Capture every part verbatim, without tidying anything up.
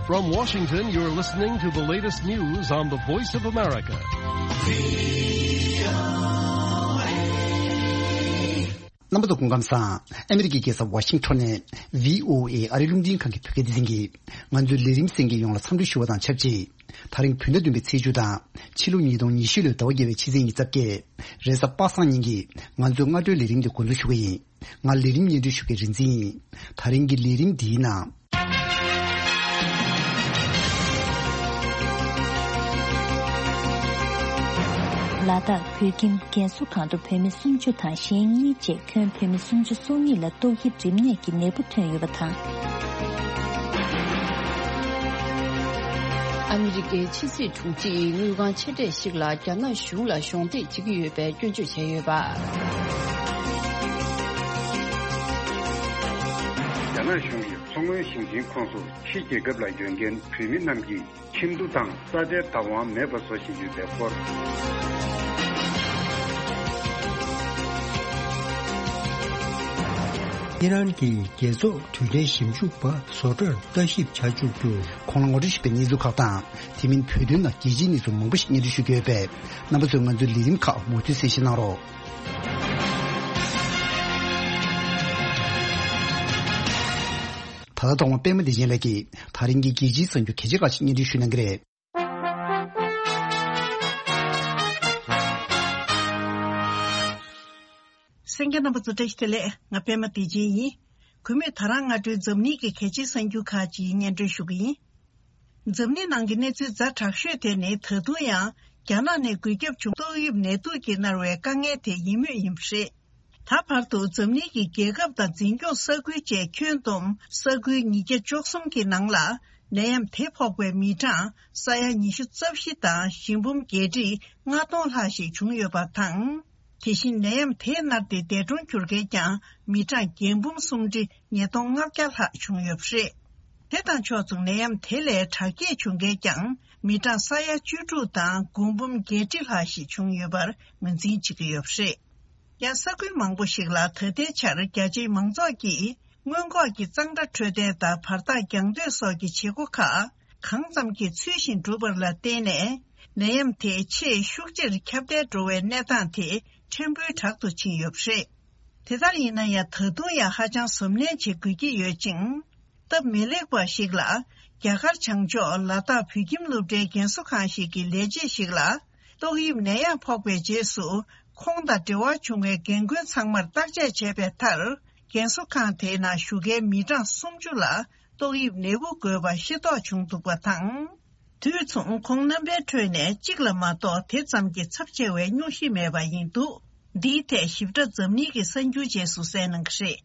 From Washington, you're listening to the latest news on the Voice of America. རྣམ་པ་ཚོ་སྐུ་ཁམས་བཟང་། ཨ་མི་རི་ཀའི་རྒྱལ་ས་ཝ་ཤིང་ཊོན་ནས་བྷི་ཨོ་ཨེ་ཨ་རིའི་རླུང་འཕྲིན་ཁང་གི་བོད་སྐད་སྡེ་ཚན་གྱིས་ང་ཚོའི་ལས་རིམ་གསན་མཁན་ཡོངས་ལ་འཚམས་འདྲི་ཞུ་བ་དང་ཆབས་ཅིག་ད་རིང་བོད་ཟླ་བདུན་པའི་ཚེས་བཅུ་དང་ཕྱི་ལོ་ཉིས་སྟོང་ཉི་ཤུ་ལོའི་ཟླ་བ་བརྒྱད་པའི་ཕྱི་ཚེས་ཉི་ཤུ་རྩ་བརྒྱད། རེས་གཟའ་པ་སངས་ཉིན་གྱི་ང་ཚོའི་སྔ་དྲོའི་ལས་རིམ་དེ་འགོ་འཛུགས་ཞུ་གི་ཡིན། ང་ལས་རིམ་སྙན་སྒྲོན་ཞུ་མཁན་རིག་འཛིན་ཡིན། ད་རིང་གི་ལས་རིམ་འདིའི་ནང་། ལ་དྭགས་བོད་ཁྱིམ་རྒན་གསོ་ཁང་དུ་བོད་མི་སུམ་ཅུ་དང་གཞན་གཉིས་བཅས་ཁྱོན་བོད་མི་སུམ་ཅུ་སོ་གཉིས་ལ་ཏོག་དབྱིབས་རིམས་ནད་ཀྱི་ནད་འབུ་ཐོན་ཡོད་པ་དང་། ཨ་མི་རི་ཀའི་ཕྱི་སྲིད་དྲུང་ཆེའི་དངུལ་ཁང་ཆེ་གྲས་ཤིག་ལ་རྒྱ་ནག་གཞུང་ལ་གཞོགས་འདེགས་བྱེད་ཀྱི་ཡོད་པའི་སྐྱོན་བརྗོད་བྱས་ཡོད་པ། རྒྱ་ནག་གཞུང་གིས་མཚོ་སྔོན་ཞིང་ཆེན་ཁོངས་སུ་ཕྱི་རྒྱལ་ཁབ་ལ་ཡོད་མཁན་བོད་མི་རྣམས་ཀྱི་ཁྱིམ་དུད་དང་ས་ཆའི་བདག་དབང་མེད་པ་བཟོ་བཞིན་ཡོད་པའི་སྐོར། ཨི་རན་གྱི་རྒྱལ་ཚོགས་དུས་དྲན་ཞིབ་འཇུག་པ་བཟོ་གྲྭར་ལྟ་ཞིབ་བྱ་བཅུག་རྒྱུ། ཁོང་ལ་ངོ་སྤྲོད་ཞུས་པའི་གནས་ཚུལ་ཁག་དང་། དེ་མིན་བོད་དོན་ནང་རྒྱལ་སྤྱིའི་གནས་ཚུལ་མང་པོ་ཞིག་སྙན་སྒྲོན་ཞུ་གི་ཡོད་པས། རྣམ་པ་ཚོས་ང་ཚོའི་ལས་རིམ་ཁག་མུ་མཐུད་གསན་བཞེས་གནང་རོགས། ད་ལྟ་ཐོག་མ་པད་མ་བདེ་ཆེན་ལགས་ཀྱིས་ད་རིང་གི་རྒྱལ་སྤྱིའི་གསར་འགྱུར་གལ་ཆེ་ཁག་ཅིག་སྙན་སྒྲོན་ཞུ་གནང་གི་རེད། གསན་མཁན་རྣམ་པ་ཚོ་བཀྲ་ཤིས་བདེ་ལེགས། ང་པད་མ་བདེ་ཆེན་ཡིན། གུས་མོས་ད་རང་སྔ་དྲོའི་འཛམ་གླིང་གི་གལ་ཆེའི་གསར་འགྱུར་ཁག་ཅིག་སྙན་སྒྲོན་ཞུ་གི་ཡིན། འཛམ་གླིང་ནང་གི་གནས་ཚུལ་ཛ་དྲག་ཤོས་དེ་ནི་ད་དུང་ཡང་རྒྱ་ནག་ནས་འགོས་ཁྱབ་བྱུང་ཏོག་དབྱིབས་ནད་དུག་གིས་མནར་བའི་དཀའ་ངལ་དེ་ཡིན་མུས་ཡིན་པ་རེད། ད་བར་དུ་འཛམ་གླིང་གི་རྒྱལ་ཁབ་དང་འཛིན་སྐྱོང་ས་ཁུལ་བཅས་ཁྱོན་བསྡོམས་ས་ཁུལ་ཉིས་བརྒྱ་བཅུ་གསུམ་གྱི་ནང་ལ་ནད་ཡམས་དེ་ཕོག་པའི་མི་གྲངས་ས་ཡ་ཉི་ཤུ་རྩ་བཞི་དང་ཞི་འབུམ་བརྒྱད་ཁྲི་ལྔ་སྟོང་ལྷག་ཞིག་བྱུང་ཡོད་པ་དང་། དེ་བཞིན་ནད་ཡམས་དེས་མནར་ཏེ་འདས་གྲོངས་གྱུར་མཁན་ཀྱང་མི་གྲངས་བརྒྱད་འབུམ་སུམ་ཁྲི་ཉིས་སྟོང་ལྔ་བརྒྱ་ལྷག་བྱུང་ཡོད་པ་རེད། དེ་དང་ཕྱོགས་མཚུངས་ནད་ཡམས་དེ་ལས་དྲག་སྐྱེད་བྱུང་མཁན་ཀྱང་མི་གྲངས་ས་ཡ་བཅུ་དྲུག་དང་དགུ་འབུམ་བརྒྱད་ཁྲི་ལྷག་ཞིག་བྱུང་ཡོད་པར་ངོས་འཛིན་བྱེད་ཀྱི་ཡོད་པ་རེད། ཡང་ས་ཁུལ་མང་པོ་ཞིག་ལ་ད་ལྟའི་ཆར་རྒྱ་ཆེའི་མང་ཚོགས་ཀྱིས་སྔོན་འགོག་གི་གཙང་སྦྲ་འཕྲོད་བསྟེན་དང་བར་ཐག་རྒྱང་སྡོད་སོགས་ཀྱི་བྱེད་སྒོ་ཁག་གང་ཙམ་གྱིས་ཚུལ་བཞིན་བསྒྲུབས་པ་ལ་བརྟེན་ནས། ནད་ཡམས་དེ་ཆེས་ཤུགས་ཆེར་ཁྱབ་གདལ་འགྲོ་བའི་གནས་སྟངས་དེ་ཕྲན་བུའི་དྲག་ཏུ་ཕྱིན་ཡོད་པ་རེད། དེ་ལྟར་ཡིན་ན་ཡང་ད་དུང་ཡང་ཧ་ཅང་གཟབ་ནན་བྱེད་དགོས་ཀྱི་ཡོད་ཅིང་། སྟབས་མི་ལེགས་པ་ཞིག་ལ། རྒྱ་གར་བྱང་ཕྱོགས་ལ་དྭགས་བོད་ཁྱིམ་སློབ་གྲྭའི་རྒན་གསོ་ཁང་ཞིག་གི་ལས་བྱེད་ཞིག་ལ། ཏོག་དབྱིབས་ནད་ཡམས་ཕོག་པའི་རྗེས་སུ། ཁོང་དང་འབྲེལ་བ་བྱུང་བའི་རྒན་རྒོན་ཚང་མར་བརྟག་དཔྱད་བྱས་པའི་མཐར། རྒན་གསོ་ཁང་དེའི་ནང་བཞུགས་མཁན་མི་གྲངས་སུམ་ཅུ་ལ། ཏོག་དབྱིབས་ནད་འབུ་འགོས་པ་ཤེས་རྟོགས་བྱུང་འདུག་པ་དང་། དུས་མཚུངས་ཁོང་རྣམ་པའི་ཁྲོད་ནས་གཅིག་ལ་མ་གཏོགས་དེ་ཙམ་གྱི་ཚབས་ཆེ་བའི་སྙུང་གཞི་མེད་པ་ཡིན་འདུག་འདིའི་ཐད་ཞིབ་ཕྲ་འཛམ་གླིང་གི་གསར་འགྱུར་རྗེས་སུ་གསན་གནང་གི་རེད།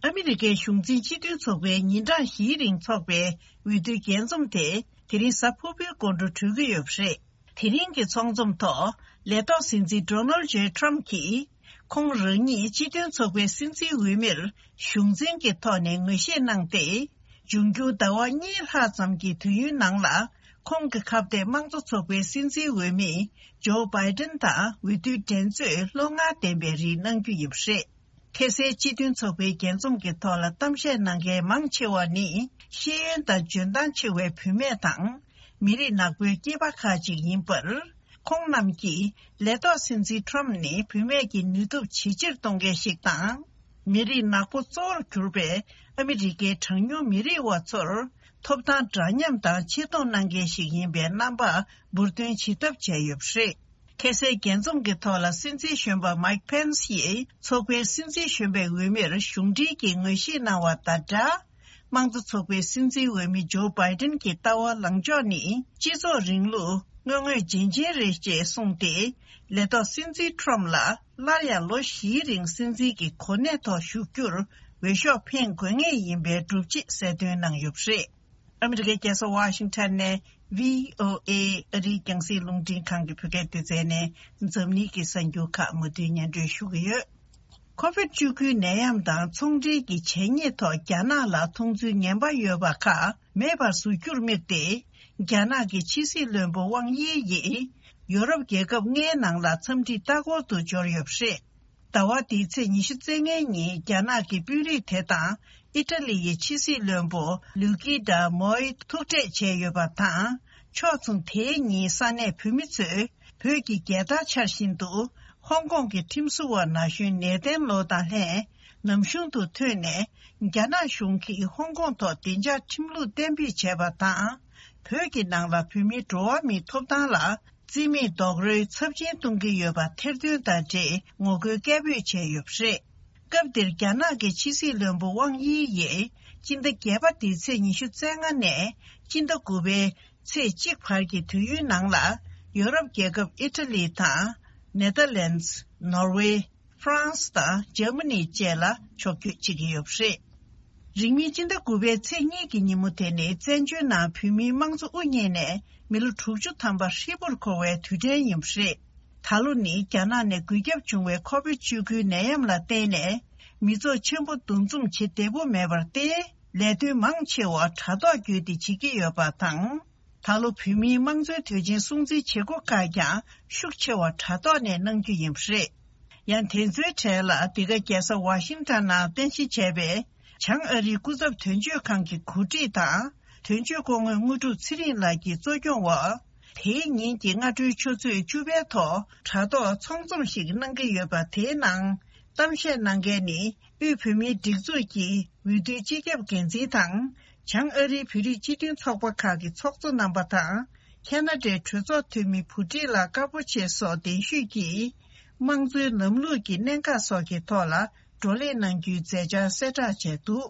ཨ་མི་རི་ཀའི་གཞུང་འཛིན་སྤྱི་མཐུན་ཚོགས་པའི་ཉིན་གྲངས་བཞིའི་རིང་འཚོགས་པའི་འོས་བསྡུའི་རྒྱས་འཛོམས་དེ་དེ་རིང་གཟའ་ཕུར་བུའི་དགོང་དྲོ་གྲོལ་གྱི་ཡོད་པ་རེད། དེ་རིང་གི་ཚོགས་འཛོམས་ཐོག་ལས་ཐོག་སྲིད་འཛིན་ཌོ་ནལ་ཇེ་ཊམ་གྱིས། ཁོང་རང་ཉིད་སྤྱི་མཐུན་ཚོགས་པའི་སྲིད་འཛིན་འོས་མིར་གཞུང་འཛིན་གྱི་ཐོག་ནས་ངོས་བཞེས་གནང་སྟེ། འབྱུང་འགྱུར་ཟླ་བ་གཉིས་ལྷག་ཙམ་གྱི་དུས་ཡུན་ནང་ལ། ཁོང་གི་ཁ་གཏད་དམངས་གཙོ་ཚོགས་པའི་སྲིད་འཛིན་འོས་མི་ཇོ་བྷའི་ཏན་དང་འོས་བསྡུའི་འགྲན་རྩོད་བློ་ངར་ལྡན་པའི་རིགས་གནང་རྒྱུ་ཡིན་པ་རེད། ཁ་སང་སྤྱི་མཐུན་ཚོགས་པའི་རྒྱས་འཛོམས་ཀྱི་ཐོག་ལ་གཏམ་བཤད་གནང་མཁན་མང་ཆེ་བ་ནི་ཤེས་ཡོན་དང་འཇོན་ཐང་ཆེ་བའི་བུད་མེད་དང་། མི་རིགས་ནག་པོའི་སྐྱེས་པ་ཁག་ཅིག་ཡིན་པར། ཁོང་རྣམས་ཀྱིས་ལས་ཐོག་སྲིད་འཛིན་ཊམ་ནི་བུད་མེད་ཀྱི་ནུས་སྟོབས་ཇེ་ཆེར་གཏོང་མཁན་ཞིག་དང་། མི་རིགས་ནག་པོ་གཙོ་བོར་གྱུར་པའི་ཨ་མི་རི་ཀའི་གྲངས་ཉུང་མི་རིགས་བ་ཚོར་ཐོབ་ཐང་འདྲ་མཉམ་དང་ཆེ་མཐོང་གནང་མཁན་ཞིག་ཡིན་པའི་རྣམ་པ་འབུར་འདོན་བྱེད་ཐབས་བྱས་ཡོད་པ་རེད། ཁ་སང་རྒྱས་འཛོམས་ཀྱི་ཐོག་ལ་སྲིད་འཛིན་གཞོན་པ་མའིག་ཕེན་སི་ཡིས་ཚོགས་པའི་སྲིད་འཛིན་གཞོན་པའི་འོས་མིར་གཞུང་འབྲེལ་གྱི་ངོས་བཞེས་གནང་བ་དང་སྦྲགས། དམངས་གཙོ་ཚོགས་པའི་སྲིད་འཛིན་འོས་མི་ཇོ་བྷའི་ཏན་གྱི་ལྟ་བ་ལངས་ཕྱོགས་ནི་སྤྱི་ཚོགས་རིང་ལུགས་དངོས་དངོས་རྗེན་རྗེན་རེད་ཅེས་གསུངས་ཏེ། ལས་ཐོག་སྲིད་འཛིན་ཊམ་ལ་སླར་ཡང་ལོ་བཞིའི་རིང་སྲིད་འཛིན་གྱི་གོ་གནས་ཐོག་བཞུགས་རྒྱུར་འོས་ཤོག་འཕེན་དགོས་ངེས་ཡིན་པའི་སྒྲུབ་བྱེད་གསལ་སྟོན་གནང་ཡོད་པ་རེད། ཨ་མི་རི་ཀའི་རྒྱལ་ས་ཝ་ཤིང་ཊོན་ནས་བྷི་ཨོ་ཨེ་ཨ་རིའི་རྒྱང་སྲིང་རླུང་འཕྲིན་ཁང་གི་བོད་སྐད་སྡེ་ཚན་ནས་འཛམ་གླིང་གི་གསར་འགྱུར་ཁག་མུ་མཐུད་སྙན་སྒྲོན་ཞུ་གི་ཡོད། ཁོ་ཝིད་བཅུ་དགུའི་ནད་ཡམས་དང་ཚོང་འབྲེལ་གྱི་བྱས་ཉེས་ཐོག་རྒྱ་ནག་ལ་མཐོང་ཚུལ་ངན་པ་ཡོད་པ་ཁག་མེད་པར་བཟོ་རྒྱུར་དམིགས་ཏེ། རྒྱ་ནག་གི་ཕྱི་སྲིད་བློན་པོ་ཝང་དབྱི་ཡིས་ཡོ་རོབ་རྒྱལ་ཁབ་ལྔའི་ནང་ལ་འཚམས་འདྲིའི་ལྟ་སྐོར་དུ་འབྱོར་ཡོད་པ་རེད། ཟླ་བ་འདིའི་ཚེས་ཉི་ཤུ་རྩ་ལྔའི་ཉིན་རྒྱ་ནག་གི་དཔོན་རིགས་དེ་དང་ཨི་ཊ་ལི་ཡི་ཕྱི་སྲིད་བློན་པོ་ལུ་ཀི་ཌ་མོའི་ཐུག་འཕྲད་བྱས་ཡོད་པ་དང་། ཕྱོགས་མཚུངས་དེའི་ཉིན་ས་གནས་བོད་མི་ཚོས་བོད་ཀྱི་རྒྱལ་དར་འཕྱར་བཞིན་དུ། ཧོང་ཀོང་གི་ཁྲིམས་བཟོ་བ་ན་གཞོན་ནེ་ཐན་ལོ་དང་ལྷན་ནམ་གཞུང་དུ་ཐོན་ནས། རྒྱ་ནག་གཞུང་གིས་ཧོང་ཀོང་ཐོག་བདེ་འཇགས་ཁྲིམས་ལུགས་གཏན་འབེབས་བྱས་པ་དང་། བོད་ཀྱི་ནང་ལ་བོད་མིའི་འགྲོ་བ་མིའི་ཐོབ་ཐང་ལ་རྩིས་མེད་རྡོག་རོལ་ཚབས་ཆེན་གཏོང་གི་ཡོད་པ་ཐེར་འདོན་དང་འབྲེལ་ངོ་རྒོལ་སྐད་འབོད་བྱས་ཡོད་པ་རེད། སྐབས་དེར་རྒྱ་ནག་གི་ཕྱི་སྲིད་བློན་པོ་ཝང་དབྱི་ཡིས་སྤྱི་ཟླ་བརྒྱད་པ་འདིའི་ཚེས་ཉི་ཤུ་རྩ་ལྔ་ནས་སྤྱི་ཟླ་དགུ་པའི་ཚེས་གཅིག་བར་གྱི་དུས་ཡུན་ནང་ལ། ཡོ་རོབ་རྒྱལ་ཁབ་ཨི་ཊ་ལི་དང་། ནེ་ཐར་ལན་སི། ནོར་ཝེ། ཧྥ་རན་སི་དང་འཇར་མ་ནི་བཅས་ལ་ཕྱོགས་བསྐྱོད་བྱེད་ཀྱི་ཡོད་པ་རེད། རིང་མིན་སྤྱི་ཟླ་དགུ་པའི་ཚེས་གཉིས་ཀྱི་ཉིན་མོ་དེ་ནི་བཙན་བྱོལ་ནང་བོད་མིའི་དམངས་གཙོ་དབུ་བརྙེས་ནས་མི་ལོ་དྲུག་ཅུ་ཐམ་པ་ཧྲིལ་པོར་འཁོར་བའི་དུས་དྲན་ཡིན་པ་རེད། ད་ལོ་ནི་རྒྱ་ནག་ནས་འགོས་ཁྱབ་བྱུང་བའི་ཁོ་བིད་བཅུ་དགུའི་ནད་ཡམས་ལ་བརྟེན་ནས། མི་ཚོགས་ཆེན་པོ་འདུ་འཛོམས་བྱེད་བདེ་པོ་མེད་པར་བརྟེན། ལས་དོན་མང་ཆེ་བ་དྲ་ཐོག་བརྒྱུད་དེ་བྱེད་ཀྱི་ཡོད་པ་དང་། ད་ལོ་བོད་མིའི་དམངས་གཙོའི་དུས་ཆེན་སྲུང་བརྩིའི་བྱེད་སྒོ་ཁག་ཀྱང་ཤུགས་ཆེ་བ་དྲ་ཐོག་ནས་གནང་རྒྱུ་ཡིན་པ་རེད། ཡང་དེ་ཚོའི་གྲས་ལ་འདི་ག་རྒྱལ་ས་ཝ་ཤིང་ཊོན་ནང་རྟེན་གཞི་བྱས་པའི་བྱང་ཨ་རིའི་སྐུ་ཚབ་དོན་གཅོད་ཁང་གི་གོ་སྒྲིག་དང་། དོན་གཅོད་སྐུ་ངོ་དངོས་གྲུབ་ཚེ་རིང་ལགས་ཀྱིས་གཙོ་སྐྱོང་འོག་དེའི་ཉིན་གྱི་སྔ་དྲོའི་ཆུ་ཚོད་བཅུ་པའི་ཐོག་དྲ་ཐོག་ཚོགས་འཛོམས་ཤིག་གནང་གི་ཡོད་པ། དེའི་ནང་གཏམ་བཤད་གནང་མཁན་ནི། དབུས་བོད་མིའི་སྒྲིག་འཛུགས་ཀྱི་འོས་བསྡུའི་སྤྱི་ཁྱབ་འགན་འཛིན་དང་། བྱང་ཨ་རིའི་བོད་རིགས་སྤྱི་མཐུན་ཚོགས་པ་ཁག་གི་ཚོགས་གཙོ་རྣམ་པ་དང་། ཁ་ན་ཌའི་གྲོས་ཚོགས་འཐུས་མི་བུ་ཁྲིད་ལགས་དཀར་པོ་ཆེ་སོགས་གདན་ཞུས་ཀྱིས། དམངས་གཙོའི་ལམ་ལུགས་ཀྱི་གནད་འགག་སོགས་ཀྱི་ཐོག་ལ་བགྲོ་གླེང་གནང་རྒྱུའི་མཛད་འཆར་གསལ་བསྒྲགས་བྱས་འདུག་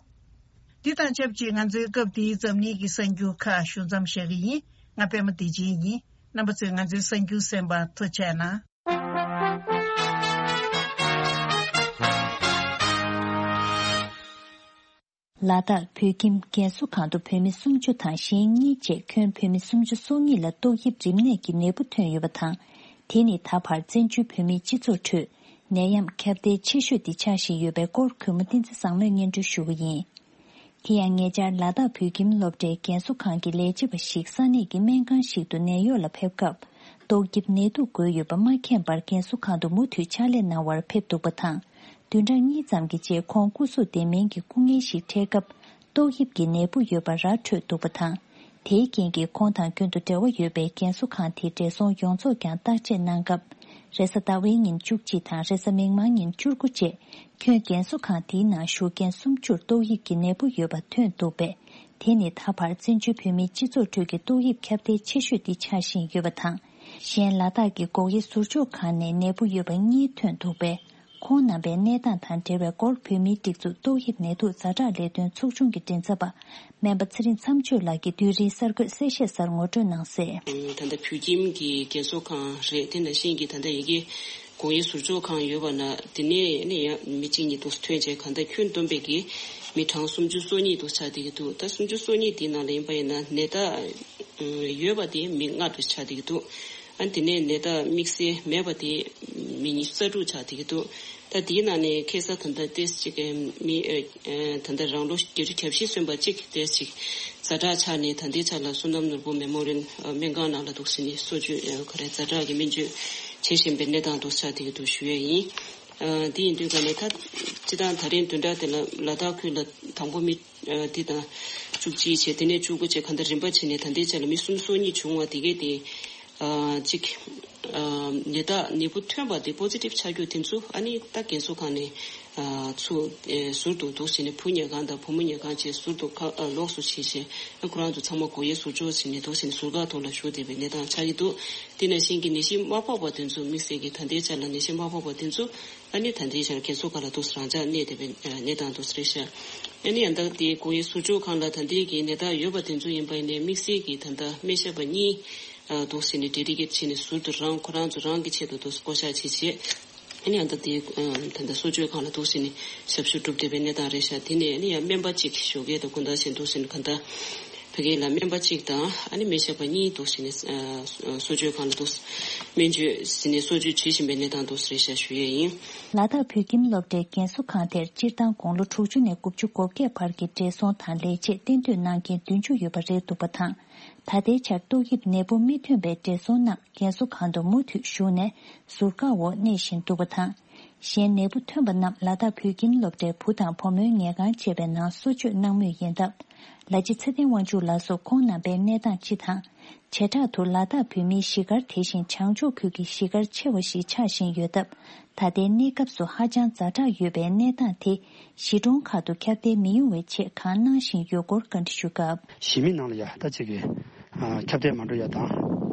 འདི་དང་ཆབས་ཅིག་ང་ཚོའི་སྐབས་འདིའི་འཛམ་གླིང་གི་གསར་འགྱུར་ཁག་ཞུ་མཚམས་བཞག་གི་ཡིན། ང་པད་མ་བདེ་ཆེན་ཡིན། རྣམ་པ་ཚོས་ང་ཚོའི་གསར་འགྱུར་གསན་པར་ཐུགས་རྗེ་གནང་། ལ་དྭགས་བོད་ཁྱིམ་རྒན་གསོ་ཁང་དུ་བོད་མི་སུམ་ཅུ་དང་གཞན་གཉིས་བཅས་ཁྱོན་བོད་མི་སུམ་ཅུ་སོ་གཉིས་ལ་ཏོག་དབྱིབས་རིམས་ནད་ཀྱི་ནད་འབུ་ཐོན་ཡོད་པ་དང་། དེ་ནི་ད་བར་བཙན་བྱོལ་བོད་མིའི་སྤྱི་ཚོགས་ཁྲོད་ནད་ཡམས་ཁྱབ་གདལ་ཆེ་ཤོས་དེ་ཆགས་བཞིན་ཡོད་པའི་སྐོར་གུས་མོ་བསྟན་འཛིན་བཟང་མོས་སྙན་སྒྲོན་ཞུ་གི་ཡིན། དེ་ཡང་ཉེ་ཆར་ལ་དྭགས་བོད་ཁྱིམ་སློབ་གྲྭའི་རྒན་གསོ་ཁང་གི་ལས་བྱེད་པ་ཞིག་ས་གནས་ཀྱི་སྨན་ཁང་ཞིག་ཏུ་ནད་གཡོག་ལ་ཕེབས་སྐབས། ཏོག་དབྱིབས་ནད་དུག་འགོས་ཡོད་པ་མ་མཁྱེན་པར་རྒན་གསོ་ཁང་དུ་མུ་མཐུད་ཕྱག་ལས་གནང་བར་ཕེབས་འདུག་པ་དང་། བདུན་ཕྲག་གཉིས་ཙམ་གྱི་རྗེས་ཁོང་སྐུ་གཟུགས་བདེ་མིན་གྱི་སྐུ་ངལ་ཞིག་འཕྲད་སྐབས། ཏོག་དབྱིབས་ཀྱི་ནད་འབུ་ཡོད་པ་ར་འཕྲོད་འདུག་པ་དང་། དེའི་རྐྱེན་གྱིས་ཁོང་དང་རྒྱུན་དུ་འབྲེལ་བ་ཡོད་པའི་རྒན་གསོ་ཁང་དེའི་བགྲེས་སོང་ཡོངས་རྫོགས་ཀྱང་བརྟག་དཔྱད་གནང་སྐབས། རེས་གཟའ་ཟླ་བའི་ཉིན་བཅུ་གཅིག་དང་རེས་གཟའ་མིག་དམར་ཉིན་བཅུ་དགུ་བཅས། ཁྱོན་རྒན་གསོ་ཁང་དེའི་ནང་བཞུགས་མཁན་སུམ་ཅུར་ཏོག་དབྱིབས་ཀྱི་ནད་འབུ་ཡོད་པ་ཐོན་འདུག་པས། དེ་ནི་ད་བར་བཙན་བྱོལ་བོད་མིའི་སྤྱི་ཚོགས་ཁྲོད་ཀྱི་ཏོག་དབྱིབས་ཁྱབ་གདལ་ཆེ་ཤོས་འདི་ཆགས་བཞིན་ཡོད་པ་དང་། གཞན་ལ་དྭགས་ཀྱི་སྒོག་དབྱེ་ཟུར་འཇོག་ཁང་ནས་ནད་འབུ་ཡོད་པ་གཉིས་ཐོན་འདུག་པས། ཁོང་རྣམ་པའི་གནས་སྟངས་དང་འབྲེལ་བའི་སྐོར་བོད་མིའི་སྒྲིག་འཛུགས་ཏོག་དབྱིབས་ནད་དུག་ཛ་དྲག་ལས་དོན་ཚོགས་ཆུང་གི་མགྲིན་ཚབ་པ་སྨན་པ་ཚེ་རིང་མཚམས་གཅོད་ལགས་ཀྱིས་དུས་རིང་གསར་འགོད་གསལ་བཤད་གསར་ངོ་སྤྲོད་གནང་གསལ། ད་ལྟ་བོད་ཁྱིམ་གྱི་རྒན་གསོ་ཁང་རེད། དེ་ནང་བཞིན་གྱི་ད་ལྟ་ཡི་གེ་སྒོག་དབྱེ་ཟུར་འཇོག་ཁང་ཡོད་པ་ན། དེ་ནས་ནི་ཡང་མི་གཅིག་གཉིས་འདུག་ཐོན་བྱས་གང་ལྟར་ཁྱོན་བསྡོམས་པས་ཀྱི་མི་གྲངས་སུམ་ཅུ་སོ་གཉིས་འདུག་ཆགས་བསྡད་ཀྱི་འདུག་ད་སུམ་ཅུ་སོ་གཉིས་དེའི་ནང་ལ་ཡིན་པ་ཡིན་ན་ནད་རྟགས་ཡོད་པ་དེ་མི་ལྔ་འདུག་ཆགས་བསྡད་ཀྱི་འདུག་ཨ་དེ་ནས་ནད་རྟགས་དམིགས་བསལ་མེད་པ་དེ་མི་ཉི་ཤུ་རྩ་དྲུག་ཆགས་བསྡད་ཀྱི་འདུག་ད་དེའི་ནང་ནས་ཁ་སང་ད་ལྟ་ཏོག་ཙམ་ཅིག་མི་ཨ་ད་ལྟ་རང་ལོ་བརྒྱད་ཅུ་གྱ་བཞི་སོན་པ་གཅིག་ཏོག་ཙམ་ཅིག་ཛ་དྲག་ཆགས་ནས་ད་ལྟའི་ཆ་ལ་བསོད་ནམས་ནོར་བུ་མེ་མོ་རི་ཡལ་སྨན་ཁང་ནང་ལ་འདུག་ཟེར་ནས་གསོ་བཅོས་ཨ་ག་རེ་ཛ་དྲག་གི་སྨན་བཅོས་བྱེད་བཞིན་པའི་གནས་སྟངས་འདུག་ཆགས་བསྡད་ཀྱི་འདུག་ཞུ་ཡས་ཡིན། ཨ་དེ་ཡིན་དུས་ག་ནས་ད་སྤྱི་བཏང་ད་རིང་བདུན་ཕྲག་དེ་ལ་ལ་དྭགས་ཁུལ་ལ་དང་པོ་མི་ཨ་དེ་དང་བཅུ་གཅིག་བྱས། དེ་ནས་བཅུ་དགུ་བྱས། གང་ལྟར་རིམ་པ་བྱས་ནས་ད་ལྟའི་ཆ་ལ་མི་སུམ་ཅུ་སོ་གཉིས་བྱུང་བ་དེ་གས་དེ། ཨ་གཅིག་ཨ་ནད་རྟགས་ནད་འབུ་ཐོན་པ་དེ་པོ་ཛི་ཊིབ་ཆགས་རྒྱུ་དེ་ཚོ་ཨ་ནི་ད་རྒན་གསོ་ཁང་ནས་ཨ་ཚུར་ཨེ་ཟུར་དུ་འདུག་བྱས་ནས་བུ་ཉལ་ཁང་དང་བུ་མོ་ཉལ་ཁང་བཅས་ཟུར་དུ་ཁ་ཨ་ལོགས་སུ་བྱས་བྱས། ཨ་ཁོ་རང་ཚོ་ཚང་མ་སྒོག་དབྱེ་ཟུར་འཇོག་བྱས་ནས་འདུག་བྱས་ནས་ཟུར་བཀག་ཐོག་ལ་བཞུགས་བསྡད་པའི་གནས་སྟངས་ཆགས་ཀྱི་འདུག་དེ་ནང་བཞིན་གྱི་ནད་གཞི་མ་ཕོག་པ་དེ་ཚོ་དམིགས་བསལ་གྱི་ད་ལྟའི་ཆ་ལ་ནད་གཞི་མ་ཕོག་པ་དེ་ཚོ་ཨ་ནི་ད་ལྟའི་ཆར་རྒན་གསོ་ཁང་ལ་འདུག་རང་འཇགས་གནས་བསྡད་པའི་གནས་སྟངས་འདུག་རེད་ཤག་ཨ་ནི་ཡང་ད་དེ་སྒོག་དབྱེ་ཟུར་འཇོག་ཁང་ལ་ད་ལྟའི་གི་ནད་རྟགས་ཡོད་པ་དེ་ཚོ་ཡིན་པ་ཡིན་ནའི་དམིགས་བསལ་གྱི་ད་ལྟ་སྨན་ཞབས་པ་གཉིས་འདུག་ཟེར་ནས་ཌེ་ཌི་ཀེཊ་བྱས་ནས་ཟུར་དུ་རང་ཁོ་རང་ཚོ་རང་གི་ཆེད་དུ་འདུག་བསྐོ་བཞག་བྱས་བྱས། ཨ་ནི་ཡང་ད་དེ་ད་ལྟ་གསོ་བཅོས་ཁང་ལ་འདུག་ཟེར་ནས་ཞབས་ཞུ་སྒྲུབ་བསྡད་པའི་གནས་སྟངས་རེད་ཤག་དེ་ནས་ཨ་ནི་ཡང་སྨན་པ་གཅིག་ཞོགས་ཀས་དང་དགོང་དག་བྱས་འདུག་ཟེར་ནས་གང་ལྟར། བོད་སྐད་ལ་སྨན་པ་གཅིག་དང་ཨ་ནི་སྨན་ཞབས་པ་གཉིས་འདུག་ཟེར་ནས་ཨ་གསོ་བཅོས་ཁང་ལ་འདུག་སྨན་བཅོས་ཟེར་ནས་གསོ་བཅོས་བྱེད་བཞིན་པའི་གནས་སྟངས་འདུག་ཟེར་ཤག་ཞུ་ཡས་ཡིན། ལ་དྭགས་བོད་ཁྱིམ་སློབ་གྲྭའི་རྒན་གསོ་ཁང་དེར་སྤྱིར་བཏང་དགུང་ལོ་དྲུག་ཅུ་ནས་དགུ་བཅུ་གོ་བརྒྱད་བར་གྱི་བགྲེས་སོང་དང་ལས་བྱེད་གཏན་སྡོད་གནང་མཁན་བདུན་ཅུ་ཡོད་པ་རེད་འདུག་པ་དང་། ད་ལྟའི་ཆར་ཏོག་དབྱིབས་ནད་འབུ་མི་ཐོན་པའི་བགྲེས་སོང་རྣམས་རྒན་གསོ་ཁང་དུ་མུ་མཐུད་བཞུགས་ནས་ཟུར་བཀག་འོག་གནས་བཞིན་འདུག་པ་དང་། གཞན་ནད་འབུ་ཐོན་པ་རྣམས་ལ་དྭགས་བོད་ཁྱིམ་སློབ་གྲྭའི་བུ་དང་བུ་མོའི་ཉལ་ཁང་བཅས་པའི་ནང་གསོ་བཅོས་གནང་མུས་ཡིན་སྟབས། ལ་རྗེ་ཚེ་བརྟན་དབང་ཕྱུག་ལགས་སུ་ཁོང་རྣམ་པའི་གནས་སྟངས་སྤྱི་དང་། བྱེ་བྲག་ཏུ་ལ་དྭགས་བོད་མིའི་གཞིས་སྒར་དེ་བཞིན་བྱང་ཕྱོགས་ཁུལ་གྱི་གཞིས་སྒར་ཆེ་བ་ཞིག་ཆགས་བཞིན་ཡོད་སྟབས། ད་ལྟའི་གནས་སྐབས་སུ་ཧ་ཅང་ཛ་དྲག་ཡོད་པའི་གནས་སྟངས་དེ་གཞིས་གྲོང་ཁག་ཏུ་ཁྱབ་གདལ་མི་ཡོང་བའི་ཆེད་གང་གནང་བཞིན་ཡོད་སྐོར་བཀའ་འདྲི་ཞུ་སྐབས། གཞིས་མི་ནང་ལ་ཡ་ད་ཅིག་གི་ཁྱབ་གདལ་མ་འགྲོ་ཡ་དང་།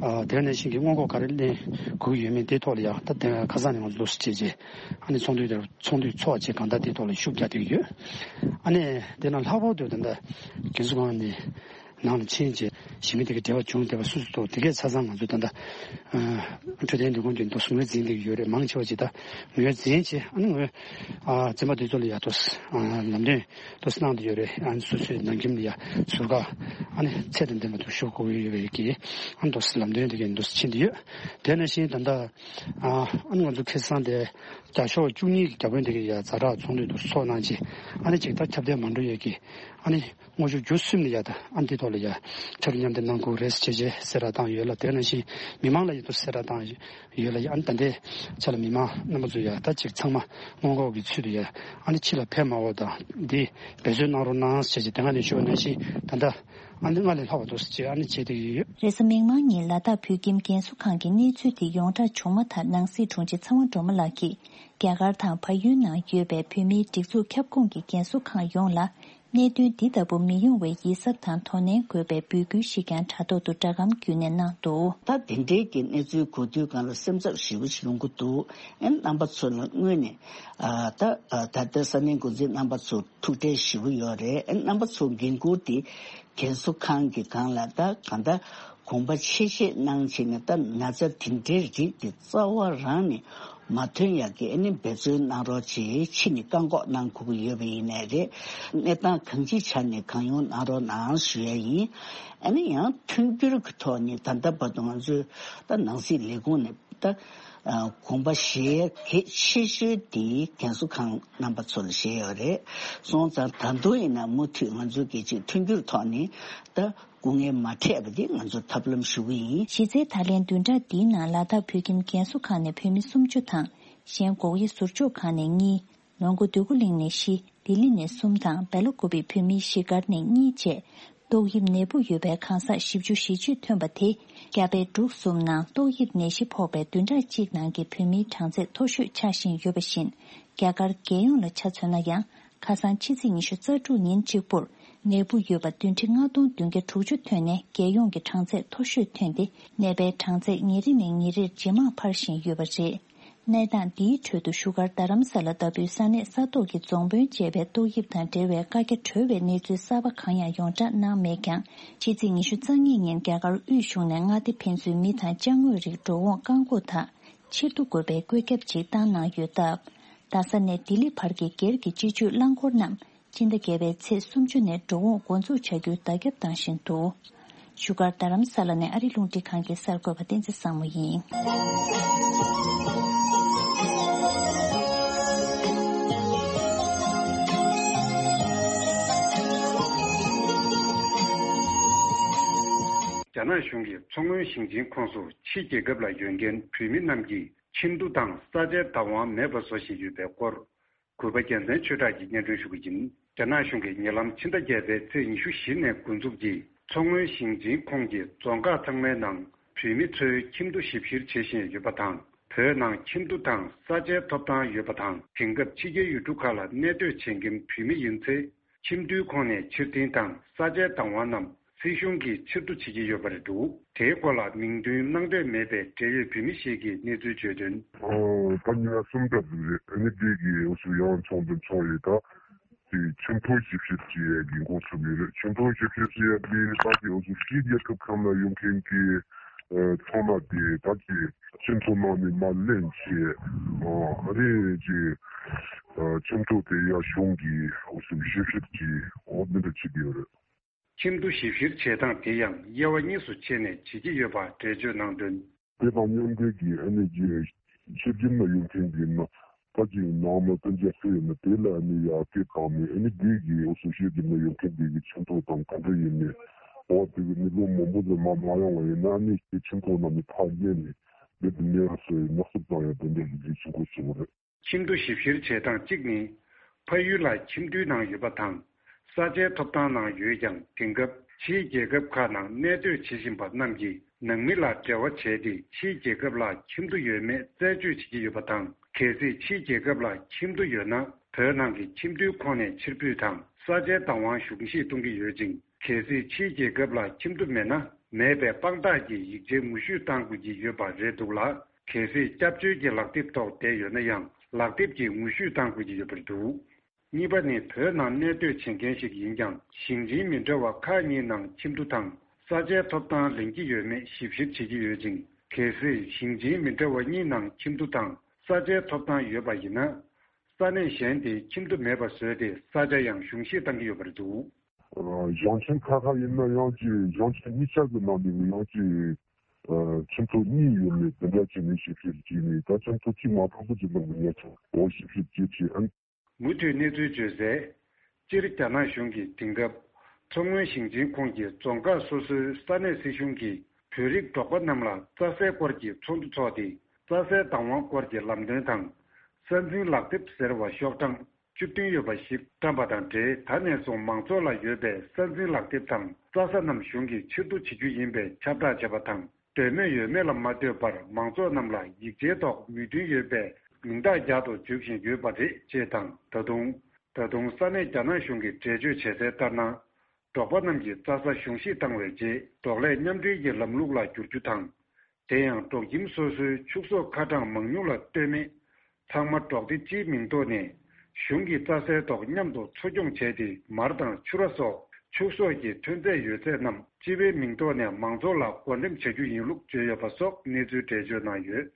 དེ་ནང་བཞིན་གྱི་སྔོན་འགོག་ག་རེ་ལེན་དགོས་ཀྱི་ཡོད་མེད་དེའི་ཐོག་ལ་ཡ་ད་དེ་ཁ་སང་ནས་ང་ཚོ་འདུག་སེ་བྱས་རྗེས་ཨ་ནི་ཚོགས་འདུ་དེར་ཚོགས་འདུ་ཚོགས་རྗེས་གང་ལྟར་དེའི་ཐོག་ལ་ཤུགས་རྒྱག་བསྡད་ཀྱི་ཡོད། ཨ་ནི་དེ་ནང་ལྷག་པར་དུ་ད་ལྟ་རྒན་གསོ་ཁང་ནས་ནང་ལ་ཕྱིན་རྗེས་གཞིས་མི་དེ་གའི་འབྲེལ་བ་བྱུང་བསྡད་པ་སོ་སོ་ཐོག་དེ་གས་ཆ་ཚང་ང་ཚོ་ད་ལྟ་འཕྲོད་བསྟེན་ལས་ཁུངས་ཀྱི་འདུག་སེ་ངོས་འཛིན་བསྡད་ཀྱི་ཡོད་རེད། མང་ཆེ་བ་ཅིག་ད་ངོས་འཛིན་བྱས་ཨ་ནི་ངོས་ཨ་འཛིན་པ་དེ་ཚོ་ལ་ཡ་ཐོག་ལམ་སྟོན། འདུག་སེ་གནང་བསྡད་ཡོད་རེད། ཨ་ནི་སོ་སོའི་ནང་ཁྱིམ་ལ་ཡ་ཟུར་བཀག་ཨ་ནི་ཚད་དང་ལྡན་པ་འདུག་ཞུ་དགོས་ཀྱི་ཡོད་པའི་གི་ཨ་ནི་འདུག་སེ་ལམ་སྟོན་དེ་གའི་འདུག་སེ་ཕྱིན་བསྡད་ཡོད། དེ་ནང་བཞིན་ད་ལྟ་ཨ་ཨ་ནི་ང་ཚོ་ཁ་སང་དེ་བརྒྱ་ཤོག་བཅུ་གཉིས་ཀྱི་བརྒྱ་དཔོན་དེ་གའི་ཡ་ཛ་དྲག་ཚོགས་འདུ་འདུག་སེ་ཚོགས་གནང་རྗེས་ཨ་ནི་ཅིག་ད་ཁྱབ་གདལ་མ་འགྲོ་ཡས་ཀྱི་ཨ་ནི་སྔོན་ཆད་རྒྱུ་གསུམ་ལ་ཡ་ད་ཨ་ནི་དེ་ཐོག་ལ་ཡ་ཆ་རུ་མཉམ་འདེགས་གནང་དགོས་རེད་ཟེར་བྱས་རྗེས་གསལ་བསྒྲགས་བཏང་ཡོད་ལ། དེ་ནང་བཞིན་མི་མང་ལ་ཡ་འདུག་སེ་གསལ་བསྒྲགས་བཏང་ཡོད། ཡོད་ལ་ཡང་ད་ལྟའི་ཆ་ལ་མི་མང་རྣམ་པ་ཚོ་ཡ་ད་ཅིག་ཚང་མ་སྔོན་འགོག་གི་ཚུལ་དུ་ཡ་ཨ་ནི་ཕྱི་ལ་ཕེབས་མ་འོང་དང་འདི་འབད་བརྩོན་གནང་རོགས་གནང་ཟེར་བྱས་དེ་སྔ་ནས་ཞུ་བ་ནང་བཞིན་ད་ལྟ་ཨ་ནི་སྔར་ལས་ལྷག་པ་འདུག་ཟེར་བྱས་ཨ་ནི་བྱས་བསྡད་ཀྱི་ཡོད། རེས་གཟའ་མིག་དམར་ཉིན་ལ་དྭགས་བོད་ཁྱིམ་རྒན་གསོ་ཁང་གི་གནས་ཚུལ་དེ་ཡོངས་གྲགས་བྱུང་མ་ཐག་ནང་སྲིད་དྲུང་ཆེ་ཚེ་དབང་སྒྲོལ་མ་ལགས་ཀྱིས་རྒྱ་གར་དང་བལ་ཡུལ་ནང་ཡོད་པའི་བོད་མིའི་སྒྲིག་འཛུགས་ཁྱབ་ཁོངས་ཀྱི་རྒན་གསོ་ཁང་ཡོངས་ལ། གནད་དོན་འདི་ལྟ་བུ་མི་ཡོང་བའི་ཡིད་གཟབ་དང་དོ་ནན་དགོས་པའི་འབོད་སྐུལ་ཞིག་ཀྱང་དྲ་ཐོག་ཏུ་སྒྲ་སྒམ་བརྒྱུད་ནས་གནང་འདུག་ད་དེ་འདྲའི་གི་གནས་ཚུལ་གོ་དུས་སྒང་ལ་སེམས་འཚབ་ཞེ་པོ་ཞིག་ཡོང་གི་འདུག་ཨེ་རྣམ་པ་ཚོ་ལ་དངོས་ནས་ཨ་ད་ཨ་ད་ལྟ་ས་གནས་འགོ་འཛིན་རྣམ་པ་ཚོ་ཐུགས་ཁྲལ་ཞེ་པོ་ཡོད་རེད། ཨེ་རྣམ་པ་ཚོ་འགན་འཁུར་དེ་རྒན་གསོ་ཁང་གི་སྒང་ལ་ད་གང་ལྟར་གོམ་པ་ཕྱེ་བཤད་གནང་བྱས་ནས་ད་ན་ཚ་དེ་འདྲའི་རིགས་དེ་རྩ་བ་རང་ནས་མ་ཐོན་ཡག་གི་ཨ་ནི་འབད་བརྩོན་གནང་རོགས་བྱེད། ཕྱི་ནས་བཀག་འགོག་གནང་དགོས་ཀྱི་ཡོད་པ་ཡིན་ནའི་རེད། གནས་སྟངས་གང་ཅིའི་ཆ་ནས་གང་ཡོང་གནང་རོགས་གནང་ཞུ་ཡ་ཡིན། ཨ་ནི་ཡང་མཐུན་འགྱུར་གྱི་ཐོག་ནས་ད་ལྟ་བར་དུ་ང་ཚོས་ད་ནང་སྲིད་ལས་ཁུངས་ནས་ད་ཨ་དགོངས་པ་བཞེས་གལ་ཆེ་ཤོས་དེ་རྒན་གསོ་ཁང་རྣམ་པ་ཚོ་ལ་བཞེས་ཡོད་རེད། སོང་ཙང་ད་དུང་ཡིན་ན་མུ་མཐུད་ང་ཚོ་གི་ཅིག་མཐུན་འགྱུར་ཐོག་ནས་ད། སྐུ་ངལ་མ་འཕྲད་པ་དེ་ང་ཚོ་ཐབས་ལམ་ཞུ་གི་ཡིན། གཞི་རྩའི་ད་ལན་བདུན་ཕྲག་འདིའི་ནང་ལ་དྭགས་བོད་ཁྱིམ་རྒན་གསོ་ཁང་ནས་བོད་མི་སུམ་ཅུ་དང་། གཞན་སྒོག་དབྱེ་ཟུར་འཇོག་ཁང་ནས་གཉིས། ལོངས་སྐུ་འདོད་རྒུ་གླིང་ནས་བཞི། ལྡི་ལི་ནས་གསུམ་དང་སྦེལ་ཀོབ་བོད་མིའི་གཞིས་སྒར་ནས་གཉིས་བཅས། ཏོག་དབྱིབས་ནད་འབུ་ཡོད་པའི་གང་ཟག་བཞི་བཅུ་ཞེ་གཅིག་ཐོན་པ་དེ། རྒྱ་བལ་འབྲུག་གསུམ་ནང་ཏོག་དབྱིབས་ནད་གཞི་ཕོག་པའི་བདུན་ཕྲག་གཅིག་ནང་གི་བོད་མིའི་གྲངས་ཚད་མཐོ་ཤོས་ཆགས་བཞིན་ཡོད་པ་བཞིན། རྒྱ་གར་རྒྱལ་ཡོངས་ལ་ཆ་མཚོན་ན་ཡང་། ཁ་སང་ཕྱི་ཚེས་ཉི་ཤུ་རྩ་དྲུག་ཉིན་གཅིག་པུར་ནད་འབུ་ཡོད་པ་བདུན་ཁྲི་ལྔ་སྟོང་བདུན་བརྒྱ་དྲུག་ཅུ་ཐོན་ནས་རྒྱལ་ཡོངས་ཀྱི་གྲངས་ཚད་མཐོ་ཤོས་ཐོན་ཏེ། ནད་པའི་གྲངས་ཚད་ཉིན་རེ་ནས་ཉིན་རེར་ཇེ་མང་འཕར་བཞིན་ཡོད་པ་རེད། གནས་སྟངས་འདིའི་ཁྲོད་དུ་བཞུགས་སྒར་རྡ་རམ་ས་ལ་ལྟ་བུའི་ས་གནས་ས་ཐོག་གི་རྫོང་དཔོན་བཅས་པས་ཏོག་དབྱིབས་དང་འབྲེལ་བའི་བཀའ་རྒྱ་གྲོལ་བའི་གནས་ཚུལ་གསར་པ་གང་ཡང་ཡོངས་གྲགས་གནང་མེད་ཀྱང་། ཕྱི་ཚེས་ཉི་ཤུ་རྩ་གཉིས་ཉིན་རྒྱ་གར་དབུས་གཞུང་ནས་མངའ་སྡེ་ཕན་ཚུན་མི་དང་ཅ་དངོས་རིགས་འགྲོ་འོང་བཀག་འགོག་དང་། ཕྱིར་བསྡུ་དགོས་པའི་བཀོད་ཁྱབ་ཅིག་བཏང་གནང་ཡོད་སྟབས། རྡ་ས་ནས་ལྡི་ལི་བར་གྱི་སྒེར་གྱི་སྤྱི་སྤྱོད་རླངས་འཁོར་རྣམས་སྤྱི་ཟླ་བརྒྱད་པའི་ཚེས་སུམ་ཅུ་ནས་འགྲོ་འོང་འགོ་འཛུགས་བྱ་རྒྱུའི་བརྡ་ཁྱབ་བཏང་བཞིན་འདུག་བཞུགས་སྒར་རྡ་རམ་ས་ལ་ནས་ཨ་རི་རླུང་འཕྲིན་ཁང་གི་གསར་འགོད་པ་བསྟན་འཛིན་བཟང་མོ་ཡིན། རྒྱ་ནག་གཞུང་གིས་མཚོ་སྔོན་ཞིང་ཆེན་ཁོངས་སུ་ཕྱི་རྒྱལ་ཁབ་ལ་ཡོད་མཁན་བོད་མི་རྣམས་ཀྱི་ཁྱིམ་དུད་དང་ས་ཆའི་བདག་དབང་མེད་པ་བཟོ་བཞིན་ཡོད་པའི་སྐོར། གུས་པ་རྒྱལ་མཚན་ཆོས་གྲགས་ཀྱིས་སྙན་སྒྲོན་ཞུ་གི་ཡིན། རྒྱ་ནག་གཞུང་གིས་ཉེ་ལམ་ཕྱི་ཟླ་བརྒྱད་པའི་ཚེས་ཉི་ཤུ་བཞི་ནས་འགོ་འཛུགས་ཀྱིས་མཚོ་སྔོན་ཞིང་ཆེན་ཁོངས་ཀྱི་རྫོང་ཁག་ཚང་མའི་ནང་བོད་མི་ཚོའི་ཁྱིམ་དུད་ཞིབ་བཤེར་བྱེད་བཞིན་ཡོད་པ་དང་། བོད་ནང་ཁྱིམ་དུད་དང་ས་ཆའི་ཐོབ་ཐང་ཡོད་པ་དང་། དེང་སྐབས་ཕྱི་རྒྱལ་ཡུལ་གྲུ་ཁག་ལ་གནས་སྡོད་བྱེད་མཁན་བོད་མི་ཡིན་ཚེ། ཁྱིམ་དུད་ཁོངས་ནས་ཕྱིར་འཐེན་དང་ས་ཆའི་བདག་དབང་རྣམས་སྲིད་གཞུང་གིས་ཕྱིར་བསྡུ་བྱེད་ཀྱི་ཡོད་པ་རེད་འདུག་དེའི་སྐོར་ལ་མིང་འདོན་གནང་འདོད་མེད་པའི་འབྲེལ་ཡོད་བོད་མི་ཞིག་གིས་གནས་ཚུལ་བརྗོད་དོན། ཨོ། ད་ཉིན་གསུམ་ཙམ་ཟིག་རེད། ཨ་ནི་དེ་གི་འུ་ཚོ་ཡང་ཚོགས་འདུ་ཚོགས་ཡོད་ད། དེ་ཁྱིམ་ཐོག་ཞིབ་བཤེར་བྱེད་ཡས་ཀྱི་འགོ་ཚུགས་ཡོད་རེད། ཁྱིམ་ཐོག་ཞིབ་བཤེར་བྱེད་ཡས་དེ་ད་གི་འུ་ཚོ་ཕྱི་རྒྱལ་ཁབ་ཁག་ན་ཡོད་མཁན་གྱི་ཚོང་ལས་དེ་ད་གི་སྤྱི་ཚོགས་ནང་ནས་མར་ལེན་བྱས། ཨ་ནི་ཅི་ཁྱིམ་ཐོག་དེ་ཡ་གཞུང་གི་འུ་ཚོ་ཞིབ་བཤེར་གྱི་འོག་མི་འདྲ་བྱེད་ཀྱི་ཡོད་རེད། ཁྱིམ་དུད་ཞིབ་བཤེར་བྱེད་སྟངས་དེ་ཡང་དབྱེ་བ་གཉིས་སུ་ཕྱེ་ནས་བྱེད་ཀྱི་ཡོད་པ་འགྲེལ་བརྗོད་གནང་དོན། དེ་དང་མཉམ་འབྲེལ་གྱིས་ཨ་ནི་ཅི་ཕྱི་རྒྱལ་ན་ཡོད་མཁན་གྱི་ན་ད་ཅི་ནང་ལ་གཏན་འཇགས་སུ་ཡོད་ན་དེ་ལ་ཨ་ནི་ཡར་སྐད་བཏང་ནས་ཨ་ནི་དེ་གི་འུ་ཚོ་ཕྱི་རྒྱལ་ན་ཡོད་མཁན་དེ་གི་ཁྱིམ་ཐོག་དང་ག་འདྲ་ཡིན་ནས་འོ་དེ་གི་ནི་ལོ་མང་པོ་ཙམ་མ་མ་ཡོང་བ་ཡིན་ན་ཨ་ནི་ཁྱིམ་ཐོག་ནང་ནས་ཕར་གཡར་ནས། དེ་འདི་འདྲའི་སོ་ཡི་ནག་སུབ་བཏང་ཡ་དེ་འདྲའི་ལས་འགུལ་བྱེད་དགོས་བྱུང་བ་རེད། ཁྱིམ་ཐོ་ཞིབ་བཤེར་བྱེད་སྟངས་གཅིག་ནི། ཕ་ཡུལ་ལ་ཁྱིམ་ཐོའི་ནང་ཡོད་པ་དང་། ས་ཆའི་ཐོབ་ཐང་ནང་ཡོད་ཀྱང་། དེང་སྐབས་ཕྱིའི་རྒྱལ་ཁབ་ཁག་ནང་གནས་སྡོད་བྱེད་བཞིན་པ་རྣམས་ཀྱིས་ནང་མི་ལ་འབྲེལ་བ་བྱས་ཏེ། ཕྱིའི་རྒྱལ་ཁབ་ལ་ཁྱིམ་ཐོ་ཡོད་མེད་རྩད་གཅོད་བྱེད་ཀྱི་ཡོད་པ་དང་། གལ་སྲིད་ཕྱིའི་རྒྱལ་ཁབ་ལ་ཁྱིམ་ཐོ་ཡོད་ན། བོད་ནང་གི་ཁྱིམ་ཐོའི་ཁོངས་ནས་ཕྱིར་འབུད་དང་། ས་ཆའི་བདག་དབང་གཞུང་བཞེས་གཏོང་གི་ཡོད་ཅིང་། གལ་སྲིད་ཕྱིའི་རྒྱལ་ཁབ་ལ་ཁྱིམ་ཐོ་མེད་ན། མེད་པའི་དཔང་རྟགས་ཀྱི་ཡིག་ཆའི་ངོ་བཤུས་གཏང་དགོས་ཀྱི་ཡོད་པ་རེད་འདུག་ལ། གལ་སྲིད་སྐྱབས་བཅོལ་གྱི་ལག་དེབ་ཐོག་བསྡད་ཡོད་ན་ཡང་། ལག་དེབ་ཀྱི་ངོ་བཤུས་གཏང་དགོས་ཀྱི་ཡོད་པ་རེད་འདུག་གཉིས་པ་ནི། བོད་ནང་གནས་སྡོད་བྱེད་མཁན་ཞིག་ཡིན་ཀྱང་། ཞིང་ཆེན་མི་འདྲ་བ་ཁག་གཉིས་ནང་ཁྱིམ་ཐོ་དང་ས་ཆའི་ཐོབ་ཐང་ལེན་གྱི་ཡོད་མེད་ཞིབ་བཤེར་བྱེད་ཀྱི་ཡོད་ཅིང་། གལ་སྲིད་ཞིང་ཆེན་མི་འདྲ་བ་གཉིས་ནང་ཁྱིམ་ཐོ་དང་ས་ཆའི་ཐོབ་ཐང་ཡོད་པ་ཡིན་ན། ས་གནས་གཞན་དེའི་ཁྱིམ་ཐོ་མེད་པ་བཟོས་ཏེ། ས་ཆ་ཡང་གཞུང་བཞེས་གཏང་གི་ཡོད་པ་རེད་འདུག་ཞིང་ཆེན་ཁག་ཁག་ཡིན་ན་ཡང་ཅིག་ཞིང་ཆེན་གཉིས་ཆ་གི་ནང་ནས་ཡང་ཅིག་ཁྱིམ་ཐོ་གཉིས་ཡོད་མེད་དེ་འདྲ་བྱས་ནས་ཞིབ་བཤེར་བྱས་ནས། ད་ཁྱིམ་ཐོ་གཅིག་མ་ཐོབ་པ་ཅིག་ལ་མི་ཉེ་ཆར་འོ་ཞིབ་བཤེར་བྱས་བྱས། ཨ། མུ་མཐུད་གནས་ཚུལ་བརྗོད་གསལ། སྤྱིར་རྒྱ་ནག་གཞུང་གིས་དེང་སྐབས་མཚོ་སྔོན་ཞིང་ཆེན་ཁོངས་ཀྱི་རྫོང་ཁག་སོ་སོའི་ས་གནས་སྲིད་གཞུང་གིས་བོད་རིགས་འབྲོག་པ་རྣམས་ལ་རྩྭ་སའི་སྐོར་གྱི་ཚོགས་འདུ་འཚོགས་ཏེ། རྩྭ་སའི་བདག་དབང་སྐོར་གྱི་ལམ་སྟོན་དང་། ས་འཛིན་ལག་དེབ་ཟེར་བ་ཤོག་གྲངས་བཅུ་བདུན་ཡོད་པ་ཞིག་བཀྲམ་པ་དང་འབྲེལ། ད་ནས་བཟུང་མང་ཚོགས་ལ་ཡོད་པའི་ས་འཛིན་ལག་དེབ་དང་རྩྭ་ས་རྣམས་གཞུང་གིས་ཕྱིར་བསྡུ་བྱེད་རྒྱུ་ཡིན་པའི་ཁྱབ་བསྒྲགས་བྱས་པ་དང་། འདོད་མོས་ཡོད་མེད་ལ་མ་ལྟོས་པར། མང་ཚོགས་རྣམས་ལ་ཡིག་ཆའི་ཐོག་མོས་མཐུན་ཡོད་པའི་མིང་རྟགས་རྒྱག་ཏུ་འཇུག་བཞིན་ཡོད་པ་རེད་ཅེས་དང་། ད་དུང་། ད་དུང་ས་གནས་རྒྱ་ནག་གཞུང་གིས་འགྲེལ་བརྗོད་བྱས་གསལ་ལྟར་ན། འབྲོག་པ་རྣམས་ཀྱི་རྩྭ་ས་གཞུང་བཞེས་བཏང་བའི་རྗེས། འབྲོག་ལས་མཉམ་འབྲེལ་གྱི་ལམ་ལུགས་ལ་བསྒྱུར་རྒྱུ་དང་། དེ་ཡང་འབྲོག་ཁྱིམ་སོ་སོའི་ཕྱུགས་ཟོག་ཁ་གྲངས་མང་ཉུང་ལ་ལྟོས་མེད། ཚང་མ་འབྲོག་སྡེ་སྤྱིའི་མིང་ཐོག་ནས་གཞུང་གི་རྩྭ་སའི་ཐོག་མཉམ་དུ་འཚོ་སྐྱོང་བྱས་ཏེ། མར་དང་ཕྱུར་ར་སོགས་ཕྱུགས་ཟོག་གི་ཐོན་རྫས་ཡོད་ཚད་རྣམས་སྤྱི་པའི་མིང་ཐོག་ནས་མང་ཚོགས་ལ་བགོ་འགྲེམས་བྱ་རྒྱུ་ཡིན་ལུགས་བརྗོད་ཡོད་པ་སོགས་གནས་ཚུལ་འགྲེལ་བརྗོད་གནང་ཡོད།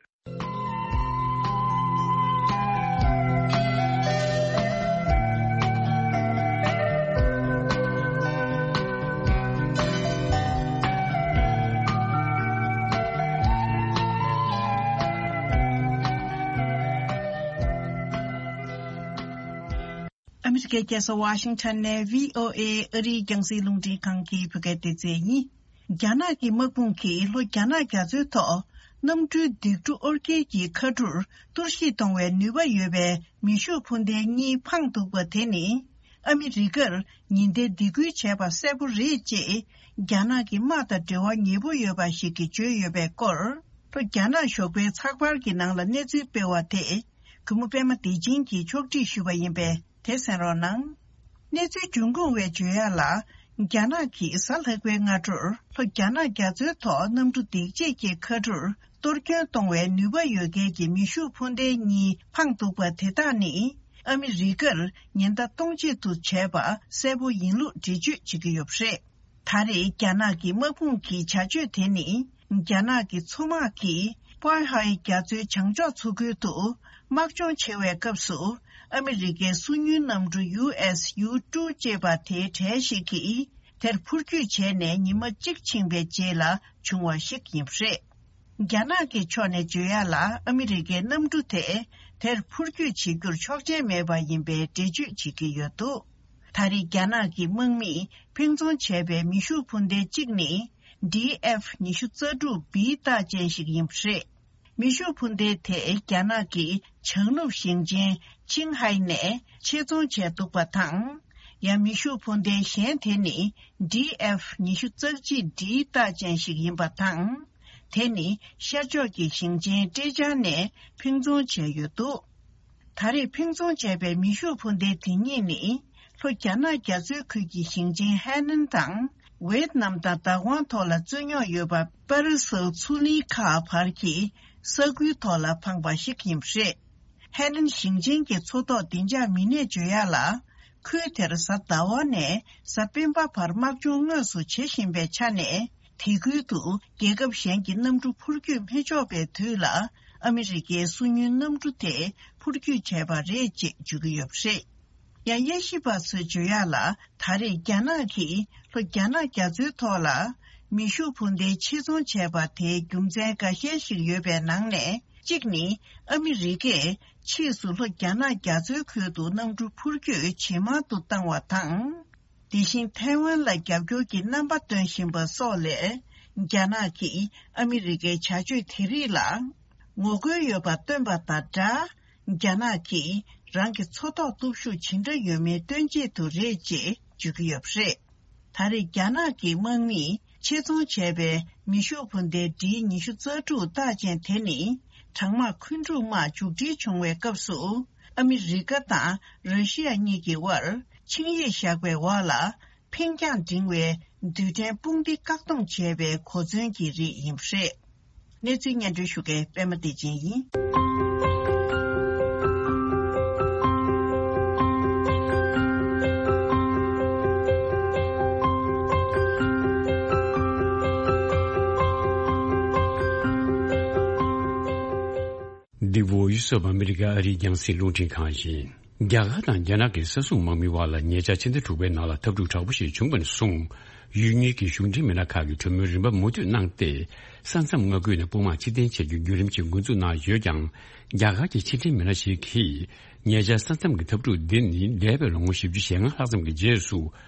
ཨ་མི་རི་ཀའི་རྒྱལ་ས་ཝ་ཤིང་ཊོན་ནས་བྷི་ཨོ་ཨེ་ཨ་རིའི་རྒྱང་སྲིང་རླུང་འཕྲིན་ཁང་གི་བོད་སྐད་སྡེ་ཚན་ཡིན། རྒྱ་ནག་གི་དམག་དཔུང་གིས་ལྷོ་རྒྱ་ནག་རྒྱ་མཚོའི་ཐོག་གནམ་གྲུའི་ལྡིང་གྲུ་ཨོར་སྐྱེལ་གྱི་ཁ་གྲུར་གཏོར་བཤིག་གཏོང་བའི་ནུས་པ་ཡོད་པའི་མེ་ཤུགས་འཕུར་མདེལ་གཉིས་འཕངས་འདུག་པ་དེ་ནི། ཨ་མི་རི་ཀར་ཉེན་བརྡའི་སྡིགས་སྐུལ་བྱས་པ་གསལ་པོ་རེད་ཅེས། རྒྱ་ནག་གི་དམག་དང་འབྲེལ་བ་ཉེ་པོ་ཡོད་པ་ཞིག་གིས་བརྗོད་ཡོད་པའི་སྐོར། ལྷོ་རྒྱ་ནག་ཞོགས་པའི་ཚགས་པར་གྱི་ནང་ལ་གནས་ཚུལ་སྤེལ་བ་དེ། གུས་མོ་པད་མ་བདེ་ཆེན་གྱིས་ཕྱོགས་སྒྲིག་ཞུས་པ་ཡིན་པས། དེ་གསན་རོགས་གནང་། གནས་ཚུལ་འབྱུང་ཁུངས་བས་བརྗོད་ཡག་ལ། རྒྱ་ནག་གིས་གཟའ་ལྷག་པའི་སྔ་དྲོར་ལྷོ་རྒྱ་ནག་རྒྱ་མཚོའི་ཐོག་གནམ་གྲུ་ལྡིང་ཆས་ཀྱི་ཁ་གྲུར་གཏོར་སྐྱོན་གཏོང་བའི་ནུས་པ་ཡོད་མཁན་གྱི་མེ་ཤུགས་འཕུར་མདེལ་གཉིས་འཕངས་འདུག་པ་དེ་དག་ནི། ཨ་མི་རི་ཀར་ཉེན་བརྡ་གཏོང་ཆེད་དུ་བྱས་པ་གསལ་པོ་ཡིན་ལུགས་འགྲེལ་བརྗོད་བྱེད་ཀྱི་ཡོད་པ་རེད། ད་རེས་རྒྱ་ནག་གི་དམག་དཔུང་གི་བྱ་སྤྱོད་དེ་ནི། རྒྱ་ནག་གི་མཚོ་དམག་གིས་པོའེ་ཧའེ་རྒྱ་མཚོའི་བྱང་ཕྱོགས་མཚོ་ཁུལ་དུ་དམག་སྦྱོང་བྱེད་པའི་སྐབས་སུ། ཨ་མི་རི་ཀའི་སོ་ཉུལ་གནམ་གྲུ་ཡུ་ཨེསི་ཡུ་ཊུ་ཅེས་པ་དེའི་གྲས་ཤིག་གིས་དེར་འཕུར་སྐྱོད་བྱས་ནས་ཉི་མ་གཅིག་ཕྱིན་པའི་རྗེས་ལ་བྱུང་བ་ཞིག་ཡིན་པ་རེད། རྒྱ་ནག་གི་ཕྱོགས་ནས་བརྗོད་ཡག་ལ། ཨ་མི་རི་ཀའི་གནམ་གྲུ་དེ་དེར་འཕུར་སྐྱོད་བྱེད་རྒྱུར་ཆོག་མཆན་མེད་པ་ཡིན་པའི་འགྲེལ་བརྗོད་བྱེད་ཀྱི་ཡོད་འདུག་ད་རེས་རྒྱ་ནག་གི་དམག་མིས་འཕེན་རྫོང་བྱས་པའི་མེ་ཤུགས་འཕུར་མདེལ་གཅིག་ནི། ཌི་ཨེཕ་ཉི་ཤུ་རྩ་དྲུག་བི་རྟགས་ཅན་ཞིག་ཡིན་པ་རེད། མེ་ཤུགས་འཕུར་མདེལ་དེ་རྒྱ་ནག་གི་བྱང་ནུབ་ཞིང་ཆེན་ཆིང་ཧའེ་ནས་ཆེད་རྫོང་བྱས་འདུག་པ་དང་། ཡང་མེ་ཤུགས་འཕུར་མདེལ་གཞན་དེ་ནི་ཌི་ཨེཕ་ཉི་ཤུ་རྩ་གཅིག་ཌི་རྟགས་ཅན་ཞིག་ཡིན་པ་དང་། དེ་ནི་ཤར་ཕྱོགས་ཀྱི་ཞིང་ཆེན་ཀྲེ་ཅང་ནས་འཕེན་རྫོང་བྱས་ཡོད་འདུག་ད་རེས་འཕེན་རྫོང་བྱས་པའི་མེ་ཤུགས་འཕུར་མདེལ་དེ་གཉིས་ནི། ལྷོ་རྒྱ་ནག་རྒྱ་མཚོའི་ཁུལ་གྱི་ཞིང་ཆེན་ཧའེ་ནན་དང་། ཝེད་ནམ་དང་བདག་དབང་ཐོག་ལ་རྩོད་རྙོག་ཡོད་པ་པ་རི་སིལ་མཚོ་གླིང་ཁག་བར་གྱི་ས་ཁུལ་ཐོག་ལ་འཕངས་པ་ཞིག་ཡིན་པ་རེད། ཧའེ་ནན་ཞིང་ཆེན་གྱི་མཚོ་ཐོག་བདེ་འཇགས་མི་སྣས་བརྗོད་ཡག་ལ། ཁུལ་དེར་གཟའ་ཟླ་བ་ནས་གཟའ་སྤེན་པ་བར་དམག་སྦྱོང་དངོས་སུ་བྱེད་བཞིན་པའི་ཆ་ནས། དེ་ཁུལ་དུ་རྒྱལ་ཁབ་གཞན་གྱི་གནམ་གྲུ་འཕུར་སྐྱོད་མི་ཆོག་པའི་དུས་ལ། ཨ་མི་རི་ཀའི་སོ་ཉུལ་གནམ་གྲུ་དེ་འཕུར་སྐྱོད་བྱས་པ་རེད་ཅེས་བརྗོད་ཀྱི་ཡོད་པ་རེད། ཡང་དབྱེ་ཞིབ་པ་ཚོས་བརྗོད་ཡག་ལ། ད་རེས་རྒྱ་ནག་གིས་ལྷོ་རྒྱ་ནག་རྒྱ་མཚོའི་ཐོག་ལ་མེ་ཤུགས་འཕུར་མདེལ་ཆེད་རྫོང་བྱས་པ་དེའི་རྒྱུ་མཚན་འགའ་ཤས་ཤིག་ཡོད་པའི་ནང་ནས་གཅིག་ནི། ཨ་མི་རི་ཀས་ཕྱིས་སུ་ལྷོ་རྒྱ་ནག་རྒྱ་མཚོའི་ཁུལ་དུ་གནམ་གྲུ་འཕུར་སྐྱོད་ཇེ་མང་དུ་བཏང་བ་དང་། དེ་བཞིན་ཐའེ་ཝན་ལ་རྒྱབ་སྐྱོར་གྱི་རྣམ་པ་སྟོན་བཞིན་པ་སོགས་ལས། རྒྱ་ནག་གིས་ཨ་མི་རི་ཀའི་བྱ་སྤྱོད་དེ་རིགས་ལ་ངོ་རྒོལ་ཡོད་པ་སྟོན་པ་དང་སྦྲགས། རྒྱ་ནག་གིས་རང་གི་མཚོ་ཐོག་སྟོབས་ཤུགས་ཇི་འདྲ་ཡོད་མེད་སྟོན་ཆེད་དུ་རེད་ཅེས་བརྗོད་ཀྱི་ཡོད་པ་རེད། ད་རེས་རྒྱ་ནག་གི་དམག་མིས་ཆེད་རྫོང་བྱས་པའི་མེ་ཤུགས་འཕུར་མདའི་ཌི་ཉི་ཤུ་རྩ་དྲུག་རྟགས་ཅན་དེ་ནི་གྲང་དམག་འཁོན་འཁྲུག་དམག་མཇུག་སྒྲིལ་བྱུང་བའི་སྐབས་སུ་ཨ་མི་རི་ཀ་དང་ར་ཤི་ཡ་གཉིས་ཀྱི་དབར་ཆིངས་ཡིག་བཞག་པའི་འོག་ལ་འཕེན་རྒྱང་འབྲིང་བའི་རྡུལ་ཕྲན་དཔུང་སྡེ་བཀག་སྡོམ་བྱས་པའི་གོ་མཚོན་གྱི་རིགས་ཡིན་པ་རེད། གནས་ཚུལ་སྙན་སྒྲོན་ཞུ་མཁན་པད་མ་བདེ་ཆེན་ཡིན། འདི་Voice of America ཨ་རིའི་རྒྱང་སྲིང་རླུང་འཕྲིན་ཁང་ཡིན། རྒྱ་གར་དང་རྒྱ་ནག་གི་ས་སྲུང་དམག་མིའི་དབར་ལ་ཉེ་ཆར་ཕྱི་ཟླ་དྲུག་པའི་ནང་ལ་འཐབ་འཁྲུག་དྲག་པོ་ཞིག་བྱུང་བ་ནས་བཟུང་། ཡུལ་གཉིས་ཀྱི་གཞུང་འབྲེལ་མི་སྣ་ཁག་གིས་གྲོས་མོལ་རིམ་པ་མུ་མཐུད་གནང་སྟེ། ས་མཚམས་མངའ་ཁུལ་ནས་དཔུང་དམག་ཕྱིར་འཐེན་བྱ་རྒྱུའི་བརྒྱུད་རིམ་ཞིག་འགོ་འཛུགས་གནང་ཡོད་ཀྱང་། རྒྱ་གར་གྱི་ཕྱི་འབྲེལ་མི་སྣ་ཞིག་གིས། ཉེ་ཆར་ས་མཚམས་ཀྱི་འཐབ་འཁྲུག་འདི་ནི་འདས་པའི་ལོ་ངོ་བཞི་བཅུ་ཞེ་ལྔ་ལྷག་ཙམ་གྱི་རྗེས་སུ།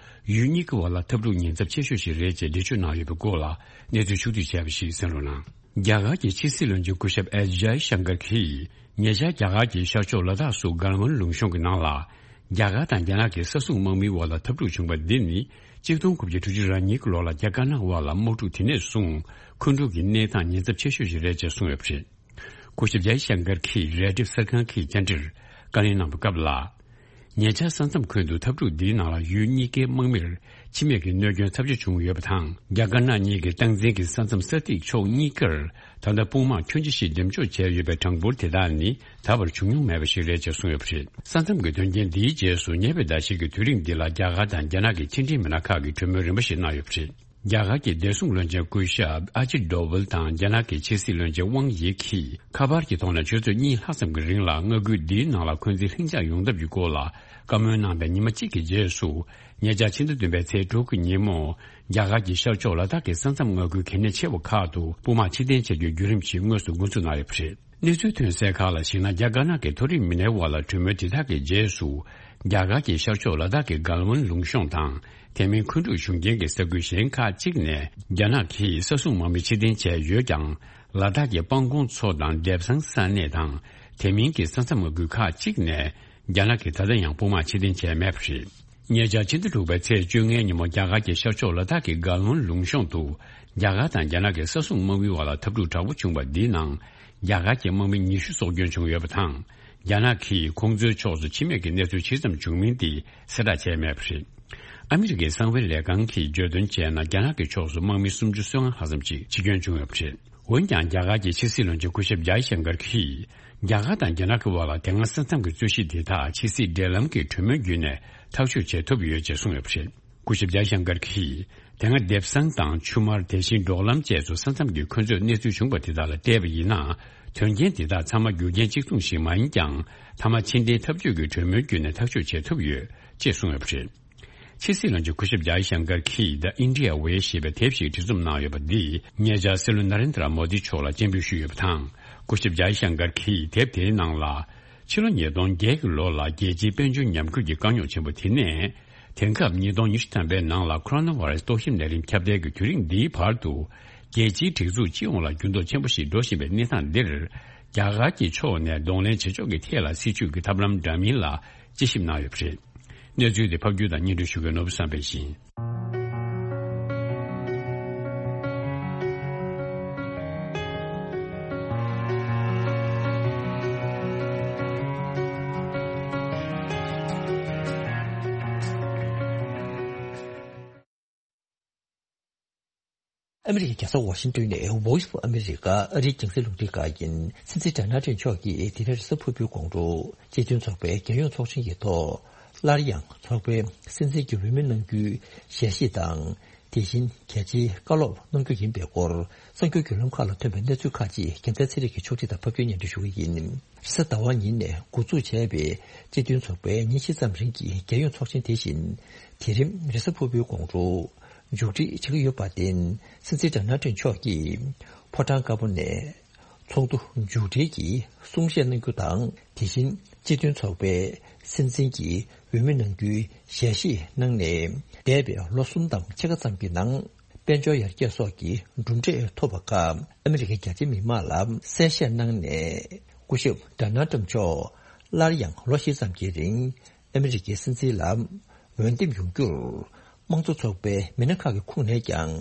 ཡུལ་གཉིས་ཀྱི་བར་ལ་འཐབ་འཁྲུག་ཉེན་ཚབས་ཆེ་ཤོས་ཤིག་རེད་ཅེས་འགྲེལ་བརྗོད་གནང་ཡོད་པའི་སྐོར་ལ་གནས་ཚུལ་ཕྱོགས་བསྡུས་བྱས་པ་ཞིག་གསན་རོགས་གནང་། རྒྱ་གར་གྱི་ཕྱི་སྲིད་བློན་ཆེན་སྐུ་ཞབས་ཨེས་ཇའི་ཤང་ཀར་གྱིས། ཉེ་ཆར་རྒྱ་གར་གྱི་ཤར་ཕྱོགས་ལ་དྭགས་སུ་གལ་ཝན་ལུང་གཤོང་གི་ནང་ལ། རྒྱ་གར་དང་རྒྱ་ནག་གི་ས་སྲུང་དམག་མིའི་དབར་ལ་འཐབ་འཁྲུག་བྱུང་བ་འདི་ནི། གཅིག་སྟོང་དགུ་བརྒྱ་དྲུག་ཅུ་རེ་གཉིས་ཀྱི་ལོ་ལ་རྒྱ་དཀར་ནག་དབར་ལ་དམག་འཁྲུག་དེ་ནས་བཟུང་འཁོན་འཁྲུག་གི་གནས་སྟངས་ཉེན་ཚབས་ཆེ་ཤོས་ཤིག་རེད་ཅེས་གསུངས་ཡོད་པ་རེད། སྐུ་ཞབས་ཇའི་ཤང་ཀར་གྱིས་རས་ཁྲིད་གསར་ཁང་གི་བཅར་འདྲིར་བཀའ་ལན་གནང་བའི་སྐབས་ལ། ཉེ་ཆར་ས་མཚམས་ཁུལ་དུ་འཐབ་འཁྲུག་འདིའི་ནང་ལ་ཡུལ་གཉིས་ཀའི་དམག་མིར་འཆི་རྨས་ཀྱི་གནོད་སྐྱོན་ཚབས་ཆེ་བྱུང་ཡོད་པ་དང་། རྒྱ་དཀར་ནག་གཉིས་ཀྱི་སྟངས་འཛིན་གྱི་ས་མཚམས་ས་ཐིག་ཕྱོགས་གཉིས་ཀར་ད་ལྟ་དཔུང་དམག་ཁྱོན་ཆེ་ཞིག་འགྲེམས་འཇོག་བྱས་ཡོད་པའི་གྲངས་འབོར་དེ་དག་ནི་ད་བར་བྱུང་མྱོང་མེད་པ་ཞིག་རེད་ཅེས་གསུངས་ཡོད་པ་རེད། ས་མཚམས་ཀྱི་དོན་རྐྱེན་འདིའི་རྗེས་སུ་ཉེ་བའི་ཟླ་ཤས་ཀྱི་དུས་རིང་འདི་ལ་རྒྱ་གར་དང་རྒྱ་ནག་གི་ཕྱི་འབྲེལ་མི་སྣ་ཁག་གིས་གྲོས་མོལ་རིམ་པ་ཞིག་གནང་ཡོད་པ་རེད། རྒྱ་གར་གྱི་བདེ་སྲུང་བློན་ཆེན་སྐུ་ཞབས་ཨ་ཇིད་ཌོ་ཝལ་དང་རྒྱ་ནག་གི་ཕྱི་སྲིད་བློན་ཆེན་ཝང་ཡི་གིས་ཁ་པར་གྱི་ཐོག་ནས་ཆུ་ཚོད་གཉིས་ལྷག་ཙམ་གྱི་རིང་ལ་མངའ་ཁུལ་འདིའི་ནང་ལ་འཁོན་འཛིན་ལྷིང་འཇགས་ཡོང་ཐབས་ཀྱི་སྐོར་ལ་བཀའ་མོལ་གནང་པའི་ཉི་མ་གཅིག་གི་རྗེས་སུ། ཉེ་ཆར་ཕྱི་ཟླ་བདུན་པའི་ཚེས་དྲུག་གི་ཉིན་མོ། རྒྱ་གར་གྱི་ཤར་ཕྱོགས་ལ་དྭགས་ཀྱི་ས་མཚམས་མངའ་ཁུལ་གལ་གནད་ཆེ་བ་ཁག་ཏུ་དཔུང་དམག་ཕྱིར་འཐེན་བྱ་རྒྱུའི་བརྒྱུད་རིམ་ཞིག་དངོས་སུ་འགོ་འཛུགས་གནང་ཡོད་པ་རེད། གནས་ཚུལ་ཐོན་གསལ་ཁག་ལ་གཞིགས་ན། རྒྱ་དཀར་ནག་གི་མཐོ་རིམ་མི་སྣའི་དབར་ལ་གྲོས་མོལ་དེ་དག་གི་རྗེས་སུ། རྒྱ་གར་གྱི་ཤར་ཕྱོགས་ལ་དྭགས་ཀྱི་གལ་ཝན་ལུང་གཤོང་དང་། དེ་མིན་འཁོན་འཁྲུག་བྱུང་རྐྱེན་གྱི་ས་ཁུལ་གཞན་ཁག་ཅིག་ནས། རྒྱ་ནག་གིས་ས་སྲུང་དམག་མི་ཕྱིར་འཐེན་བྱས་ཡོད་ཀྱང་། ལ་དྭགས་ཀྱི་སྤང་གོང་མཚོ་དང་འདེབས་སང་ས་གནས་དང་། དེ་མིན་གྱི་ས་མཚམས་མངའ་ཁུལ་ཁག་ཅིག་ནས། རྒྱ་ནག་གིས་ད་ལྟ་ཡང་དཔུང་དམག་ཕྱིར་འཐེན་བྱས་མེད་པ་རེད། ཉེ་ཆར་ཕྱི་ཟླ་དྲུག་པའི་ཚེས་བཅོ་ལྔའི་ཉིན་མོ། རྒྱ་གར་གྱི་ཤར་ཕྱོགས་ལ་དྭགས་ཀྱི་གལ་ཝན་ལུང་གཤོང་དུ། རྒྱ་གར་དང་རྒྱ་ནག་གི་ས་སྲུང་དམག་མིའི་དབར་ལ་འཐབ་འཁྲུག་དྲག་པོ་བྱུང་བ་འདིའི་ནང་། རྒྱ་གར་གྱི་དམག་མི་ཉི་ཤུ་སྲོག་སྐྱོན་བྱུང་ཡོད་པ་དང་། རྒྱ་ནག་གིས་ཁོང་ཚོའི་ཕྱོགས་སུ་འཆི་རྨས་ཀྱི་གནས་ཚུལ་ཇི་ཙམ་བྱུང་མིན་དེ་གསལ་བསྒྲགས་བྱས་མེད་པ་རེད། ཨ་མི་རི་ཀའི་གསང་བའི་ལས་ཁང་གིས་བརྗོད་དོན་བྱས་ན། རྒྱ་ནག་གི་ཕྱོགས་སུ་དམག་མི་སུམ་ཅུ་སོ་ལྔ་ལྷག་ཙམ་ཞིག་འཆི་སྐྱོན་བྱུང་ཡོད་པ་རེད། འོན་ཀྱང་། རྒྱ་གར་གྱི་ཕྱི་སྲིད་བློན་ཆེན་སྐུ་ཞབས་ཇའི་ཤང་ཀར་གྱིས། རྒྱ་གར་དང་རྒྱ་ནག་གི་དབར་ལ་དེ་སྔ་ས་མཚམས་ཀྱི་རྩོད་གཞི་དེ་དག་ཕྱི་སྲིད་འབྲེལ་ལམ་གྱི་གྲོས་མོལ་བརྒྱུད་ནས་ཐག་གཅོད་བྱེད་ཐུབ་ཡོད་ཅེས་གསུངས་ཡོད་པ་རེད། སྐུ་ཞབས་ཇའི་ཤང་ཀར་གྱིས། དེ་སྔ་འདེབས་སང་དང་ཆུ་དམར། དེ་བཞིན་འབྲོག་ལམ་བཅས་སུ་ས་མཚམས་ཀྱི་འཁོན་རྩོད་གནས་ཚུལ་བྱུང་བ་དེ་དག་ལ་བལྟས་པ་ཡིན་ན། དོན་རྐྱེན་དེ་དག་ཚང་མ་རྒྱུ་རྐྱེན་གཅིག་མཚུངས་ཤིག་མ་ཡིན་ཀྱང་། མཐའ་མ་ཕྱི་འཐེན་འཐབ་ཇུས་ཀྱི་གྲོས་མོལ་བརྒྱུད་ནས་ཐག་གཅོད་བྱེད་ཐུབ་ཡོད་ཅེས་གསུངས་ཡོད་པ་རེད། ཕྱི་སྲིད་བློན་ཆེན་སྐུ་ཞབས་ཇའི་ཤང་ཀར་གྱིས། The India Way ཞེས་པའི་དེབ་ཞིག་བྲིས་རྩོམ་གནང་ཡོད་པ་འདིས། ཉེ་ཆར་སྲིད་བློན་ན་རེན་དྲ་མོ་དི་མཆོག་ལ་སྤྱན་འབུལ་ཞུས་ཡོད་པ་དང་། སྐུ་ཞབས་ཇའི་ཤང་ཀར་གྱིས་དེབ་དེའི་ནང་ལ། ཕྱི་ལོ་ཉིས་སྟོང་བརྒྱད་ཀྱི་ལོ་ལ་རྒྱལ་སྤྱིའི་དཔལ་འབྱོར་ཉམས་རྒུད་ཀྱི་དཀའ་རྙོག་ཆེན་པོ་དེ་ནས། དེང་སྐབས་ཉིས་སྟོང་ཉི་ཤུ་ཐམ་པའི་ནང་ལ་ཁོ་རོ་ན་བྷ་རེ་སི་ཏོག་དབྱིབས་ནད་རིམས་ཁྱབ་གདལ་གྱི་དུས་རིང་འདིའི་བར་དུ། རྒྱལ་སྤྱིའི་སྒྲིག་འཛུགས་སྤྱི་ཡོངས་ལ་འགྱུར་ལྡོག་ཆེན་པོ་ཞིག་འགྲོ་བཞིན་པའི་གནས་སྟངས་འདིར། རྒྱ་གར་གྱི་ཕྱོགས་ནས་གདོང་ལེན་བྱེད་ཕྱོགས་ཀྱི་ཐད་ལ་སྲིད་བྱུས་ཀྱི་ཐབས་ལམ་འདྲ་མིན་ལ་དཔྱད་ཞིབ་གནང་ཡོད་པ་རེད། གནས་ཚུལ་དེ་ཕབ་སྒྱུར་དང་སྙན་སྒྲོན་ཞུ་མཁན་ནོར་བུ་བསམ་འཕེལ་ཡིན། ཨ་མི་རི་ཀའི་རྒྱལ་ས་ཝ་ཤིང་ཏོན་ནས་Voice of America ཨ་རིའི་རྒྱང་སྲིང་རླུང་འཕྲིན་ཁང་ཡིན། སྲིད་འཛིན་ཌོ་ནལ་ཊམ་མཆོག་གིས་དེ་རིང་རེས་གཟའ་ཕུར་བུའི་དགོང་དྲོ་སྤྱི་མཐུན་ཚོགས་པའི་རྒྱལ་ཡོངས་ཚོགས་ཆེན་གྱི་ཐོག་སླར་ཡང་ཚོགས་པའི་སྲིད་འཛིན་གྱི་འོས་མི་གནང་རྒྱུའི་ཞལ་བཞེས་དང་། དེ་བཞིན་གལ་ཆེའི་བཀའ་སློབ་གནང་རྒྱུ་ཡིན་པའི་སྐོར། གསར་འགྱུར་བརྒྱུད་ལམ་ཁག་ལ་ཐོན་པའི་གནས་ཚུལ་ཁག་ཅིག་རྒྱལ་མཚན་ཚེ་རིང་གིས་ཕྱོགས་སྒྲིག་དང་ཕབ་སྒྱུར་སྙན་སྒྲོན་ཞུ་གི་ཡིན། རེས་གཟའ་ཟླ་བ་ཉིན་ནས་འགོ་འཛུགས་བྱས་པའི་སྤྱི་མཐུན་ཚོགས་པའི་ཉིན་བཞི་ཙམ་རིང་གི་རྒྱལ་ཡོངས་ཚོགས་ཆེན་དེ་བཞིན་དེ་རིང་རེས་གཟའ་ཕུར་བུའི་དགོང་དྲོ་མཇུག་སྒྲིལ་བྱེད་ཀྱི་ཡོད་པར་བརྟེན། སྲིད་འཛིན་ཌོ་ནལ་ཊམ་མཆོག་གིས་ཕོ་བྲང་དཀར་པོ་ནས་ཚོགས་འདུ་མཇུག་སྒྲིལ་གྱི་གསུང་བཤད་གནང་རྒྱུ་དང་། དེ་བཞིན་སྤྱི་མཐུན་ཚོགས་པའི་སྲིད་འཛིན་གྱི་འོས་མི་གནང་རྒྱུའི་ཞལ་བཞེས་གནང་ནས། འདས་པའི་ལོ་གསུམ་དང་ཕྱེད་ཀ་ཙམ་གྱི་ནང་། དཔལ་འབྱོར་ཡར་རྒྱས་སོགས་ཀྱི་གྲུབ་འབྲས་ཐོབ་པ་ཁག་ཨ་མི་རི་ཀའི་རྒྱ་ཆེའི་མི་མང་ལ་གསལ་བཤད་གནང་ནས། སྐུ་ཞབས་ཌོ་ནལ་ཊམ་མཆོག་སླར་ཡང་ལོ་བཞི་ཙམ་གྱི་རིང་ཨ་མི་རི་ཀའི་སྲིད་འཛིན་ལ་འོས་འདེམས་ཡོང་རྒྱུར། དམངས་གཙོ་ཚོགས་པའི་མི་སྣ་ཁག་གི་ཁོངས་ནས་ཀྱང་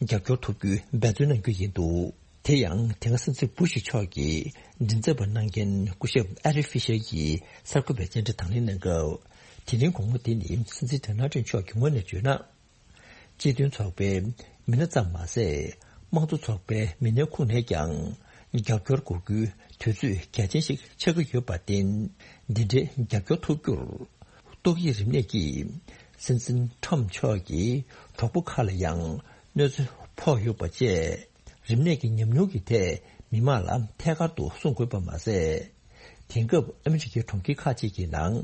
རྒྱབ་སྐྱོར་ཐོབ་རྒྱུའི་འབད་བརྩོན་གནང་རྒྱུ་ཡིན་འདུག་དེ་ཡང་དེ་སྔ་སྲིད་འཛིན་བུ་ཤི་མཆོག་གིས་མགྲིན་ཚབ་པ་གནང་མཁན་སྐུ་ཞབས་ཨ་རི་ཕི་ཤར་གྱིས་གསར་འགོད་པའི་བཅར་འདྲི་དང་ལེན་གནང་སྐབས། དེ་རིང་དགོང་མོ་འདི་ནི་སྲིད་འཛིན་ཌོ་ནལ་ཊམ་མཆོག་གི་ངོས་ནས་བརྗོད་ན། སྤྱི་མཐུན་ཚོགས་པའི་མི་སྣ་ཙམ་མ་ཟད། དམངས་གཙོ་ཚོགས་པའི་མི་སྣའི་ཁོངས་ནས་ཀྱང་རྒྱབ་སྐྱོར་དགོས་རྒྱུའི་དུས་ཚོད་གལ་ཆེན་ཞིག་ཆགས་ཀྱི་ཡོད་པར་བརྟེན། འདི་འདྲའི་རྒྱབ་སྐྱོར་ཐོབ་རྒྱུར། ཏོག་དབྱིབས་རིམས་ནད་ཀྱིས་སྲིད་འཛིན་ཊམ་མཆོག་གི་གྲོགས་པོ་ཁག་ལ་ཡང་གནོད་འཚེ་ཕོག་ཡོད་པ་བཅས། རིམས་ནད་ཀྱི་ཉམས་མྱོང་གི་ཐད་མི་མང་ལ་ཐད་ཀར་དུ་གསུང་དགོས་པ་མ་ཟད། དེང་སྐབས་ཨ་མི་རི་ཀའི་གྲོང་ཁྱེར་ཁག་ཅིག་གི་ནང་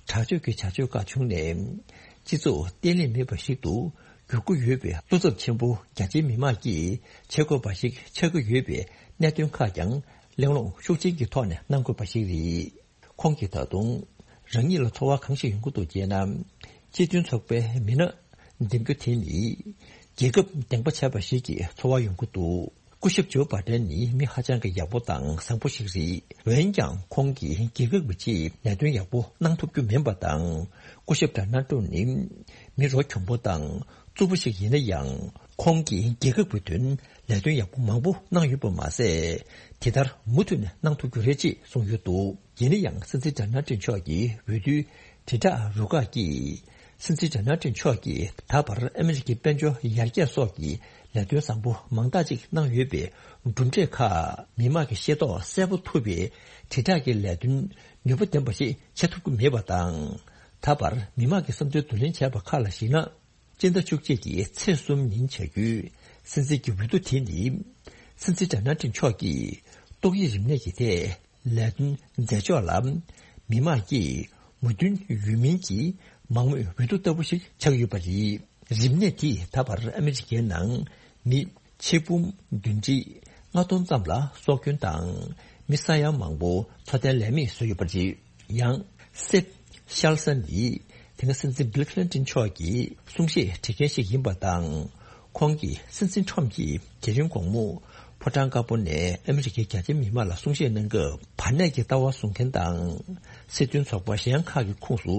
དྲག་སྤྱོད་ཀྱི་བྱ་སྤྱོད་ཁག་བྱུང་ནས། སྤྱི་ཚོགས་བརྟན་ལྷིང་མེད་པ་ཞིག་ཏུ་འགྱུར་གྱི་ཡོད་པའི་བློ་འཚབ་ཆེན་པོ་རྒྱ་ཆེའི་མི་མང་གིས་བྱེད་དགོས་པ་ཞིག་ཆགས་ཀྱི་ཡོད་པའི་གནད་དོན་ཁག་ཀྱང་གླེང་སློང་ཤུགས་ཆེན་གྱི་ཐོག་ནས་གནང་དགོས་པ་ཞིག་རེད། ཁོང་གིས་ད་དུང་རང་ཉིད་ལ་ཚོར་བ་གང་ཞིག་ཡོང་གི་འདུག་ཅེ་ན། སྤྱི་མཐུན་ཚོགས་པའི་མི་སྣ་འདེམས་རྒྱུ་དེ་ནི་རྒྱལ་ཁབ་འདེངས་པ་བྱས་པ་ཞིག་གི་ཚོར་བ་ཡོང་གི་འདུག་སྐུ་ཞབས་ཇོ་བྷ་ཌེན་ནི་མི་ཧ་ཅང་གི་ཡག་པོ་དང་བཟང་པོ་ཞིག་རེད། འོན་ཀྱང་ཁོང་གིས་རྒྱལ་ཁབ་ཀྱི་ཆེད་ལས་དོན་ཡག་པོ་གནང་ཐུབ་རྒྱུ་མིན་པ་དང་། སྐུ་ཞབས་ཌོ་ནལ་ཊམ་ནི་མི་རོ་གྱོང་པོ་དང་རྩུབ་པོ་ཞིག་ཡིན་ན་ཡང་། ཁོང་གིས་རྒྱལ་ཁབ་ཀྱི་དོན་ལས་དོན་ཡག་པོ་མང་པོ་གནང་ཡོད་པ་མ་ཟད། དེ་ལྟར་མུ་མཐུད་ནས་གནང་ཐུབ་རྒྱུ་རེད་ཅེས་གསུངས་ཡོད་འདུག་ཡིན་ན་ཡང་སྲིད་འཛིན་ཌོ་ནལ་ཊམ་མཆོག་གིས་འོས་བསྡུའི་དྲིལ་བསྒྲགས་རུ་ཁག་གིས། སྲིད་འཛིན་ཌོ་ནལ་ཊམ་མཆོག་གིས་ད་བར་ཨ་མི་རི་ཀའི་དཔལ་འབྱོར་ཡར་རྒྱས་སོགས་ཀྱི་ལས་དོན་བཟང་པོ་མང་དག་ཅིག་གནང་ཡོད་པའི་གྲུབ་འབྲས་ཁག་མི་མང་གིས་ཤེས་རྟོགས་གསལ་པོ་ཐུབ་པའི་དྲིལ་བསྒྲགས་ཀྱི་ལས་དོན་ནུས་པ་ལྡན་པ་ཞིག་བྱེད་ཐུབ་ཀྱི་མེད་པ་དང་། ད་བར་མི་མང་གི་བསམ་ཚུལ་བསྡུ་ལེན་བྱས་པ་ཁག་ལ་གཞིགས་ན། སྤྱི་ཟླ་བཅུ་གཅིག་གི་ཚེས་གསུམ་ཉིན་བྱ་རྒྱུའི་སྲིད་འཛིན་གྱི་འོས་བསྡུ་དེ་ནི། སྲིད་འཛིན་ཌོ་ནལ་ཊམ་མཆོག་གིས་ཏོག་དབྱིབས་རིམས་ནད་ཀྱི་ཐད་ལས་དོན་མཛད་ཕྱོགས་ལ། མི་མང་གིས་མོས་མཐུན་ཡོད་མིན་གྱི་མང་མོས་འོས་བསྡུ་ལྟ་བུ་ཞིག་ཆགས་ཡོད་པ་རེད། རིམས་ནད་དེས་ད་བར་ཨ་མི་རི་ཀའི་ནང་མི་ཆིག་འབུམ་བདུན་ཁྲི་ལྔ་སྟོང་ཙམ་ལ་སྲོག་སྐྱོན་དང་། མི་ས་ཡ་མང་པོ་འཚོ་རྟེན་ལས་མེད་བཟོས་ཡོད་པ་རེད། ཡང་། སེབ་ཤལ་ས་ནི་དེ་སྔ་སྲིད་འཛིན་བྷིལ་ཁི་ལིན་ཏིན་མཆོག་གི་གསུང་བཤད་བྲིས་མཁན་ཞིག་ཡིན་པ་དང་། ཁོང་གིས་སྲིད་འཛིན་ཁྲོམ་གྱིས་དེ་རིང་དགོང་མོ་ཕོ་བྲང་དཀར་པོ་ནས་ཨ་མི་རི་ཀའི་རྒྱ་ཆེའི་མི་མང་ལ་གསུང་བཤད་གནང་སྐབས། བར་གནས་ཀྱི་ལྟ་བ་བཟུང་མཁན་དང་། སྲིད་དོན་ཚོགས་པ་གཞན་ཁག་གི་ཁོངས་སུ་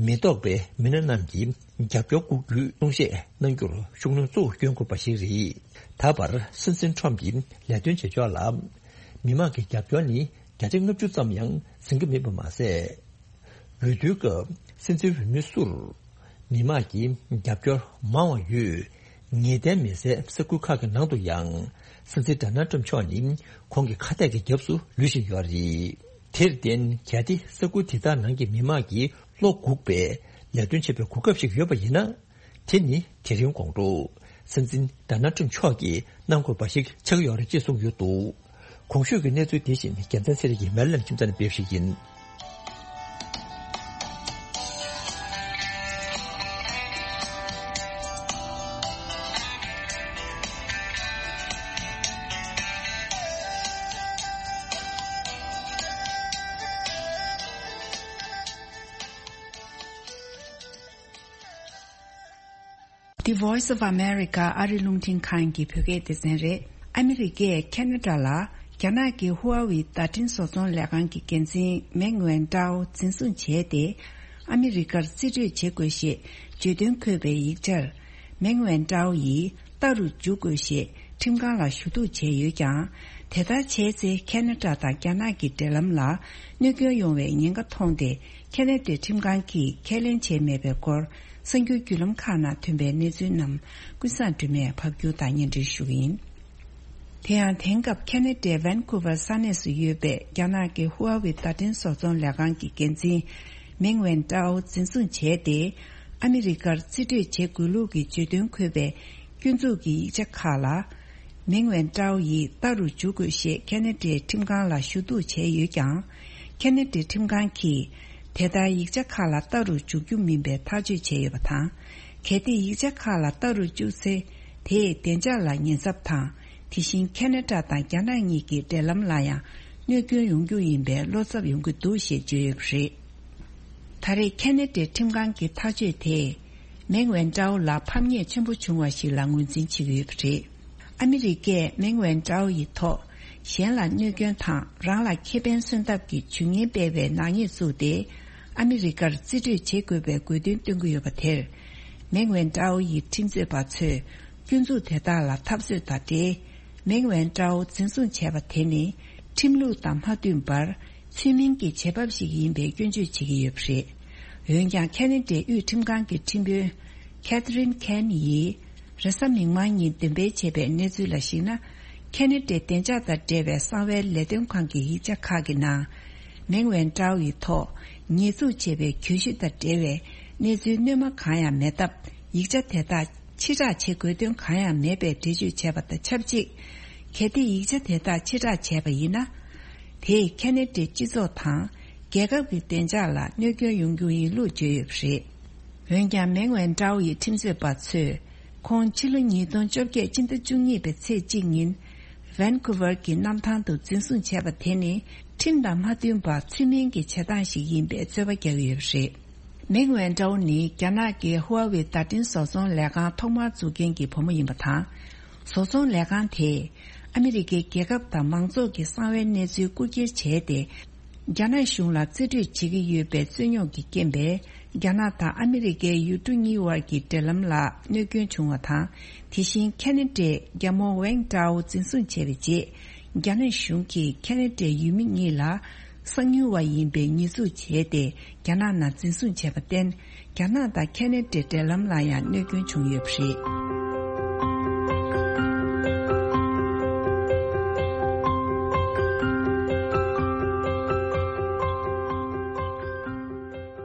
མི་གཏོགས་པའི་མི་སྣ་རྣམས་ཀྱིས་རྒྱབ་སྐྱོར་སྒུག་རྒྱུའི་གསུང་བཤད་གནང་རྒྱུར་ཤུགས་སྣོན་གཙོ་བོ་སྐྱོན་དགོས་པ་ཞིག་རེད། ད་བར་སྲིད་འཛིན་ཁྲོམ་གྱི་ལས་དོན་བྱེད་ཕྱོགས་ལ་མི་མང་གི་རྒྱབ་སྐྱོར་ནི་བརྒྱ་ཆ་ལྔ་བཅུ་ཙམ་ཡང་ཟིན་གྱི་མེད་པ་མ་ཟད། འོས་བསྡུའི་སྐབས་སྲིད་འཛིན་འོས་མི་སུར་མི་མང་གི་རྒྱབ་སྐྱོར་མང་བ་ཡོད། ངེས་གཏན་མེད་སའི་ས་ཁུལ་ཁག་གི་ནང་དུ་ཡང་སྲིད་འཛིན་ཌོ་ནལ་ཊམ་མཆོག་ནི་ཁོང་གི་ཁ་གཏད་ཀྱི་རྒྱབ་སུ་ལུས་བཞིན་ཡོད་རེད། དེར་བརྟེན་གལ་ཏེ་ས་ཁུལ་དེ་དག་ནང་གི་མི་མང་གིས་བློ་འགུག་པའི་ལས་དོན་བྱེད་པའི་གོ་སྐབས་ཤིག་ཡོད་པ་ཡིན་ན། དེ་ནི་དེ་རིང་དགོང་དྲོ་སྲིད་འཛིན་ཌོ་ནལ་ཊམ་མཆོག་གིས་གནང་དགོས་པ་ཞིག་ཆགས་ཀྱི་ཡོད་རེད་ཅེས་གསུངས་ཡོད་འདུག་གོང་ཞུས་ཀྱི་གནས་ཚུལ་དེ་བཞིན་རྒྱལ་མཚན་ཚེ་རིང་གིས་མེ་ལན་ཁྱིམ་ཚང་ནས་སྤེལ་བ་ཞིག་ཡིན། The Voice of America ཨ་རི་རླུང་འཕྲིན་ཁང་གི་བོད་སྐད་སྡེ་ཚན་རེད། ཨ་མི་རི་ཀས་ཁེ་ན་ཌ་ལ་རྒྱ་ནག་གི་ཧུ་ཨ་ཝེ་བརྡ་འཕྲིན་བཟོ་ཚོང་ལས་ཁང་གི་འགན་འཛིན་མེང་ཝེན་ཀྲའོ་འཛིན་བཟུང་བྱས་ཏེ། ཨ་མི་རི་ཀར་རྩིས་སྤྲོད་བྱེད་དགོས་ཞེས་བརྗོད་དོན་འཁོད་པའི་ཡིག་ཆར། མེང་ཝེན་ཀྲའོ་ཡིས་ལྟ་རུ་འཇུག་དགོས་ཞེས་ཁྲིམས་ཁང་ལ་ཞུ་གཏུག་བྱས་ཡོད་ཀྱང་། དེ་ལྟར་བྱས་ཚེ་ཁེ་ན་ཌ་དང་རྒྱ་ནག་གི་འབྲེལ་ལམ་ལ་གནོད་སྐྱོན་ཡོང་བའི་ཉེན་ཁ་མཐོང་སྟེ། ཁེ་ན་ཌའི་ཁྲིམས་ཁང་གིས་ཁས་ལེན་བྱས་མེད་པའི་སྐོར། གསར་འགྱུར་བརྒྱུད་ལམ་ཁག་ནང་ཐོན་པའི་གནས་ཚུལ་རྣམས་ཀུན་བཟང་སྒྲོལ་མས་ཕབ་སྒྱུར་དང་སྙན་སྒྲོན་ཞུ་གི་ཡིན། དེ་ཡང་དེང་སྐབས་ཁེ་ན་ཌའི་ཝན་ཀུ་ཝར་ས་གནས་སུ་ཡོད་པའི་རྒྱ་ནག་གི་ཧུ་ཨ་ཝེ་བརྡ་འཕྲིན་བཟོ་ཚོང་ལས་ཁང་གི་འགན་འཛིན་མེང་ཝེན་ཀྲའོ་འཛིན་བཟུང་བྱས་ཏེ། ཨ་མི་རི་ཀར་རྩིས་སྤྲོད་བྱེད་དགོས་ལུགས་ཀྱི་བརྗོད་དོན་འཁོད་པའི་སྐྱོན་འཛུགས་ཀྱི་ཡིག་ཆ་ཁག་ལ། མེང་ཝེན་ཀྲའོ་ཡིས་ལྟ་རུ་འཇུག་དགོས་ཞེས་ཁེ་ན་ཌའི་ཁྲིམས་ཁང་ལ་ཞུ་གཏུག་བྱས་ཡོད་ཀྱང་། ཁེ་ན་ཌའི་ཁྲིམས་ཁང་གིས་དེ་ལྟར་ཡིག་ཆ་ཁག་ལ་ལྟ་རུ་འཇུག་རྒྱུ་མིན་པའི་ཐག་གཅོད་བྱས་ཡོད་པ་དང་། གལ་ཏེ་ཡིག་ཆ་ཁག་ལ་ལྟ་རུ་བཅུག་ཚེ། དེས་བདེ་འཇགས་ལ་ཉེན་ཚབས་དང་། དེ་བཞིན་ཁེ་ན་ཌ་དང་རྒྱ་ནག་གཉིས་ཀྱི་འབྲེལ་ལམ་ལ་ཡང་གནོད་སྐྱོན་ཡོང་རྒྱུ་ཡིན་པའི་བློ་འཚབ་ཡོང་གི་འདུག་ཞེས་བརྗོད་ཡོད་པ་རེད། ད་རེས་ཁེ་ན་ཌའི་ཁྲིམས་ཁང་གི་ཐག་གཅོད་དེས། མེང་ཝན་ཀྲའོ་ལ་ཕམ་ཉེས་ཆེན་པོ་བྱུང་བ་ཞིག་ལ་ངོས་འཛིན་བྱེད་ཀྱི་ཡོད་པ་རེད། ཨ་མི་རི་ཀས་མེང་ཝན་ཀྲའོ་ཡི་ཐོག་གཞན་ལ་གནོད་སྐྱོན་དང་རང་ལ་ཁེ་ཕན་སོན་ཐབས་ཀྱི་ཇུས་ངན་སྤེལ་བའི་ནག་ཉེས་བཙུགས་ཏེ། ཨ་མི་རི་ཀར་རྩིས་སྤྲོད་བྱེད་དགོས་པའི་དགོས་འདུན་བཏོན་གྱི་ཡོད་པ་དེར། མེང་ཝན་ཀྲའོ་ཡི་ཁྲིམས་རྩོད་པ་ཚོས་སྐྱོན་འཛུགས་དེ་དག་ལ་འཐབ་རྩོད་དང་འབྲེལ། མེང་ཝན་ཀྲའོ་འཛིན་བཟུང་བྱས་པ་དེ་ནི་ཁྲིམས་ལུགས་དང་མ་མཐུན་པར། ཚུལ་མིན་གྱི་བྱེད་བབ་ཞིག་ཡིན་པའི་སྐྱོན་བརྗོད་བྱེད་ཀྱི་ཡོད་པ་རེད། འོན་ཀྱང་། ཁེ་ན་ཌའི་དབུས་ཁྲིམས་ཁང་གི་ཁྲིམས་དཔོན་Catherine Cain་ཡིས་རེས་གཟའ་མིག་དམར་ཉིན་འདོན་སྤེལ་བྱས་པའི་གནས་ཚུལ་ལ་གཞིགས་ན། ཁེ་ན་ཌའི་བདེ་འཇགས་དང་འབྲེལ་བའི་གསང་བའི་ལས་དོན་ཁང་གི་ཡིག་ཆ་ཁག་གི་ནང་། མེང་ཝན་ཀྲའོ་ཡི་ཐོག་ཉེས་འཛུགས་བྱས་པའི་གྱོད་གཞི་དང་འབྲེལ་བའི་གནས་ཚུལ་སྣོན་མ་གང་ཡང་མེད་སྟབས། ཡིག་ཆ་དེ་དག་ཕྱིར་བསྒྲགས་བྱེད་དགོས་དོན་གང་ཡང་མེད་པའི་འགྲེལ་བརྗོད་བྱས་པ་དང་ཆབས་ཅིག་གལ་ཏེ་ཡིག་ཆ་དེ་དག་ཕྱིར་བསྒྲགས་བྱས་པ་ཡིན་ན། དེས་ཁེ་ན་ཌའི་སྤྱི་ཚོགས་དང་རྒྱལ་ཁབ་ཀྱི་བདེ་འཇགས་ལ་གནོད་སྐྱོན་ཡོང་རྒྱུ་ཡིན་ལུགས་བརྗོད་ཡོད་པ་རེད། འོན་ཀྱང་། མེང་ཝན་ཀྲའོ་ཡི་ཁྲིམས་རྩོད་པ་ཚོས་ཁོང་ཕྱི་ལོ་ཉིས་སྟོང་བཅོ་བརྒྱད་སྤྱི་ཟླ་བཅུ་གཉིས་པའི་ཚེས་གཅིག་ཉིན་ཝན་ཀུ་ཝར་གྱི་གནམ་ཐང་དུ་འཛིན་བཟུང་བྱས་པ་དེ་ནི་ཁྲིམས་དང་མ་མཐུན་པར་ཚུལ་མིན་གྱི་བྱེད་སྟངས་ཤིག་ཡིན་པའི་རྩོད་པ་རྒྱག་གི་ཡོད་པ་རེད། མེང་ཝན་ཀྲའོ་ནི་རྒྱ་ནག་གི་ཧུའེ་ཝེ་བརྡ་འཕྲིན་བཟོ་ཚོང་ལས་ཁང་ཐོག་མར་འཛུགས་མཁན་གྱི་བུ་མོ་ཡིན་པ་དང་། བཟོ་ཚོང་ལས་ཁང་དེས་ཨ་མི་རི་ཀའི་རྒྱལ་ཁབ་དང་མང་ཚོགས་ཀྱི་གསང་བའི་གནས་ཚུལ་རྐུ་འཁྱེར་བྱས་ཏེ། རྒྱ་ནག་གཞུང་ལ་རྩིས་སྤྲོད་བྱེད་ཀྱི་ཡོད་པའི་རྩོད་རྙོག་གི་རྐྱེན་པས། རྒྱ་ནག་དང་ཨ་མི་རི་ཀའི་ཡུལ་གྲུ་གཉིས་དབར་གྱི་འབྲེལ་ལམ་ལ་གནོད་སྐྱོན་བྱུང་བ་དང་། དེ་བཞིན་ཁེ་ན་ཌའི་རྒྱ་མོ་ཝེང་ཀྲའོ་འཛིན་བཟུང་བྱས་པའི་རྗེས། རྒྱ་ནག་གཞུང་གིས་ཁེ་ན་ཌའི་ཡུལ་མི་གཉིས་ལ། གསང་ཉུལ་བ་ཡིན་པའི་ཉེས་འཛུགས་བྱས་ཏེ། རྒྱ་ནག་ནང་འཛིན་བཟུང་བྱས་པར་བརྟེན། རྒྱ་ནག་དང་ཁེ་ན་ཌའི་འབྲེལ་ལམ་ལ་ཡང་གནོད་སྐྱོན་བྱུང་ཡོད་པ་རེད།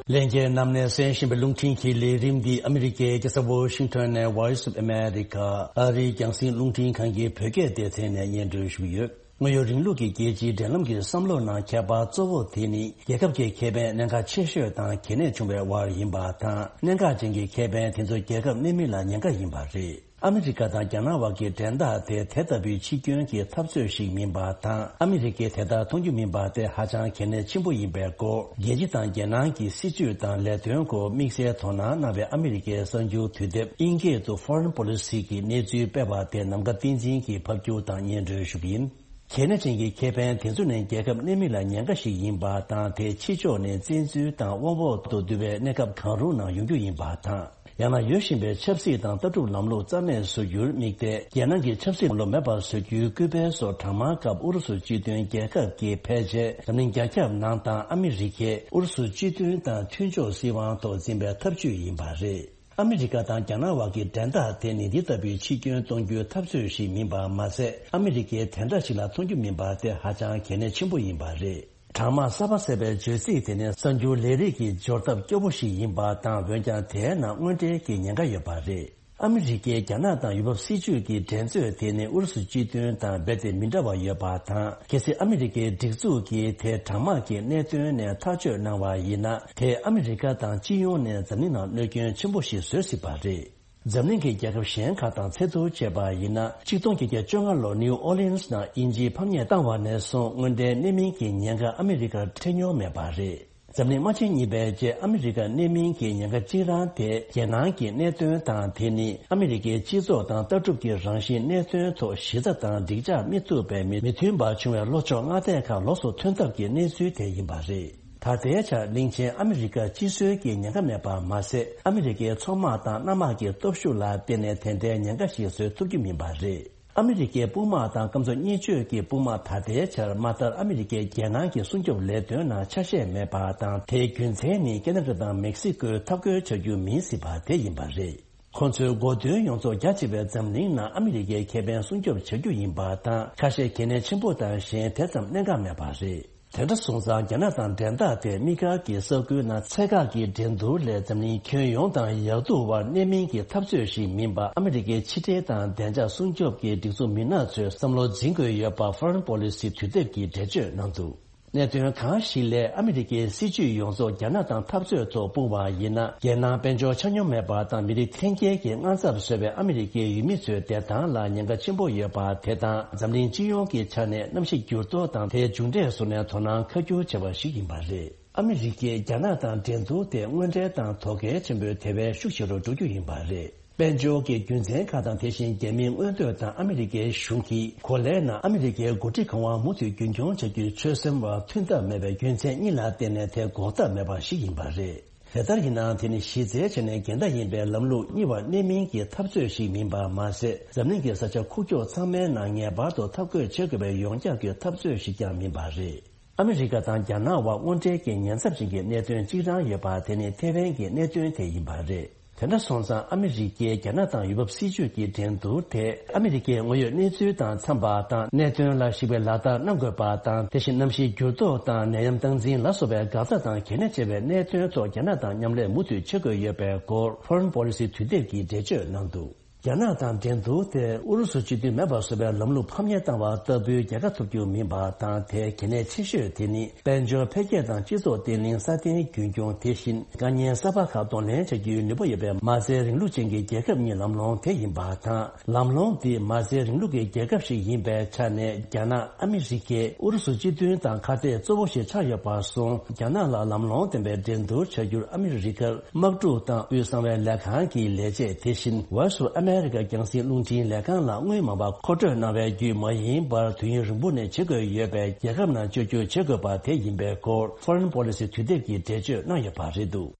ལྷན་རྒྱས་རྣམས་ནས་གསན་བཞིན་པའི་རླུང་འཕྲིན་གྱི་ལས་རིམ་འདི་ཨ་མི་རི་ཀའི་རྒྱལ་ས་ཝོ་ཤིང་ཊོན་ནས་Voice of America ཨ་རིའི་རྒྱང་སྲིང་རླུང་འཕྲིན་ཁང་གི་བོད་སྐད་སྡེ་ཚན་ནས་སྙན་སྒྲོན་ཞུ་གི་ཡོད། དངོས་ཡོད་རིང་ལུགས་ཀྱི་རྒྱལ་སྤྱིའི་འབྲེལ་ལམ་གྱི་བསམ་བློ་ནང་ཁྱད་པར་གཙོ་བོ་དེ་ནི་རྒྱལ་ཁབ་ཀྱི་ཁེ་ཕན་གནད་འགག་ཆེ་ཤོས་དང་གལ་གནད་ཆུང་བའི་དབར་ཡིན་པ་དང་། གནད་འགག་ཅན་གྱི་ཁེ་ཕན་དེ་ཚོ་རྒྱལ་ཁབ་གནད་སྨིན་ལ་ཉེན་ཁ་ཡིན་པ་རེད། ཨ་མི་རི་ཀ་དང་རྒྱ་ནག་དབར་གྱི་འགྲན་ཟླ་དེ་དེ་ལྟ་བུའི་འཆི་སྐྱོན་གྱི་འཐབ་རྩོད་ཞིག་མིན་པ་དང་། ཨ་མི་རི་ཀས་དེ་ལྟར་མཐོང་རྒྱུ་མིན་པ་དེ་ཧ་ཅང་གལ་གནད་ཆེན་པོ་ཡིན་པའི་སྐོར། རྒྱལ་སྤྱི་དང་རྒྱལ་ནང་གི་སྲིད་བྱུས་དང་ལས་དོན་སྐོར་དམིགས་བསལ་དོ་སྣང་གནང་བའི་ཨ་མི་རི་ཀའི་གསར་འགྱུར་དུས་དེབ་ཨིན་སྐད་དུ་Foreign Policy གི་གནས་ཚུལ་སྤེལ་བ་དེ་ནམ་མཁའ་བསྟན་འཛིན་གྱིས་ཕབ་སྒྱུར་དང་སྙན་སྒྲོན་ཞུ་གི་ཡིན། གལ་གནད་ཅན་གྱི་ཁེ་ཕན་དེ་ཚོ་ནི་རྒྱལ་ཁབ་གནད་སྨིན་ལ་ཉེན་ཁ་ཞིག་ཡིན་པ་དང་། དེ་ཕྱི་ཕྱོགས་ནས་བཙན་འཛུལ་དང་དབང་འོག་ཏུ་བསྡུ་བའི་གནས་སྐབས་གང་རུང་ནང་ཡོང་རྒྱུ་ཡིན་པ་དང་། ཡང་ན་ཡོད་བཞིན་པའི་ཆབ་སྲིད་དང་ལྟ་གྲུབ་ལམ་ལུགས་རྩ་མེད་བཟོ་རྒྱུར་དམིགས་ཏེ། རྒྱལ་ནང་གི་ཆབ་སྲིད་ལམ་ལུགས་མེད་པར་བཟོ་རྒྱུའི་སྐུལ་སྤེལ་སོགས་གྲངས་མང་སྐབས་ཨུ་རུ་སུ་སྤྱི་མཐུན་རྒྱལ་ཁབ་ཀྱིས་ཕལ་ཆེར་འཛམ་གླིང་རྒྱ་ཁྱབ་ནང་དང་ཨ་མི་རི་ཀས་ཨུ་རུ་སུ་སྤྱི་མཐུན་དང་མཐུན་ཕྱོགས་སྲིད་དབང་ཐོག་འཛིན་པའི་ཐབས་ཇུས་ཡིན་པ་རེད། ཨ་མི་རི་ཀ་དང་རྒྱ་ནག་དབར་གྱི་འགྲན་ཟླ་དེ་ནི་འདི་ལྟ་བུའི་འཆི་སྐྱོན་གཏོང་རྒྱུའི་འཐབ་རྩོད་ཞིག་མིན་པ་མ་ཟད། ཨ་མི་རི་ཀས་དེ་འདྲ་ཞིག་ལ་མཐོང་རྒྱུ་མིན་པ་དེ་ཧ་ཅང་གལ་གནད་ཆེན་པོ་ཡིན་པ་རེད། གྲངས་མང་གསར་པ་གསལ་བའི་བརྗོད་ཚིག་དེ་ནི་གསར་འགྱུར་ལས་རིགས་ཀྱི་སྦྱོར་ཐབས་སྐྱོ་པོ་ཞིག་ཡིན་པ་དང་། འོན་ཀྱང་དེའི་ནང་དངོས་འབྲེལ་གྱི་ཉེན་ཁ་ཡོད་པ་རེད། ཨ་མི་རི་ཀས་རྒྱ་ནག་དང་ཡུལ་བབ་སྲིད་ཇུས་ཀྱི་འགྲན་རྩོད་དེ་ནི་ཨུ་རུ་སུ་སྤྱི་མཐུན་དང་རྦད་དེ་མི་འདྲ་བ་ཡོད་པ་དང་། གལ་སྲིད་ཨ་མི་རི་ཀའི་སྒྲིག་འཛུགས་ཀྱིས་དེ་གྲངས་མང་གི་གནད་དོན་ནས་ཐག་གཅོད་གནང་བ་ཡིན་ན། དེས་ཨ་མི་རི་ཀ་དང་སྤྱི་ཡོངས་ནས་འཛམ་གླིང་ནང་གནོད་སྐྱོན་ཆེན་པོ་ཞིག་བཟོ་སྲིད་པ་རེད། འཛམ་གླིང་གི་རྒྱལ་ཁབ་གཞན་ཁག་དང་ཚད་བསྡུར་བྱས་པ་ཡིན་ན། ཆིག་སྟོང་བརྒྱད་བརྒྱ་བཅོ་ལྔ་ལོར་ནིའུ་ཨོ་ལིན་སི་ནང་དབྱིན་ཇིས་ཕམ་ཉེས་བཏང་བ་ནས་བཟུང་དངོས་འབྲེལ་གནད་སྨིན་གྱི་ཉེན་ཁ་ཨ་མི་རི་ཀར་འཕྲད་མྱོང་མེད་པ་རེད། འཛམ་གླིང་དམག་ཆེན་གཉིས་པའི་རྗེས་ཨ་མི་རི་ཀར་གནད་སྨིན་གྱི་ཉེན་ཁ་གཅིག་རང་དེ་རྒྱལ་ནང་གི་གནད་དོན་དང་། དེ་ནི་ཨ་མི་རི་ཀའི་སྤྱི་ཚོགས་དང་ལྟ་གྲུབ་ཀྱི་རང་བཞིན་གནད་དོན་ཐོག་གཞི་རྩ་དང་འགྲིག་འཇགས་མི་ཐུབ་པའི་མི་མི་མཐུན་པ་བྱུང་བའི་ལྷོ་ཕྱོགས་མངའ་སྡེ་ཁག་ལོགས་སུ་ཐོན་ཐབས་ཀྱི་གནས་ཚུལ་དེ་ཡིན་པ་རེད། ད་ལྟའི་ཆར་གླིང་ཆེན་ཨ་མི་རི་ཀར་སྤྱི་སྲོལ་གྱི་ཉེན་ཁ་མེད་པ་མ་ཟད། ཨ་མི་རི་ཀའི་མཚོ་དམག་དང་གནམ་དམག་གི་སྟོབས་ཤུགས་ལ་བརྟེན་ནས་དེ་འདྲའི་ཉེན་ཁ་ཞིག་བཟོ་ཐུབ་རྒྱུ་མིན་པ་རེད། ཨ་མི་རི་ཀའི་དཔུང་དམག་དང་སྐམ་མཚོ་གཉེར་སྤྱོད་ཀྱི་དཔུང་དམག་ད་ལྟའི་ཆར་མ་མཐར་ཨ་མི་རི་ཀའི་རྒྱལ་ནང་གི་སྲུང་སྐྱོབ་ལས་དོན་ནང་ཆ་ཤས་མེད་པ་དང་། དེའི་རྒྱུ་མཚན་ནི་ཁེ་ན་ཌ་དང་མེག་སི་ཀོས་འཐབ་རྒོལ་བྱ་རྒྱུ་མིན་སྲིད་པ་དེ་ཡིན་པ་རེད། ཁོ་ཚོའི་འགོ་འདུན་ཡོངས་རྫོགས་རྒྱ་ཆེ་བའི་འཛམ་གླིང་ནང་ཨ་མི་རི་ཀའི་ཁེ་ཕན་སྲུང་སྐྱོབ་བྱ་རྒྱུ་ཡིན་པ་དང་། ཁ་ཤས་གལ་གནད་ཆེན་པོ་དང་གཞན་དེ་ཙམ་གནད་འགག་མེད་པ་རེད། དེ་འདྲ་སོང་ཙང་། རྒྱ་ནག་དང་འགྲན་ཟླ་དེ་དམིགས་བཀར་གྱི་ས་ཁུལ་ནང་ཚད་བཀག་གི་འགྲན་བསྡུར་ལས་འཛམ་གླིང་ཁྱོན་ཡོངས་དང་ཡག་སྡུག་དབར་གནད་སྨིན་གྱི་འཐབ་རྩོད་ཞིག་མིན་པ། ཨ་མི་རི་ཀའི་ཕྱི་འབྲེལ་དང་བདེ་འཇགས་སྲུང་སྐྱོབ་ཀྱི་སྒྲིག་འཛུགས་མི་སྣ་ཚོས་བསམ་བློ་འཛིན་དགོས་ཡོད་པ་Foreign Policy དུས་དེབ་ཀྱིས་འགྲེལ་བརྗོད་གནང་འདུག། གནད་དོན་གང་ཞིག་ལས་ཨ་མི་རི་ཀའི་སྲིད་ཇུས་ཡོངས་རྫོགས་རྒྱ་ནག་དང་འཐབ་རྩོད་ཐོག་སྤུངས་པ་ཡིན་ན། རྒྱལ་ནང་དཔལ་འབྱོར་ཆ་སྙོམས་མེད་པ་དང་མི་རིགས་འཐེན་འཁྱེར་གྱི་དངངས་འཚབ་བཟོས་པའི་ཨ་མི་རི་ཀའི་ཡུལ་མི་ཚོའི་བདེ་ཐང་ལ་ཉེན་ཁ་ཆེན་པོ་ཡོད་པ་དེ་དང་། འཛམ་གླིང་སྤྱི་ཡོངས་ཀྱི་ཆ་ནས་གནམ་གཤིས་འགྱུར་ལྡོག་དང་དེའི་མཇུག་འབྲས་སོགས་ནས་དོ་སྣང་ཁ་སྒྱུར་བྱས་པ་ཞིག་ཡིན་པ་རེད། ཨ་མི་རི་ཀས་རྒྱ་ནག་དང་འགྲན་བསྡུར་དེ་དངོས་འབྲེལ་དང་དོ་གལ་ཆེན་པོའི་དེ་བས་ཤུགས་ཆེ་རུ་འགྲོ་རྒྱུ་ཡིན་པ་རེད། དཔལ་འབྱོར་གྱི་རྒྱུ་མཚན་ཁག་དང་། དེ་བཞིན་རྒྱ་མིའི་མངོན་འདོད་དང་ཨ་མི་རི་ཀའི་གཞུང་གིས་གོ་ལའི་ནང་ཨ་མི་རི་ཀའི་འགོ་ཁྲིད་གང་བ་མུ་མཐུད་རྒྱུན་འཁྱོངས་བྱ་རྒྱུའི་ཆོད་སེམས་བར་མཐུན་ཐབས་མེད་པའི་རྒྱུ་མཚན་གཉིས་ལ་བརྟེན་ནས་དེ་འགོག་ཐབས་མེད་པ་ཞིག་ཡིན་པ་རེད། དེ་ལྟར་ཡིན་ནའང་། དེ་ནི་གཞི་རྩའི་ཆ་ནས་འགལ་ཟླ་ཡིན་པའི་ལམ་ལུགས་གཉིས་བར་གནད་སྨིན་གྱི་འཐབ་རྩོད་ཞིག་མིན་པར་མ་ཟད། འཛམ་གླིང་གི་ས་ཆ་ཁུག་ཀྱོག་ཚང་མའི་ནང་ངེས་པར་དུ་འཐབ་རྒོལ་བྱེད་དགོས་པའི་ཡོངས་ཁྱབ་ཀྱི་འཐབ་རྩོད་ཞིག་ཀྱང་མིན་པ་རེད། ཨ་མི་རི་ཀ་དང་རྒྱ་ནག་དབར་དངོས་འབྲེལ་གྱི་ཉེན་ཚབས་ཅན་གྱི་གནད་དོན་གཅིག་རང་ཡོད་པ། དེ་ནི་ཐེ་ཝན་གྱི་གནད་དོན་དེ་ཡིན་པ་རེད། དེ་འདྲ་སོང་ཙང་། ཨ་མི་རི་ཀས་རྒྱ་ནག་དང་ཡུལ་བབ་སྲིད་ཇུས་ཀྱི་འགྲན་བསྡུར་དེ་ཨ་མི་རི་ཀའི་དངོས་ཡོད་གནས་ཚུལ་དང་འཚམས་པ་དང་། གནད་དོན་ལ་གཞིགས་པའི་ལག་བསྟར་གནང་དགོས་པ་དང་། དེ་བཞིན་གནམ་གཤིས་འགྱུར་ལྡོག་དང་ནད་ཡམས་སྟངས་འཛིན་ལ་སོགས་པའི་འགག་རྩ་དང་གལ་གནད་ཆེ་བའི་གནད་དོན་ཐོག་རྒྱ་ནག་དང་མཉམ་ལས་མུ་མཐུད་བྱེད་དགོས་ཡོད་པའི་སྐོར། Foreign Policy དུས་དེབ་ཀྱིས་འགྲེལ་བརྗོད་གནང་འདུག་རྒྱ་ནག་དང་འགྲན་བསྡུར་དེ་ཨུ་རུ་སུ་སྤྱི་མཐུན་མེད་པ་བཟོ་བའི་ལམ་ལུགས་ཕམ་ཉེས་བཏང་བ་ལྟ་བུའི་རྒྱལ་ཁ་ཐོབ་རྒྱུ་མིན་པ་དང་། དེའི་གལ་གནད་ཆེ་ཤོས་དེ་ནི་དཔལ་འབྱོར་འཕེལ་རྒྱས་དང་སྤྱི་ཚོགས་བརྟན་ལྷིང་སྲ་བརྟན་རྒྱུན་འཁྱོངས། དེ་བཞིན་དཀའ་ཉེན་གསར་པ་ཁག་གདོང་ལེན་བྱ་རྒྱུའི་ནུས་པ་ཡོད་པའི་མ་རྩའི་རིང་ལུགས་ཅན་གྱི་རྒྱལ་ཁབ་གཉིས་ལམ་ལྷོང་དེ་ཡིན་པ་དང་། ལམ་ལྷོང་འདི་མ་རྩའི་རིང་ལུགས་ཀྱི་རྒྱལ་ཁབ་ཞིག་ཡིན་པའི་ཆ་ནས། རྒྱ་ནག་ཨ་མི་རི་ཀས་ཨུ་རུ་སུ་སྤྱི་མཐུན་དང་ཁ་གཏད་གཙོ་བོ་ཞིག་ཆགས་ཡོད་པར་སོང་། རྒྱ་ནག་ལ་ལམ་ལྷོང་ལྡན་པའི་འགྲན་བསྡུར་བྱ་རྒྱུར་ཨ་མི་རི་ཀར་དམག་འཁྲུག་དང་དབུས་གསང་བའི་ལས་ཁང་གི་ལས་བྱེད། དེ་བཞིན་Voice of America རྒྱང་སྲིང་རླུང་འཕྲིན་ལས་ཁང་ལ་དངུལ་མང་བ་མཁོ་སྤྲོད་གནང་བའི་བརྒྱུད་མ་ཡིན་པར་དུས་ཡུན་རིང་པོ་ནས་བྱེད་དགོས་ཡོད་པའི་རྒྱལ་ཁབ་ནང་བཅོས་བསྒྱུར་བྱེད་དགོས་པ་དེ་ཡིན་པའི་སྐོར། Foreign Policy དུས་དེབ་ཀྱིས་འགྲེལ་བརྗོད་གནང་ཡོད་པ་རེད་འདུག་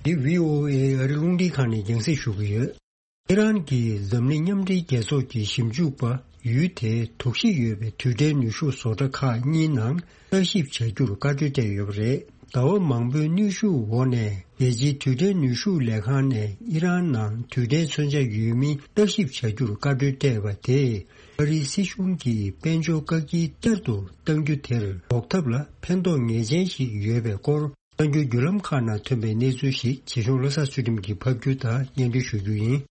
འདི་བྷི་ཨོ་ཨེ་ཨ་རི་རླུང་འཕྲིན་ཁང་ནས་རྒྱང་སྲིང་ཞུ་གི་ཡོད། ཨི་རན་གྱིས་འཛམ་གླིང་མཉམ་འབྲེལ་རྒྱལ་ཚོགས་ཀྱི་ཞིབ་འཇུག་པ་ཡུལ་དེའི་དོགས་གཞི་ཡོད་པའི་རྡུལ་ཕྲན་ནུས་ཤུགས་བཟོ་གྲྭ་ཁག་གཉིས་ནང་བརྟག་ཞིབ་བྱ་རྒྱུར་བཀའ་འཁྲོལ་སྤྲད་ཡོད་པ་རེད། ཟླ་བ་མང་པོའི་གནོན་ཤུགས་འོག་ནས་རྒྱལ་སྤྱིའི་རྡུལ་ཕྲན་ནུས་ཤུགས་ལས་ཁང་ནས་ཨི་རན་ནང་རྡུལ་ཕྲན་མཚོན་ཆ་ཡོད་མིན་བརྟག་ཞིབ་བྱ་རྒྱུར་བཀའ་འཁྲོལ་སྤྲད་པ་དེས། ཨ་རིའི་སྲིད་གཞུང་གིས་དཔལ་འབྱོར་བཀག་སྐྱིལ་བསྐྱར་དུ་གཏང་རྒྱུ་དེར་འགོག་ཐབས་ལ་ཕན་ཐོགས་ངེས་ཅན་ཞིག་ཡོད་པའི་སྐོར། གསར་འགྱུར་བརྒྱུད་ལམ་ཁག་ནང་ཐོན་པའི་གནས་ཚུལ་ཞིག་བྱེད་ཤོག་བློ་བཟང་ཚུལ་ཁྲིམས་ཀྱིས་ཕབ་སྒྱུར་དང་སྙན་སྒྲོན་ཞུ་རྒྱུ་ཡིན།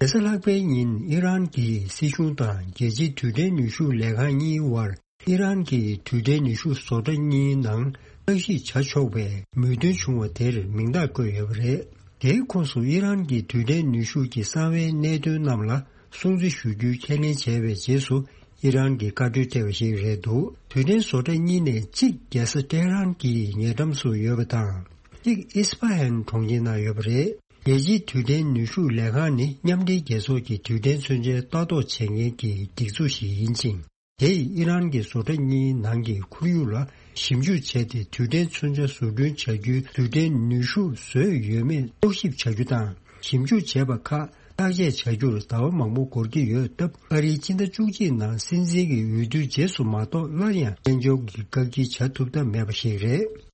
རེས་གཟའ་ལྷག་པའི་ཉིན་ཨི་རན་གྱི་སྲིད་གཞུང་དང་རྒྱལ་སྤྱིའི་རྡུལ་ཕྲན་ནུས་ཤུགས་ལས་ཁང་གཉིས་དབར་ཨི་རན་གྱི་རྡུལ་ཕྲན་ནུས་ཤུགས་བཟོ་གྲྭ་གཉིས་ནང་བརྟག་ཞིབ་བྱ་ཆོག་པའི་མོས་མཐུན་བྱུང་བ་དེར་མིང་རྟགས་བཀོད་ཡོད་པ་རེད། དེའི་ཁོངས་སུ་ཨི་རན་གྱི་རྡུལ་ཕྲན་ནུས་ཤུགས་ཀྱི་གསང་བའི་གནད་དོན་རྣམས་ལ་སྲུང་བརྩི་ཞུ་རྒྱུའི་ཁས་ལེན་བྱས་པའི་རྗེས་སུ་ཨི་རན་གྱིས་བཀའ་འཁྲོལ་སྤྲད་པ་ཞིག་རེད་འདུག་རྡུལ་ཕྲན་བཟོ་གྲྭ་གཉིས་ནས་གཅིག་རྒྱལ་ས་ཏེ་ཧ་རན་གྱི་ཉེ་འགྲམ་སུ་ཡོད་པ་དང་། གཅིག་ཨིས་ཕ་ཧན་གྲོང་ཁྱེར་ནང་ཡོད་པ་རེད། རྒྱལ་སྤྱིའི་རྡུལ་ཕྲན་ནུས་ཤུགས་ལས་ཁང་ནི་མཉམ་འབྲེལ་རྒྱལ་ཚོགས་ཀྱི་རྡུལ་ཕྲན་མཚོན་ཆའི་ལྟ་རྟོག་བྱེད་མཁན་གྱི་སྒྲིག་འཛུགས་ཤིག་ཡིན་ཅིང་། དེས་ཨི་རན་གྱི་བཟོ་གྲྭ་གཉིས་ནང་གི་ཁོར་ཡུག་ལ་ཞིབ་འཇུག་བྱས་ཏེ། རྡུལ་ཕྲན་མཚོན་ཆ་བཟོ་སྐྲུན་བྱ་རྒྱུའི་རྡུལ་ཕྲན་ནུས་ཤུགས་བཟོས་ཡོད་མེད་རྟོག་ཞིབ་བྱ་རྒྱུ་དང་། ཞིབ་འཇུག་བྱས་པ་ཁག་བརྟག་དཔྱད་བྱ་རྒྱུར་ཟླ་བ་མང་པོ་འགོར་གྱི་ཡོད་སྟབས། ཨ་རིའི་སྤྱི་ཟླ་བཅུ་གཅིག་ནང་སྲིད་འཛིན་གྱི་འོས་བསྡུ་རྗེས་སུ་མ་གཏོགས་སླར་ཡང་དཔལ་འབྱོར་གྱི་བཀག་སྐྱིལ་བྱ་ཐུབ་ཐབས་མེད་པ་ཞིག་རེད།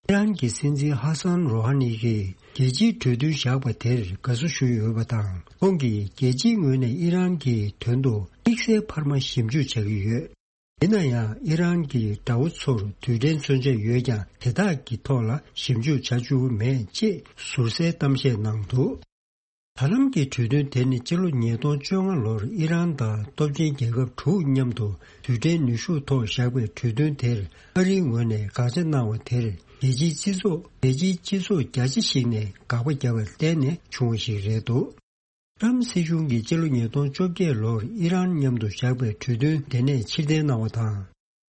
ཨི་རན་གྱི་སྲིད་འཛིན་ཧ་སན་རོ་ཧ་ནི་གིས་རྒྱལ་སྤྱིའི་གྲོས་མཐུན་བཞག་པ་དེར་དགའ་བསུ་ཞུས་ཡོད་པ་དང་། ཁོང་གིས་རྒྱལ་སྤྱིའི་ངོས་ནས་ཨི་རན་གྱི་དོན་དུ་དམིགས་བསལ་འཕར་མ་ཞིབ་འཇུག་བྱ་གི་ཡོད། ཡིན་ན་ཡང་། ཨི་རན་གྱི་དགྲ་བོ་ཚོར་རྡུལ་ཕྲན་མཚོན་ཆ་ཡོད་ཀྱང་། དེ་དག་གི་ཐོག་ལ་ཞིབ་འཇུག་བྱ་བཅུག་མེད་ཅེས་ཟུར་གསལ་གཏམ་བཤད་གནང་འདུག་ད་ལམ་གྱི་གྲོས་མཐུན་དེ་ནི་སྤྱི་ལོ་ཉིས་སྟོང་བཅོ་ལྔ་ལོར་ཨི་རན་དང་སྟོབས་ཆེན་རྒྱལ་ཁབ་དྲུག་མཉམ་དུ་རྡུལ་ཕྲན་ནུས་ཤུགས་ཐོག་བཞག་པའི་གྲོས་མཐུན་དེར་ཨ་རིའི་ངོས་ནས་དགག་བྱ་གནང་བ་དེར། རྒྱལ་སྤྱིའི་སྤྱི་ཚོགས། རྒྱལ་སྤྱིའི་སྤྱི་ཚོགས་རྒྱ་ཆེ་ཞིག་ནས་དགག་པ་བརྒྱབ་པར་བརྟེན་ནས་བྱུང་བ་ཞིག་རེད་འདུག་ཏྲམ་སྲིད་གཞུང་གིས་སྤྱི་ལོ་ཉིས་སྟོང་བཅོ་བརྒྱད་ལོར་ཨི་རན་མཉམ་དུ་བཞག་པའི་གྲོས་མཐུན་དེ་ནས་ཕྱིར་འཐེན་གནང་བ་དང་།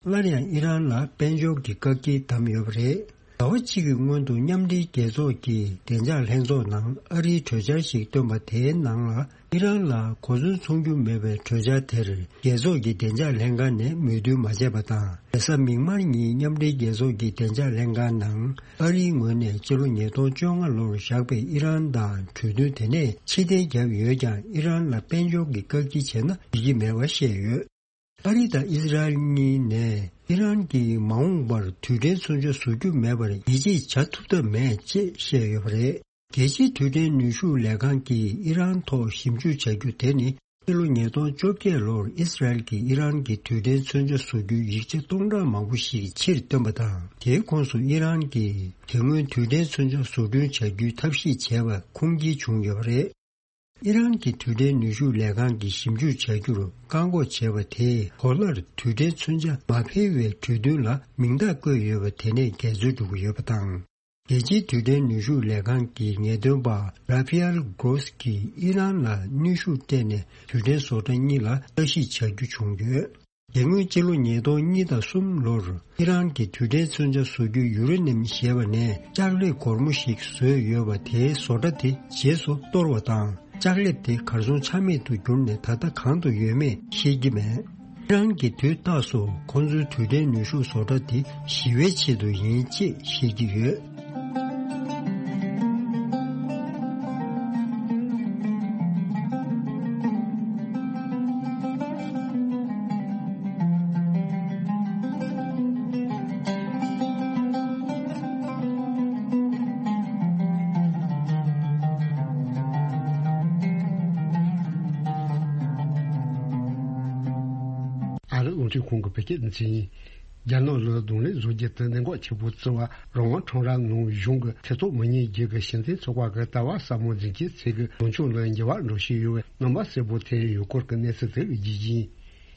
སླར་ཡང་ཨི་རན་ལ་དཔལ་འབྱོར་གྱི་བཀག་སྐྱིལ་བསྡམས་ཡོད་པ་རེད། ཟླ་བ་གཅིག་གི་སྔོན་དུ་མཉམ་འབྲེལ་རྒྱལ་ཚོགས་ཀྱི་བདེ་འཇགས་ལྷན་ཚོགས་ནང་ཨ་རིའི་གྲོས་འཆར་ཞིག་བཏོན་པ་དེའི་ནང་ལ། ཨི་རན་ལ་གོ་མཚོན་ཚོང་རྒྱུ་མེད་པའི་གྲོས་འཆར་དེར་རྒྱལ་ཚོགས་ཀྱི་བདེ་འཇགས་ལྷན་ཁང་ནས་མོས་མཐུན་མ་བྱས་པ་དང་། རེས་གཟའ་མིག་དམར་ཉིན་མཉམ་འབྲེལ་རྒྱལ་ཚོགས་ཀྱི་བདེ་འཇགས་ལྷན་ཁང་ནང་ཨ་རིའི་ངོས་ནས་སྤྱི་ལོ་ཉིས་སྟོང་བཅོ་ལྔ་ལོར་བཞག་པའི་ཨི་རན་དང་གྲོས་མཐུན་དེ་ནས་ཕྱིར་འཐེན་བརྒྱབ་ཡོད་ཀྱང་། ཨི་རན་ལ་དཔལ་འབྱོར་གྱི་བཀག་སྐྱིལ་བྱས་ན་འགྲིག་གི་མེད་པ་བཤད་ཡོད། ཨ་རི་དང་ཨི་ཟི་རལ་གཉིས་ནས་ཨི་རན་གྱིས་མ་འོངས་པར་རྡུལ་ཕྲན་མཚོན་ཆ་བཟོ་རྒྱུ་མེད་པར་ཡིད་ཆེས་བྱ་ཐུབ་ཐབས་མེད་ཅེས་བཤད་ཡོད་པ་རེད། རྒྱལ་སྤྱིའི་རྡུལ་ཕྲན་ནུས་ཤུགས་ལས་ཁང་གིས་ཨི་རན་ཐོག་ཞིབ་འཇུག་བྱ་རྒྱུ་དེ་ནི་ ཕྱི་ལོ་ཉིས་སྟོང་བཅོ་བརྒྱད་ལོར་ཨི་སི་རལ་གྱིས་ཨི་རན་གྱི་རྡུལ་ཕྲན་མཚོན་ཆ་བཟོ་རྒྱུའི་ཡིག་ཆ་སྟོང་ཕྲག་མང་པོ་ཞིག་ཕྱིར་བཏོན་པ་དང་། དེའི་ཁོངས་སུ་ཨི་རན་གྱིས་དེ་སྔོན་རྡུལ་ཕྲན་མཚོན་ཆ་བཟོ་སྐྲུན་བྱ་རྒྱུའི་ཐབས་ཤེས་བྱས་པ་ཁུངས་སྐྱེལ་བྱུང་ཡོད་པ་རེད། ཨི་རན་གྱི་རྡུལ་ཕྲན་ནུས་ཤུགས་ལས་ཁང་གིས་ཞིབ་འཇུག་བྱ་རྒྱུར་བཀག་འགོག་བྱས་པ་དེས་གོ་ལར་རྡུལ་ཕྲན་མཚོན་ཆ་མ་འཕེལ་བའི་གྲོས་མཐུན་ལ་མིང་རྟགས་བཀོད་ཡོད་པ་དེ་ནས་འགལ་འཛོལ་འགྲོ་གི་ཡོད་པ་དང་། རྒྱལ་སྤྱིའི་རྡུལ་ཕྲན་ནུས་ཤུགས་ལས་ཁང་གི་ངེས་སྟོན་པ་ར་ཕི་ཨེལ་གྷོ་སི་ཀྱིས་ཨི་རན་ལ་ནུས་ཤུགས་སྤྲད་ནས་རྡུལ་ཕྲན་བཟོ་གྲྭ་གཉིས་ལ་ལྟ་ཞིབ་བྱ་རྒྱུ་བྱུང་ཡོད། དེ་སྔོན་ཕྱི་ལོ་ཉིས་སྟོང་གཉིས་དང་གསུམ་ལོར་ཨི་རན་གྱིས་རྡུལ་ཕྲན་མཚོན་ཆ་བཟོ་རྒྱུའི་ཡུ་རེ་ནིམ་ཞེས་པ་ནས་ལྕགས་ལེབ་སྒོར་མོ་ཞིག་བཟོས་ཡོད་པ་དེའི་བཟོ་གྲྭ་དེ་རྗེས་སུ་གཏོར་བ་དང་། ལྕགས་ལེབ་དེ་གར་སོང་ཆ་མེད་དུ་གྱུར་ནས་ད་ལྟ་གང་དུ་ཡོད་མེད་ཤེས་ཀྱི་མེད། ཨི་རན་གྱིས་དུས་རྟག་ཏུ་ཁོང་ཚོའི་རྡུལ་ཕྲན་ནུས་ཤུགས་བཟོ་གྲྭ་དེ་ཞི་བའི་ཆེད་དུ་ཡིན་ཅེས་བཤད་ཀྱི་ཡོད། ཨ་རི་རླུང་འཕྲིན་ཁང་གི་བོད་སྐད་སྡེ་ཚན་ཡིན། རྒྱ་ནག་ལ་གདོང་ལེན་བཟོ་རྒྱུ་དེ་གནད་འགག་ཆེ་པོ་བརྩི་བ། རང་དབང་ཁྲོམ་ར་ནང་གཞུང་གི་ཐེ་གཏོགས་མི་ཉན་རྒྱུ་གི་ཕྱི་འཐེན་ཚོགས་པ་གི་ལྟ་བ་ཟབ་མོ་འཛིན་མཁན་ཚོས་གི་ལངས་ཕྱོགས་ལ་འགྱུར་བ་འགྲོ་བཞིན་ཡོད་པའི་རྣམ་པ་གསལ་པོ་ཐོན་ཡོད་སྐོར་གྱི་གནས་ཚུལ་དེ་རྒྱས་ཡིན།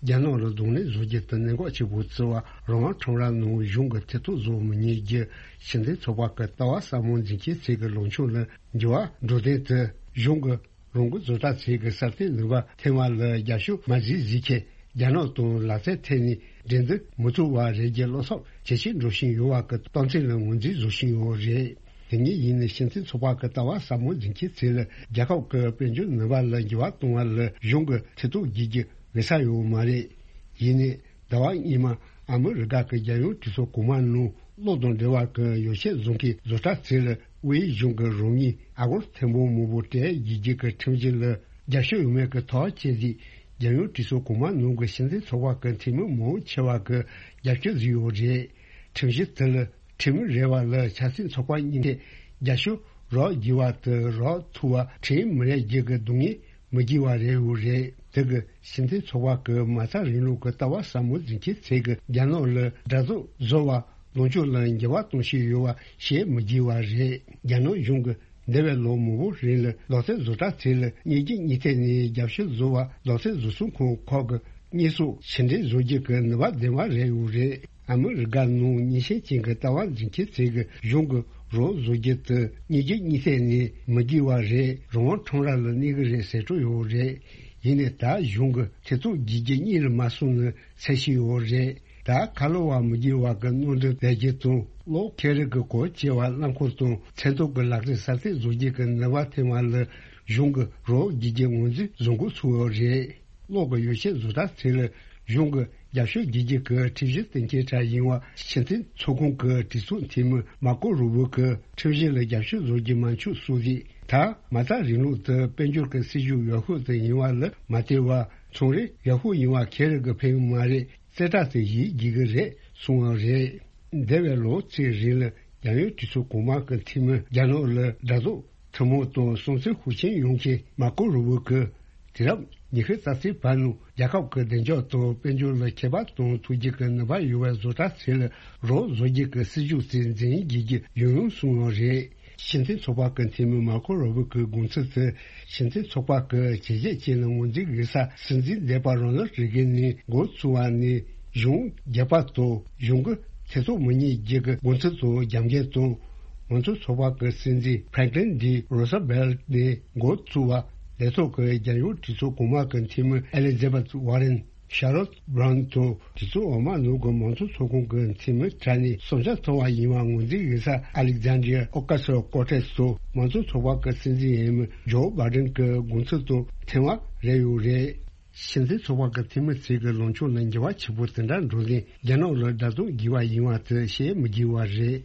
རྒྱ་ནག་ལ་གདོང་ལེན་བཟོ་རྒྱུ་དེ་གནད་འགག་ཆེ་པོ་བརྩི་བ། རང་དབང་ཁྲོམ་ར་ནང་གཞུང་གི་ཐེ་གཏོགས་བཟོ་མི་ཉན་རྒྱུ་ཕྱི་འཐེན་ཚོགས་པ་གི་ལྟ་བ་ཟབ་མོ་འཛིན་མཁན་ཚོས་གི་ལངས་ཕྱོགས་ལ་འགྱུར་བ་འགྲོ་དོན་དེ་གཞུང་གི་རང་འགུལ་བཟོ་གྲྭ་ཚོས་ཀྱི་སྲ་བརྟན་ནུས་པ་ཐོན་པ་ལ་རྒྱབ་སྐྱོར་མ་བྱེད་ཟེར་མཁན། རྒྱ་ནག་དང་ལག་རྩལ་ཐད་ནས་འགྲན་བསྡུར་མི་ཐུབ་པ་རེད་ཀྱི་བློ་འཚབ་ཇེ་ཆེར་འགྲོ་བཞིན་ཡོད་པ་གི་རྟགས་མཚན་ལ་ངོས་འཛིན་བཟོ་བཞིན་ཡོད་རེད། དེ་ཉིད་ཡིན་ནའི་ཕྱི་འཐེན་ཚོགས་པ་གི་ལྟ་བ་ཟབ་མོ་འཛིན་མཁན་ཚོས་ལ་རྒྱལ་ཁབ་ཀྱི་དཔལ་འབྱོར་ནུས་པ་ལ་འགྱུར་བ་གཏོང་བ་ལ་གཞུང་གི་ཐེ་གཏོགས་བགྱིད་རྒྱུ་འོས་ས་ཡོད་མ་རེད། ཡིན་ནའི་ཟླ་བ་སྔོན་མ་ཨ་མི་རི་ཀ་གི་རྒྱལ་ཡོངས་གྲོས་ཚོགས་གོང་མ་ནང་གློག་དང་འབྲེལ་བ་གི་ཡོ་བྱད་བཟོ་མཁན་བཟོ་གྲྭ་ཚོས་ལ་དབུས་གཞུང་གི་རང་ཉིད་ཨ་སྒོར་ཐེར་འབུམ་མང་པོ་སྤྲད་རྒྱུ་གི་ཁྲིམས་གཞི་ལ་རྒྱབ་སྐྱོར་ཡོད་མེད་ཀྱི་ཐག་བཅད་རྗེས། རྒྱལ་ཡོངས་གྲོས་ཚོགས་གོང་མ་ནང་གི་ཕྱི་འཐེན་ཚོགས་པ་གི་འཐུས་མི་མང་ཆེ་བ་གིས་རྒྱབ་སྐྱོར་བཟོས་ཡོད་རེད། ཁྲིམས་གཞི་དེ་ལ་ཁྲིམས་མི་རེ་བ་ལ་ཆབ་སྲིད་ཚོགས་པ་གཉིས་ཀས་རྒྱབ་སྐྱོར་རག་དགོས་པ་དང་རག་ཐུབ་པ་ཁྲིམས་མི་རེ་བརྒྱུད་ཀྱི་སྡུག་བསྔལ་མི་དགོས་པ་རེད་ཡོད་རེད། དེ་གི་ཕྱི་འཐེན་ཚོགས་པ་གི་མ་རྩ་རིང་ལུགས་ཀྱི་ལྟ་བ་ཟབ་མོ་འཛིན་མཁན་ཚོས་གི་རྒྱ་ནག་ལ་འདྲ་བཟོ་བཟོ་བ་ལངས་ཕྱོགས་ལ་འགྱུར་བ་གཏོང་བཞིན་ཡོད་པ་བཤད་མི་དགོས་པ་རེད། རྒྱ་ནག་གཞུང་གི་འདས་པའི་ལོ་མང་པོ་རིང་ལ་ལག་རྩལ་བཟོ་གྲྭ་ཚོས་ལ་གཉིས་རྒྱུད་གཉིས་ཐད་ནས་རྒྱབ་སྐྱོར་བཟོ་བ་ལག་རྩལ་བཟོ་ཚོང་ཁང་ཁག་གི་དངོས་ཟོག་ཕྱིར་འདྲེན་བཟོ་རྒྱུ་གི་ནུས་པ་ལྡན་པ་རེད་ཡོད་རེད། ཨ་མི་རི་ཀ་ནང་ཉེས་ཤན་ཅན་གྱི་ལྟ་བ་འཛིན་མཁན་ཚོས་གི་གཞུང་གི་རོགས་བཟོ་རྒྱུ་དེ་གཉིས་རྒྱུད་གཉིས་ཐད་ནས་མི་དགོས་པ་རེད། རང་དབང་ཁྲོམ་ར་ལ་གནས་གི་རེད་ཟེར་འགྲོ་ཡོད་རེད། ཡིན་ནའི་ད་གཞུང་གི་ཐེ་གཏོགས་བགྱིད་རྒྱུ་གཉིས་ལ་མ་སོང་ནས་ཚད་ཤིག་ཡོད་རེད། ད་ཁ་ལོ་བ་མི་དགོས་པ་གི་གནོད་འདྲེན་ལས་རྒྱུ་དང་གློག་ཁེ་རི་གི་གོ་བྱེ་བ་རླངས་འཁོར་དང་མཚོན་ཐོག་གི་ལག་རྩལ་གསར་གཏོད་བཟོ་རྒྱུ་གི་ནུས་པ་ཐོན་པ་ལ་གཞུང་གི་རོགས་བགྱིད་རྒྱུ་ངོས་འཛིན་བཟོ་འགོ་ཚུགས་ཡོད་རེད། གློག་གི་ཡོ་བྱད་བཟོ་གྲྭ་ཚོས་ལ་གཞུང་གི་རྒྱབ་སྐྱོར་བགྱིད་རྒྱུ་གི་ཁྲིམས་གཞི་གཏན་འཁེལ་གྲས་ཡིན་པ་ཕྱི་འཐེན་ཚོགས་ཁང་གི་གྲོས་ཚོགས་འཐུས་མི་མར་ཀོ་རུ་བྷི་གིས་ཁྲིམས་གཞི་ལ་རྒྱབ་སྐྱོར་བཟོ་རྒྱུ་མ་འཆུག་གསུངས་རྗེས། ད་མ་རྩ་རིང་ལུགས་དེ་དཔལ་འབྱོར་གྱི་སྲིད་ཇུས་ཡག་ཤོས་དེ་ཡིན་པ་ལ་མ་ལྟོས་པར་ཚོང་རེ་ཡག་ཤོས་ཡིན་པ་ཁེ་རི་གིས་ཕན་གི་མ་རེད། རྩེ་གྲས་དེ་ཡིད་དགྱེས་ཀྱི་རེད་གསུངས་པ་རེད། འདས་པའི་ལོ་གཅིག་རིང་ལ་རྒྱལ་ཡོངས་གྲོས་ཚོགས་གོང་མ་གི་འཐུས་མི་རྒྱ་ནག་ལ་དགྲ་ཟླ་ཐུན་མོང་དང་སྲུང་བརྩི་ཤུགས་ཆེན་ཡོང་མཁན་མར་ཀོ་རུ་བྷི་གིས་དུས་རབས་ཉི་ཤུ་རྩ་གཅིག་བར་ནང་རྒྱལ་ཁབ་ཀྱི་བདེ་འཇགས་དང་དཔལ་འབྱོར་ལ་ཁྱད་པར་གཏོང་ཐུབ་རྒྱུ་གི་ནུས་པ་ཡོད་པའི་བཟོ་གྲྭ་ཚོས་ལ་རོགས་བཟོ་རྒྱུ་གི་སྲིད་ཇུས་དེ་འཛིན་དགོས་རྒྱུ་ཡོང་ཡོང་གསུངས་པ་རེད། ཕྱི་འཐེན་ཚོགས་པ་གི་འཐུས་མི་མར་ཀོ་རུ་བྷི་གི་དགོངས་ཚུལ་དེ་ཕྱི་འཐེན་ཚོགས་པ་གི་བྱས་རྗེས་ཅན་ལ་ངོས་འཛིན་དགོས་ས་སྲིད་འཛིན་འདས་པ་རོ་ནལ་རེ་གན་ནས་འགོ་བཙུགས་པ་ནས་གཞུང་རྒྱག་པ་དང་གཞུང་གི་ཐེ་གཏོགས་མི་ཉན་རྒྱུ་གི་དགོངས་ཚུལ་དང་རྒྱབ་འགལ་དང་། མང་གཙོ་ཚོགས་པ་གི་སྲིད་འཛིན་ཕྲེང་ཀླིན་ཌི་རོ་སི་བྷེལ་ནས་འགོ་བཙུགས་པ་ལས་ཐོག་གི་རྒྱལ་ཡོངས་གྲོས་ཚོགས་གོང་མ་གི་འཐུས་མི་ཨེ་ལི་ཛེ་བྷེཐ་ཝར་རན། ཤར་ལོད་བྷ་རོན་དང་གྲོས་ཚོགས་འོག་མ་ནང་གི་མང་གཙོ་ཚོགས་ཁོངས་ཀྱི་འཐུས་མི་གྲས་ནས་བསམ་འཆར་མཐོང་བ་ཡིན་པ་ངོས་འཛིན་ཡིན་ས་ཨ་ལེག་ཛན་ཌི་ཡ་ཨོ་ཀ་སི་ཡོ་ཀོ་ཏེས་དང་མང་གཙོ་ཚོགས་པ་གི་སྲིད་འཛིན་འོས་མི་ཇོ་བྷ་ཌེན་གྱི་དགོངས་ཚུལ་དང་མཐུན་པ་རེད་ཡོད་རེད། ཕྱི་འཐེན་ཚོགས་པ་གི་འཐུས་མི་ཚོས་ཀྱི་ལངས་ཕྱོགས་ལ་འགྱུར་བ་ཆེན་པོ་དེ་འདྲ་འགྲོ་ནས་རྒྱ་ནག་ལ་དགྲ་ཟླ་དགོས་པ་ཡིན་པ་དེ་བཤད་མི་དགོས་པ་རེད།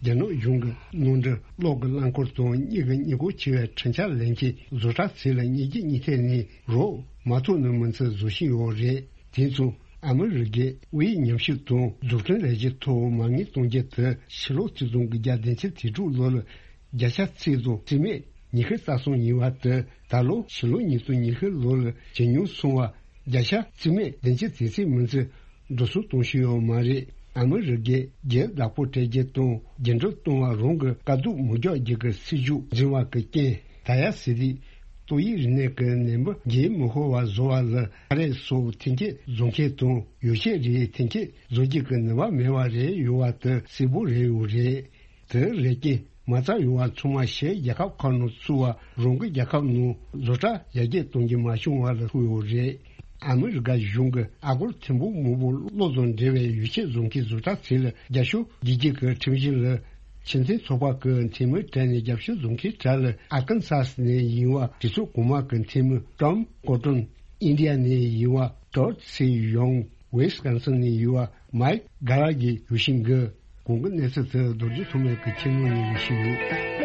རྒྱ་ནག་གཞུང་གི་ནང་འདྲེན་གློག་གི་རླངས་འཁོར་དང་གཉིས་ཀྱི་གཉིས་སྒོ་ཆེ་བའི་འཕྲུལ་ཆས་ལེན་མཁན་བཟོ་གྲྭ་ཚོ་ལ་གཉིས་རྒྱུད་གཉིས་ཐད་ནས་རོགས་མ་ཐུབ་ནས་མི་ཚེ་བཟོ་བཞིན་ཡོད་རེད། དེ་མཚུངས་ཨ་མི་རི་ཀས་དབུས་ཉམས་ཞིབ་དང་འཛུགས་སྐྲུན་ལས་གཞི་ཐོག་མ་དངུལ་གཏོང་རྒྱུ་དེ་ཕྱི་ལོ་ཆིག་སྟོང་དགུ་བརྒྱ་བདུན་ཅུ་དོན་དྲུག་ལོ་ལ་བརྒྱ་ཆ་གཅིག་དང་རྩིས་མེད་ ཉི་ཤུ་རྩ་གསུམ་ཡིན་པ་དེ་ད་ལོ་ཕྱི་ལོ་ཉིས་སྟོང་ཉི་ཤུ་ལོ་ལ་ཇེ་ཉུང་སོང་བ་བརྒྱ་ཆ་རྩིས་མེད་བདུན་ཅུ་དེ་ཙམ་མིན་ཚེ་འགྲོ་སོང་གཏོང་ཤེས་ཡོད་མ་རེད། ཨ་མི་རི་ཀས་རྒྱའི་བདག་པོ་སྤྲད་རྒྱུ་དང་རྒྱུན་སྒྲིལ་གཏོང་བ་རང་གི་དཀའ་སྡུག་མུ་འཇོག་རྒྱུ་གི་སྲིད་ཇུས་འཛིན་པ་གི་རྐྱེན། ད་ཡ་སི་རི། ཏོག་དབྱིབས་རིམས་ནད་ཀྱི་ནད་འབུ་རྒྱའི་མི་ཤོར་བ་བཟོ་བ་ལ་ཨ་རི་སོགས་ཐོན་སྐྱེད་བཟོ་མཁན་དང་ཡོ་བྱད་རིགས་ཐོན་སྐྱེད་བཟོ་རྒྱུ་གི་ནུས་པ་མེད་པ་རེད་ཡོད་པ་དེ་གསལ་པོ་རེད་ཡོད་རེད། དེ་རེད་ཀྱི་མ་རྩ་ཡོང་བ་ཚང་མ་ཕྱིའི་རྒྱལ་ཁབ་ཁག་ནང་བཙུགས་པ་རང་གི་རྒྱལ་ཁབ་ནང་བཟོ་གྲྭ་ཡར་རྒྱས་གཏོང་རྒྱུ་མ་བྱུང་བ་ལ་ཐུག་ཡོད་རེད། ཨ་མི་རི་ཀ་གཞུང་གིས་ཨ་སྒོར་ཐེར་འབུམ་མང་པོ་བློ་དང་འབྲེལ་བའི་ཡོ་བྱད་བཟོ་མཁན་བཟོ་གྲྭ་ཚོ་ལ་རྒྱབ་སྐྱོར་བྱེད་རྒྱུ་གི་ཁྲིམས་གཞི་ལ་ཕྱི་འཐེན་ཚོགས་པ་གི་འཐུས་མི་གྲས་ནས་རྒྱབ་སྐྱོར་བཟོ་མཁན་གྲས་ལ་ཨར་ཀན་སཱས་ནས་ཡིན་པ་གྲོས་ཚོགས་གོང་མ་གི་འཐུས་མི་ཀྲམ་ཀོ་ཀྲོན། ཨིན་ཌི་ཡ་ནས་ཡིན་པ་ཏོད་སི་ཡོང་། ཝེ་སི་ཀོན་སིན་ནས་ཡོད་པ་མའིག་གྷ་ར་གིས་ཡོད་བཞིན་གི། གོང་གི་གནས་ཚུལ་དེ་རྡོ་རྗེ་ཐོགས་མེད་ཀྱིས་ཁྱེར་ཡོང་ནས་ཞུས་ཡོད།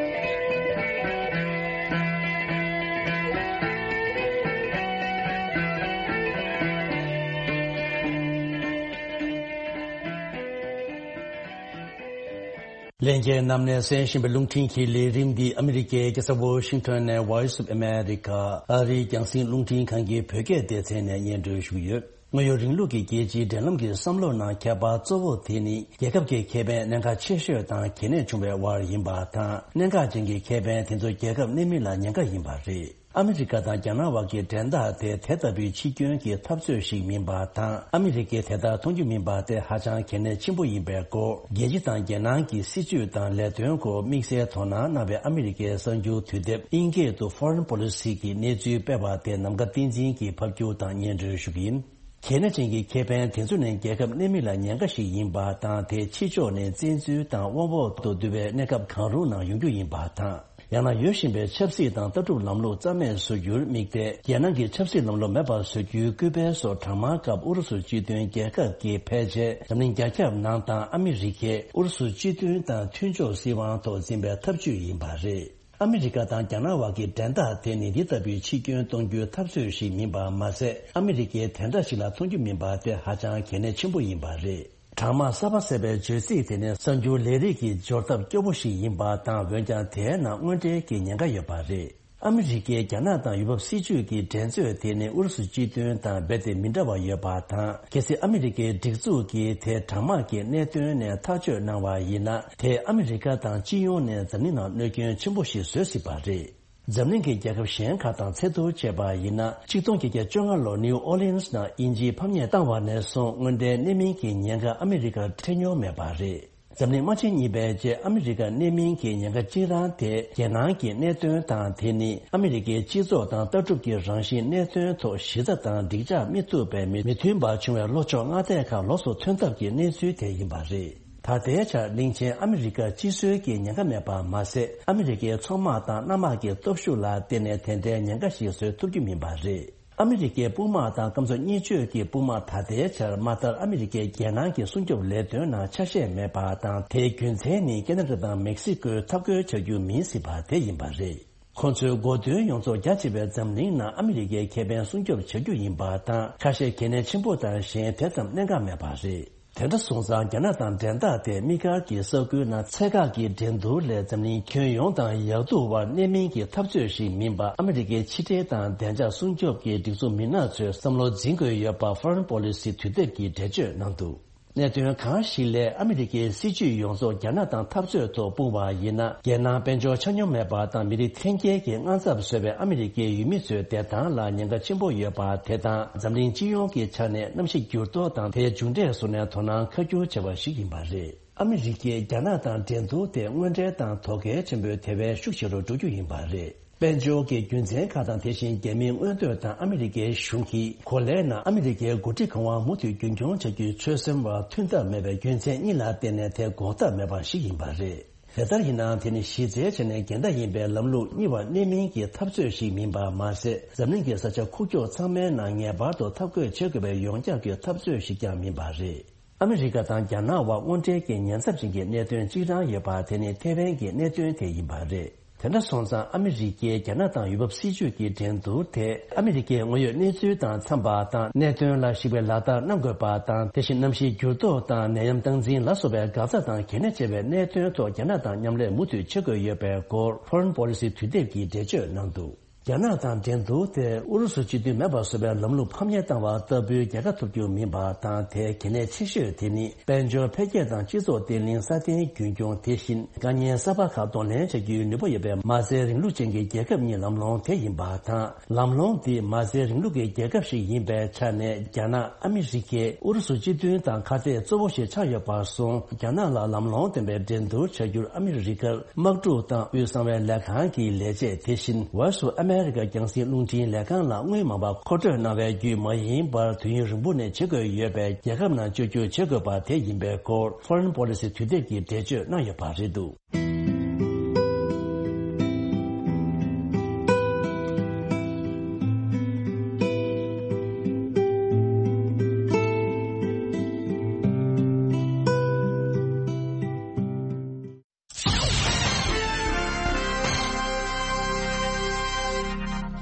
ལྷན་རྒྱས་རྣམས་ནས་གསན་བཞིན་པའི་རླུང་འཕྲིན་གྱི་ལས་རིམ་འདི་ཨ་མི་རི་ཀའི་རྒྱལ་ས་ཝོ་ཤིང་ཊོན་ནས་Voice of America ཨ་རིའི་རྒྱང་སྲིང་རླུང་འཕྲིན་ཁང་གི་བོད་སྐད་སྡེ་ཚན་ནས་སྙན་སྒྲོན་ཞུ་གི་ཡོད། དངོས་ཡོད་རིང་ལུགས་ཀྱི་རྒྱལ་སྤྱིའི་འབྲེལ་ལམ་གྱི་བསམ་བློ་ནང་ཁྱད་པར་གཙོ་བོ་དེ་ནི་རྒྱལ་ཁབ་ཀྱི་ཁེ་ཕན་གནད་འགག་ཆེ་ཤོས་དང་གལ་གནད་ཆུང་བའི་དབར་ཡིན་པ་དང་། གནད་འགག་ཅན་གྱི་ཁེ་ཕན་དེ་ཚོ་རྒྱལ་ཁབ་གནད་སྨིན་ལ་ཉེན་ཁ་ཡིན་པ་རེད། ཨ་མི་རི་ཀ་དང་རྒྱ་ནག་དབར་གྱི་འགྲན་ཟླ་དེ་དེ་ལྟ་བུའི་ཕྱི་སྐྱོན་གྱི་འཐབ་རྩོད་ཞིག་མིན་པ་དང་། ཨ་མི་རི་ཀས་དེ་ལྟར་མཐོང་རྒྱུ་མིན་པ་དེ་ཧ་ཅང་གལ་གནད་ཆེན་པོ་ཡིན་པའི་སྐོར། རྒྱལ་སྤྱི་དང་རྒྱལ་ནང་གི་སྲིད་ཇུས་དང་ལས་དོན་སྐོར་དམིགས་བསལ་དོ་སྣང་གནང་བའི་ཨ་མི་རི་ཀའི་གསར་འགྱུར་དུས་དེབ་ཨིན་སྐད་དུ་Foreign Policy གི་གནས་ཚུལ་སྤེལ་བ་དེ་ནམ་མཁའ་བསྟན་འཛིན་གྱིས་ཕབ་སྒྱུར་དང་སྙན་སྒྲོན་ཞུ་གི་ཡིན། གལ་གནད་ཅན་གྱི་ཁེ་ཕན་དེ་ཚོ་ནི་རྒྱལ་ཁབ་གནད་སྨིན་ལ་ཉེན་ཁ་ཞིག་ཡིན་པ་དང་། དེ་ཕྱི་ཕྱོགས་ནས་བཙན་འཛུལ་དང་དབང་འོག་ཏུ་བསྡུ་བའི་གནས་སྐབས་གང་རུང་ནང་ཡོང་རྒྱུ་ཡིན་པ་དང་། ཡང་ན་ཡོད་བཞིན་པའི་ཆབ་སྲིད་དང་ལྟ་གྲུབ་ལམ་ལུགས་རྩ་མེད་བཟོ་རྒྱུར་དམིགས་ཏེ། རྒྱལ་ནང་གི་ཆབ་སྲིད་ལམ་ལུགས་མེད་པར་བཟོ་རྒྱུའི་སྐུལ་སྤེལ་སོགས་གྲང་དམག་སྐབས་ཨུ་རུ་སུ་སྤྱི་མཐུན་རྒྱལ་ཁབ་ཀྱིས་ཕལ་ཆེར་འཛམ་གླིང་རྒྱ་ཁྱབ་ནང་དང་ཨ་མི་རི་ཀས་ཨུ་རུ་སུ་སྤྱི་མཐུན་དང་མཐུན་ཕྱོགས་སྲིད་དབང་ཐོག་འཛིན་པའི་ཐབས་ཇུས་ཡིན་པ་རེད། ཨ་མི་རི་ཀ་དང་རྒྱ་ནག་དབར་གྱི་འགྲན་ཟླ་དེ་ནི་འདི་ལྟ་བུའི་ཕྱི་སྐྱོན་གཏོང་རྒྱུའི་འཐབ་རྩོད་ཞིག་མིན་པ་མ་ཟད། ཨ་མི་རི་ཀས་དེ་འདྲ་ཞིག་ལ་མཐོང་རྒྱུ་མིན་པ་དེ་ཧ་ཅང་གལ་གནད་ཆེན་པོ་ཡིན་པ་རེད། གྲང་དམག་གསར་པ་ཟེར་བའི་བརྗོད་ཚིག་དེ་ནི་གསར་འགྱུར་ལས་རིགས་ཀྱི་སྦྱོར་ཐབས་སྐྱོ་པོ་ཞིག་ཡིན་པ་དང་། འོན་ཀྱང་དེའི་ནང་དངོས་འབྲེལ་གྱི་ཉེན་ཁ་ཡོད་པ་རེད། ཨ་མི་རི་ཀས་རྒྱ་ནག་དང་ཡུལ་བབ་སྲིད་ཇུས་ཀྱི་འགྲན་རྩོད་དེ་ནི་ཨུ་རུ་སུ་སྤྱི་མཐུན་དང་རྦད་དེ་མི་འདྲ་བ་ཡོད་པ་དང་། གལ་སྲིད་ཨ་མི་རི་ཀའི་སྒྲིག་འཛུགས་ཀྱིས་དེ་གྲང་དམག་གི་གནད་དོན་ནས་ཐག་གཅོད་གནང་བ་ཡིན་ན། དེས་ཨ་མི་རི་ཀ་དང་སྤྱི་ཡོངས་ནས་འཛམ་གླིང་ནང་གནོད་སྐྱོན་ཆེན་པོ་ཞིག་བཟོ་སྲིད་པ་རེད། འཛམ་གླིང་གི་རྒྱལ་ཁབ་གཞན་ཁག་དང་ཚད་བསྡུར་བྱས་པ་ཡིན་ན། ཆིག་སྟོང་བརྒྱད་བརྒྱ་བཅོ་ལྔ་ལོར་ནིའུ་ཨོ་ལི་ཡན་སི་ནང་དབྱིན་ཇིས་ཕམ་ཉེས་བཏང་བ་ནས་བཟུང་། དངོས་འབྲེལ་གནད་སྨིན་གྱི་ཉེན་ཁ་ཨ་མི་རི་ཀར་འཕྲད་མྱོང་མེད་པ་རེད། འཛམ་གླིང་དམག་ཆེན་གཉིས་པའི་རྗེས་ཨ་མི་རི་ཀར་གནད་སྨིན་གྱི་ཉེན་ཁ་གཅིག་རང་དེ། རྒྱལ་ནང་གི་གནད་དོན་དང་། དེ་ནི་ཨ་མི་རི་ཀའི་སྤྱི་ཚོགས་དང་ལྟ་གྲུབ་ཀྱི་རང་བཞིན་གནད་དོན་ཐོག་གཞི་རྩ་དང་འགྲིག་འཇགས་མི་ཐུབ་པའི་མི་མི་མཐུན་པ་བྱུང་བའི་ལོ་བཅོ་ལྔ་དེའི་ཁར་ལོགས་སུ་ཐོན་ཐབས་ཀྱི་གནས་ཚུལ་དེ་ཡིན་པ་རེད། ད་ལྟའི་ཆར་གླིང་ཆེན་ཨ་མི་རི་ཀར་སྤྱི་སྲོལ་གྱི་ཉེན་ཁ་མེད་པ་མ་ཟད། ཨ་མི་རི་ཀའི་མཚོ་དམག་དང་གནམ་དམག་གི་སྟོབས་ཤུགས་ལ་བརྟེན་ནས་དེ་འདྲའི་ཉེན་ཁ་ཞིག་བཟོ་ཐུབ་རྒྱུ་མིན་པ་རེད། ཨ་མི་རི་ཀའི་དཔུང་དམག་དང་སྐམ་མཚོ་གཉིས་གཅོད་ཀྱི་དཔུང་དམག་ད་ལྟའི་ཆར་མ་མཐར་ཨ་མི་རི་ཀའི་རྒྱལ་ནང་གི་སྲུང་སྐྱོབ་ལས་དོན་ནང་ཆ་ཤས་མེད་པ་དང་། དེའི་རྒྱུ་མཚན་ནི་ཁེ་ན་ཌ་དང་མེག་སི་ཀོས་འཐབ་རྒོལ་བྱ་རྒྱུ་མིན་སྲིད་པ་དེ་ཡིན་པ་རེད། ཁོང་ཚོའི་འགོ་དོན་ཡོངས་རྫོགས་རྒྱ་ཆེ་བའི་འཛམ་གླིང་ནང་ཨ་མི་རི་ཀའི་ཁེ་ཕན་སྲུང་སྐྱོབ་བྱ་རྒྱུ་ཡིན་པ་དང་། ཁ་ཤས་གལ་གནད་ཆེན་པོ་དང་གཞན་དེ་ཙམ་གནད་འགག་མེད་པ་རེད། དེ་འདྲ་སོང་ཙང་རྒྱ་ནག་དང་འགྲན་ཟླ་དེ་དམིགས་བཀར་གྱི་ས་ཁུལ་ནང་ཚད་བཀག་གི་འགྲན་བསྡུར་ལས་འཛམ་གླིང་ཁྱོན་ཡོངས་དང་ཡག་སྡུག་དབར་གནད་སྨིན་གྱི་འཐབ་རྩོད་ཞིག་མིན་པ། ཨ་མི་རི་ཀའི་ཕྱི་འབྲེལ་དང་བདེ་འཇགས་སྲུང་སྐྱོབ་ཀྱི་སྒྲིག་འཛུགས་མི་སྣ་ཚོས་བསམ་བློ་འཛིན་དགོས་ཡོད་པ་Foreign Policy དུས་དེབ་ཀྱིས་འགྲེལ་བརྗོད་གནང་འདུག་གནད་དོན་གང་ཞིག་ལས་ཨ་མི་རི་ཀའི་སྲིད་ཇུས་ཡོངས་རྫོགས་རྒྱ་ནག་དང་འཐབ་རྩོད་ཐོག་སྤུངས་པ་ཡིན་ན། རྒྱལ་ནང་དཔལ་འབྱོར་ཆ་སྙོམས་མེད་པ་དང་མི་རིགས་འཐེན་འཁྱེར་གྱི་དངངས་འཚབ་བཟོས་པས་ཨ་མི་རི་ཀའི་ཡུལ་མི་ཚོའི་བདེ་ཐང་ལ་ཉེན་ཁ་ཆེན་པོ་ཡོད་པ་དེ་དང་། འཛམ་གླིང་སྤྱི་ཡོངས་ཀྱི་ཆ་ནས་གནམ་གཤིས་འགྱུར་ལྡོག་དང་དེའི་མཇུག་འབྲས་སོགས་ནས་དོ་སྣང་ཁ་བསྒྱུར་བྱས་པ་ཞིག་ཡིན་པ་རེད། ཨ་མི་རི་ཀས་རྒྱ་ནག་དང་འགྲན་བསྡུར་དེ་དངོས་འབྲེལ་དང་དོ་གལ་ཆེན་པོའི་དེ་བས་ཤུགས་ཆེ་རུ་འགྲོ་རྒྱུ་ཡིན་པ་རེད། དཔལ་འབྱོར་གྱི་རྒྱུ་མཚན་ཁག་དང་། དེ་བཞིན་རྒྱ་མིའི་མངོན་འདོད་དང་ཨ་མི་རི་ཀའི་གཞུང་གིས་གོ་ལའི་ནང་ཨ་མི་རི་ཀའི་འགོ་ཁྲིད་གང་བ་མུ་མཐུད་རྒྱུན་འཁྱོངས་བྱ་རྒྱུའི་ཆོད་སེམས་བར་མཐུན་ཐབས་མེད་པའི་རྒྱུ་མཚན་གཉིས་ལ་བརྟེན་ནས་དེ་འགོག་ཐབས་མེད་པ་ཞིག་ཡིན་པ་རེད། དེ་ལྟར་ཡིན་ནའང་དེ་ནི་གཞི་རྩའི་ཆ་ནས་འགལ་ཟླ་ཡིན་པའི་ལམ་ལུགས་གཉིས་བར་གནད་སྨིན་གྱི་འཐབ་རྩོད་ཞིག་མིན་པ་མ་ཟད། འཛམ་གླིང་གི་ས་ཆ་ཁུག་ཀྱོག་ཚང་མའི་ནང་ངེས་པར་དུ་འཐབ་རྒོལ་བྱེད་དགོས་པའི་ཡོངས་ཁྱབ་ཀྱི་འཐབ་རྩོད་ཞིག་ཀྱང་མིན་པ་རེད། ཨ་མི་རི་ཀ་དང་རྒྱ་ནག་དབར་དངོས་འབྲེལ་གྱི་ཉེན་ཚབས་ཅན་གྱི་གནད་དོན་གཅིག་རང་ཡོད་པ་དེ་ནི་ཐེ་ཝན་གྱི་གནད་དོན་དེ་ཡིན་པ་རེད། དེ་འདྲ་སོང་ཙང་ཨ་མི་རི་ཀས་རྒྱ་ནག་དང་ཡུལ་བབ་སྲིད་ཇུས་ཀྱི་འགྲན་བསྡུར་དེ་ཨ་མི་རི་ཀའི་དངོས་ཡོད་གནས་ཚུལ་དང་འཚམས་པ་དང་གནད་དོན་ལ་གཞིགས་པའི་ལག་བསྟར་གནང་དགོས་པ་དང་། དེ་བཞིན་གནམ་གཤིས་འགྱུར་ལྡོག་དང་ནད་ཡམས་སྟངས་འཛིན་ལ་སོགས་པའི་འགག་རྩ་དང་གལ་གནད་ཆེ་བའི་གནད་དོན་ཐོག་རྒྱ་ནག་དང་མཉམ་ལས་མུ་མཐུད་བྱེད་དགོས་ཡོད་པའི་སྐོར་Foreign Policy་དུས་དེབ་ཀྱིས་འགྲེལ་བརྗོད་གནང་འདུག་རྒྱ་ནག་དང་འགྲན་བསྡུར་དེ་ཨུ་རུ་སུ་སྤྱི་མཐུན་མེད་པ་བཟོ་བའི་ལམ་ལུགས་ཕམ་ཉེས་བཏང་བ་ལྟ་བུའི་རྒྱལ་ཁ་ཐོབ་རྒྱུ་མིན་པ་དང་། དེའི་གལ་གནད་ཆེ་ཤོས་དེ་ནི་དཔལ་འབྱོར་འཕེལ་རྒྱས་དང་སྤྱི་ཚོགས་བརྟན་ལྷིང་སྲ་བརྟན་རྒྱུན་འཁྱོངས། དེ་བཞིན་དཀའ་ཉེན་གསར་པ་ཁག་གདོང་ལེན་བྱ་རྒྱུའི་ནུས་པ་ཡོད་པའི་མ་རྩའི་རིང་ལུགས་ཅན་གྱི་རྒྱལ་ཁབ་གཉིས་ལམ་ལྷོང་དེ་ཡིན་པ་དང་། ལམ་ལྷོང་འདི་མ་རྩའི་རིང་ལུགས་ཀྱི་རྒྱལ་ཁབ་ཞིག་ཡིན་པའི་ཆ་ནས་རྒྱ་ནག་ཨ་མི་རི་ཀས་ཨུ་རུ་སུ་སྤྱི་མཐུན་དང་ཁ་གཏད་གཙོ་བོ་ཞིག་ཆགས་ཡོད་པར་སོང་། རྒྱ་ནག་ལ་ལམ་ལྷོང་ལྡན་པའི་འགྲན་བསྡུར་བྱ་རྒྱུར་ཨ་མི་རི་ཀར་དམག་འཁྲུག་དང་དབུས་གསང་བའི་ལས་ཁང་གི་ལས་བྱེད། དེ་བཞིན་Voice of America་རྒྱང་སྲིང་རླུང་འཕྲིན་ལས་ཁང་ལ་དངུལ་མང་པ་མཁོ་སྤྲོད་གནང་བའི་བརྒྱུད་མ་ཡིན་པར་དུས་ཡུན་རིང་པོ་ནས་བྱེད་དགོས་ཡོད་པའི་རྒྱལ་ཁབ་ནང་བཅོས་བསྒྱུར་བྱེད་དགོས་པ་དེ་ཡིན་པའི་སྐོར་Foreign Policy་དུས་དེབ་ཀྱིས་འགྲེལ་བརྗོད་གནང་ཡོད་པ་རེད་འདུག་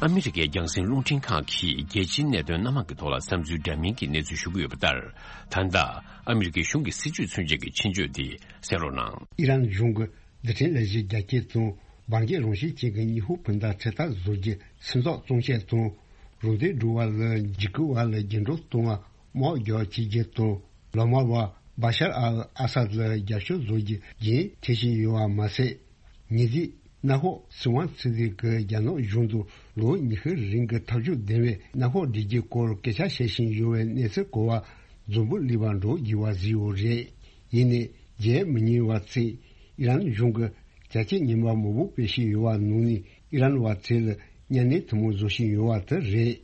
ཨ་མི་རི་ཀའི་རྒྱང་སྲིང་རླུང་འཕྲིན་ཁང་གིས་རྒྱལ་སྤྱིའི་གནད་དོན་སྣ་མང་གི་ཐོག་ལ་བསམ་ཚུལ་འདྲ་མིན་གྱི་གནས་ཚུལ་ཞུ་གི་ཡོད་པ་ལྟར། ད་ལྟ་ཨ་མི་རི་ཀའི་གཞུང་གི་སྲིད་ཇུས་མཚོན་བྱེད་ཀྱི་ཆེད་བརྗོད་འདི་གསན་རོགས་གནང་། ཨི་རན་གཞུང་གིས་རྡུལ་ཕྲན་ལས་གཞི་རྒྱ་སྐྱེད་དང་འབར་གས་རང་བཞིན་ཅན་གྱི་ཉི་ཧོང་སྤུན་ཟླ་འཕྲེད་དར་བཟོ་རྒྱུ་སེམས་ཚོར་གཏོང་ཆེད་དང་། རང་བདེ་སྒྲུབ་པ་ལ་འཇིགས་སྐུལ་བ་ལ་རྒྱབ་སྐྱོར་གཏོང་བ། དམག་རྒྱག་བྱེད་རྒྱུ་དང་། ལོ་མ་བ་བ་ཤར་ཨལ་ཨ་སཱད་ལ་རྒྱབ་སྐྱོར་བཟོ་རྒྱུ་རྒྱུན་འཁྱོངས་བཞིན་ཡོད་པ་མ་ཟད། ཉེ་དུས་གནམ་འོག་སྲིད་དབང་ཚུད་ཚོད་ཀྱི་རྒྱ་ནག་གཞུང་དུ་ལོ་ཉི་ཤུ་རིང་གི་ཐབས་ཇུས་ལྡན་པའི་གནམ་འོག་སྒྲིག་གཞིའི་སྐོར་སྐད་ཆ་བཤད་བཞིན་ཡོད་པའི་གནས་ཚུལ་གོ་བ་འཛམ་བུ་གླིང་པ་འགྲོ་བགྱི་བ་ཟིན་ཡོད་རེད། ཡིན་ནའི་བརྗེད་མི་ཉན་པ་ཚིག་ཨི་རན་གཞུང་གིས་བརྒྱ་ཆ་ཉི་མ་མང་པོ་སྤེལ་བཞིན་ཡོད་པ་ནང་ནས་ཨི་རན་བ་ཚོ་ལ་གཉའ་གནོན་ཐུན་མོང་བཟོ་བཞིན་ཡོད་པ་དེ་རེད།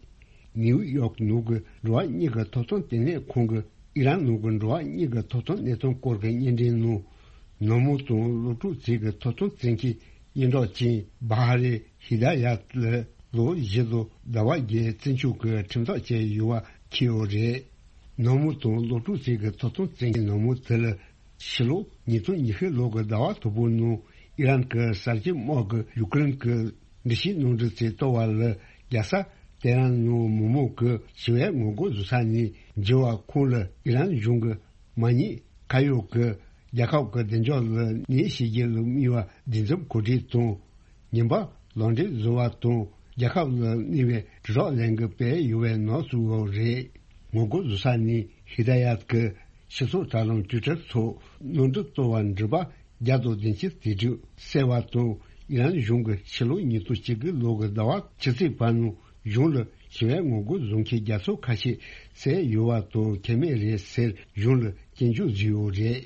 ནིའུ་ཡོག་ནང་གི་འགྲོ་བ་མིའི་ཐོབ་ཐང་ལྟེ་གནས་ཁང་གིས་ཨི་རན་ནང་གི་འགྲོ་བ་མིའི་ཐོབ་ཐང་གནས་སྟངས་སྐོར་གྱི་བརྙན་འཕྲིན་ནང་། ནང་མི་དང་སློབ་ཕྲུག་ཚོའི་ཐོབ་ཐང་བཙན་ཁྱབ་སྙན་གྲགས་ཅན་བྷ་ཧ་རེ་ཧི་ད་ཡ་ལ་ལོ་བཞི་དང་ཟླ་བ་བརྒྱད་བཙོན་འཇུག་གི་ཁྲིམས་ཐག་བཅད་ཡོད་པ་འཁྱེར་ཡོད་རེད། ནང་མི་དང་སློབ་ཕྲུག་ཚོའི་ཐོབ་ཐང་བཙན་ཁྱབ་ནང་མི་དེ་ལ། ཕྱི་ལོ་ཉིས་སྟོང་ཉི་ཤུ་ལོ་གི་ཟླ་བ་དང་པོའི་ནང་ཨི་རན་གྱི་གསར་བརྗེ་དམག་གིས་ཡུ་ཀེ་རེན་གྱི་འདྲི་གཅོད་གནང་འདྲི་ཚོས་གཏོར་བ་ལ། རྒྱལ་ས་ཏེ་ཧྲན་ནང་མི་མང་གིས་ཞི་བའི་ངོ་རྒོལ་བཟོ་ས་ནས་འགྱེལ་བ་ཁོངས་ལ་ཨི་རན་གཞུང་གི་མ་ཉེས་ཁ་གཡོག་གིས་རྒྱལ་ཁབ་ཀྱི་བདེ་འཇགས་ལ་གནོད་བྱེད་རྒྱུ་ལ་དམིགས་པའི་སྡིགས་མཛུབ་གོ་སྒྲིག་དང་། ཉེས་པ་ལག་འབྲེལ་བཟོ་བ་དང་རྒྱལ་ཁབ་ལ་གནོད་པའི་དྲིལ་བསྒྲགས་ལས་འགུལ་སྤེལ་ཡོད་པའི་ནང་ཚུད་ཡོད་རེད། ངོ་རྒོལ་བཟོ་ས་ནས་ཧི་ད་ཡ་གིས་སྤྱི་ཚོགས་དྲ་ལམ་ཊུའི་ཊར་སོགས་ནང་འགྲིག་གཏོར་བ་འགྲུལ་པ་བརྒྱ་དང་བདུན་ཅུ་དེ་དུས་བསད་པ་དང་ཨི་རན་གཞུང་གིས་ཕྱི་ལོ་ཉིས་སྟོང་བཅུ་དགུ་ལོ་གི་ཟླ་བ་ཕྱི་ཚེས་བར་ནང་གཞུང་ལ་ཞི་བའི་ངོ་རྒོལ་བཟོ་མཁན་བརྒྱ་ཚོ་ཁ་ཤས་བསད་ཡོད་པ་དང་ཁེ་མེད་རེད་ཟེར་གཞུང་ལ་སྐྱོན་བརྗོད་བཟོས་ཡོད་རེད།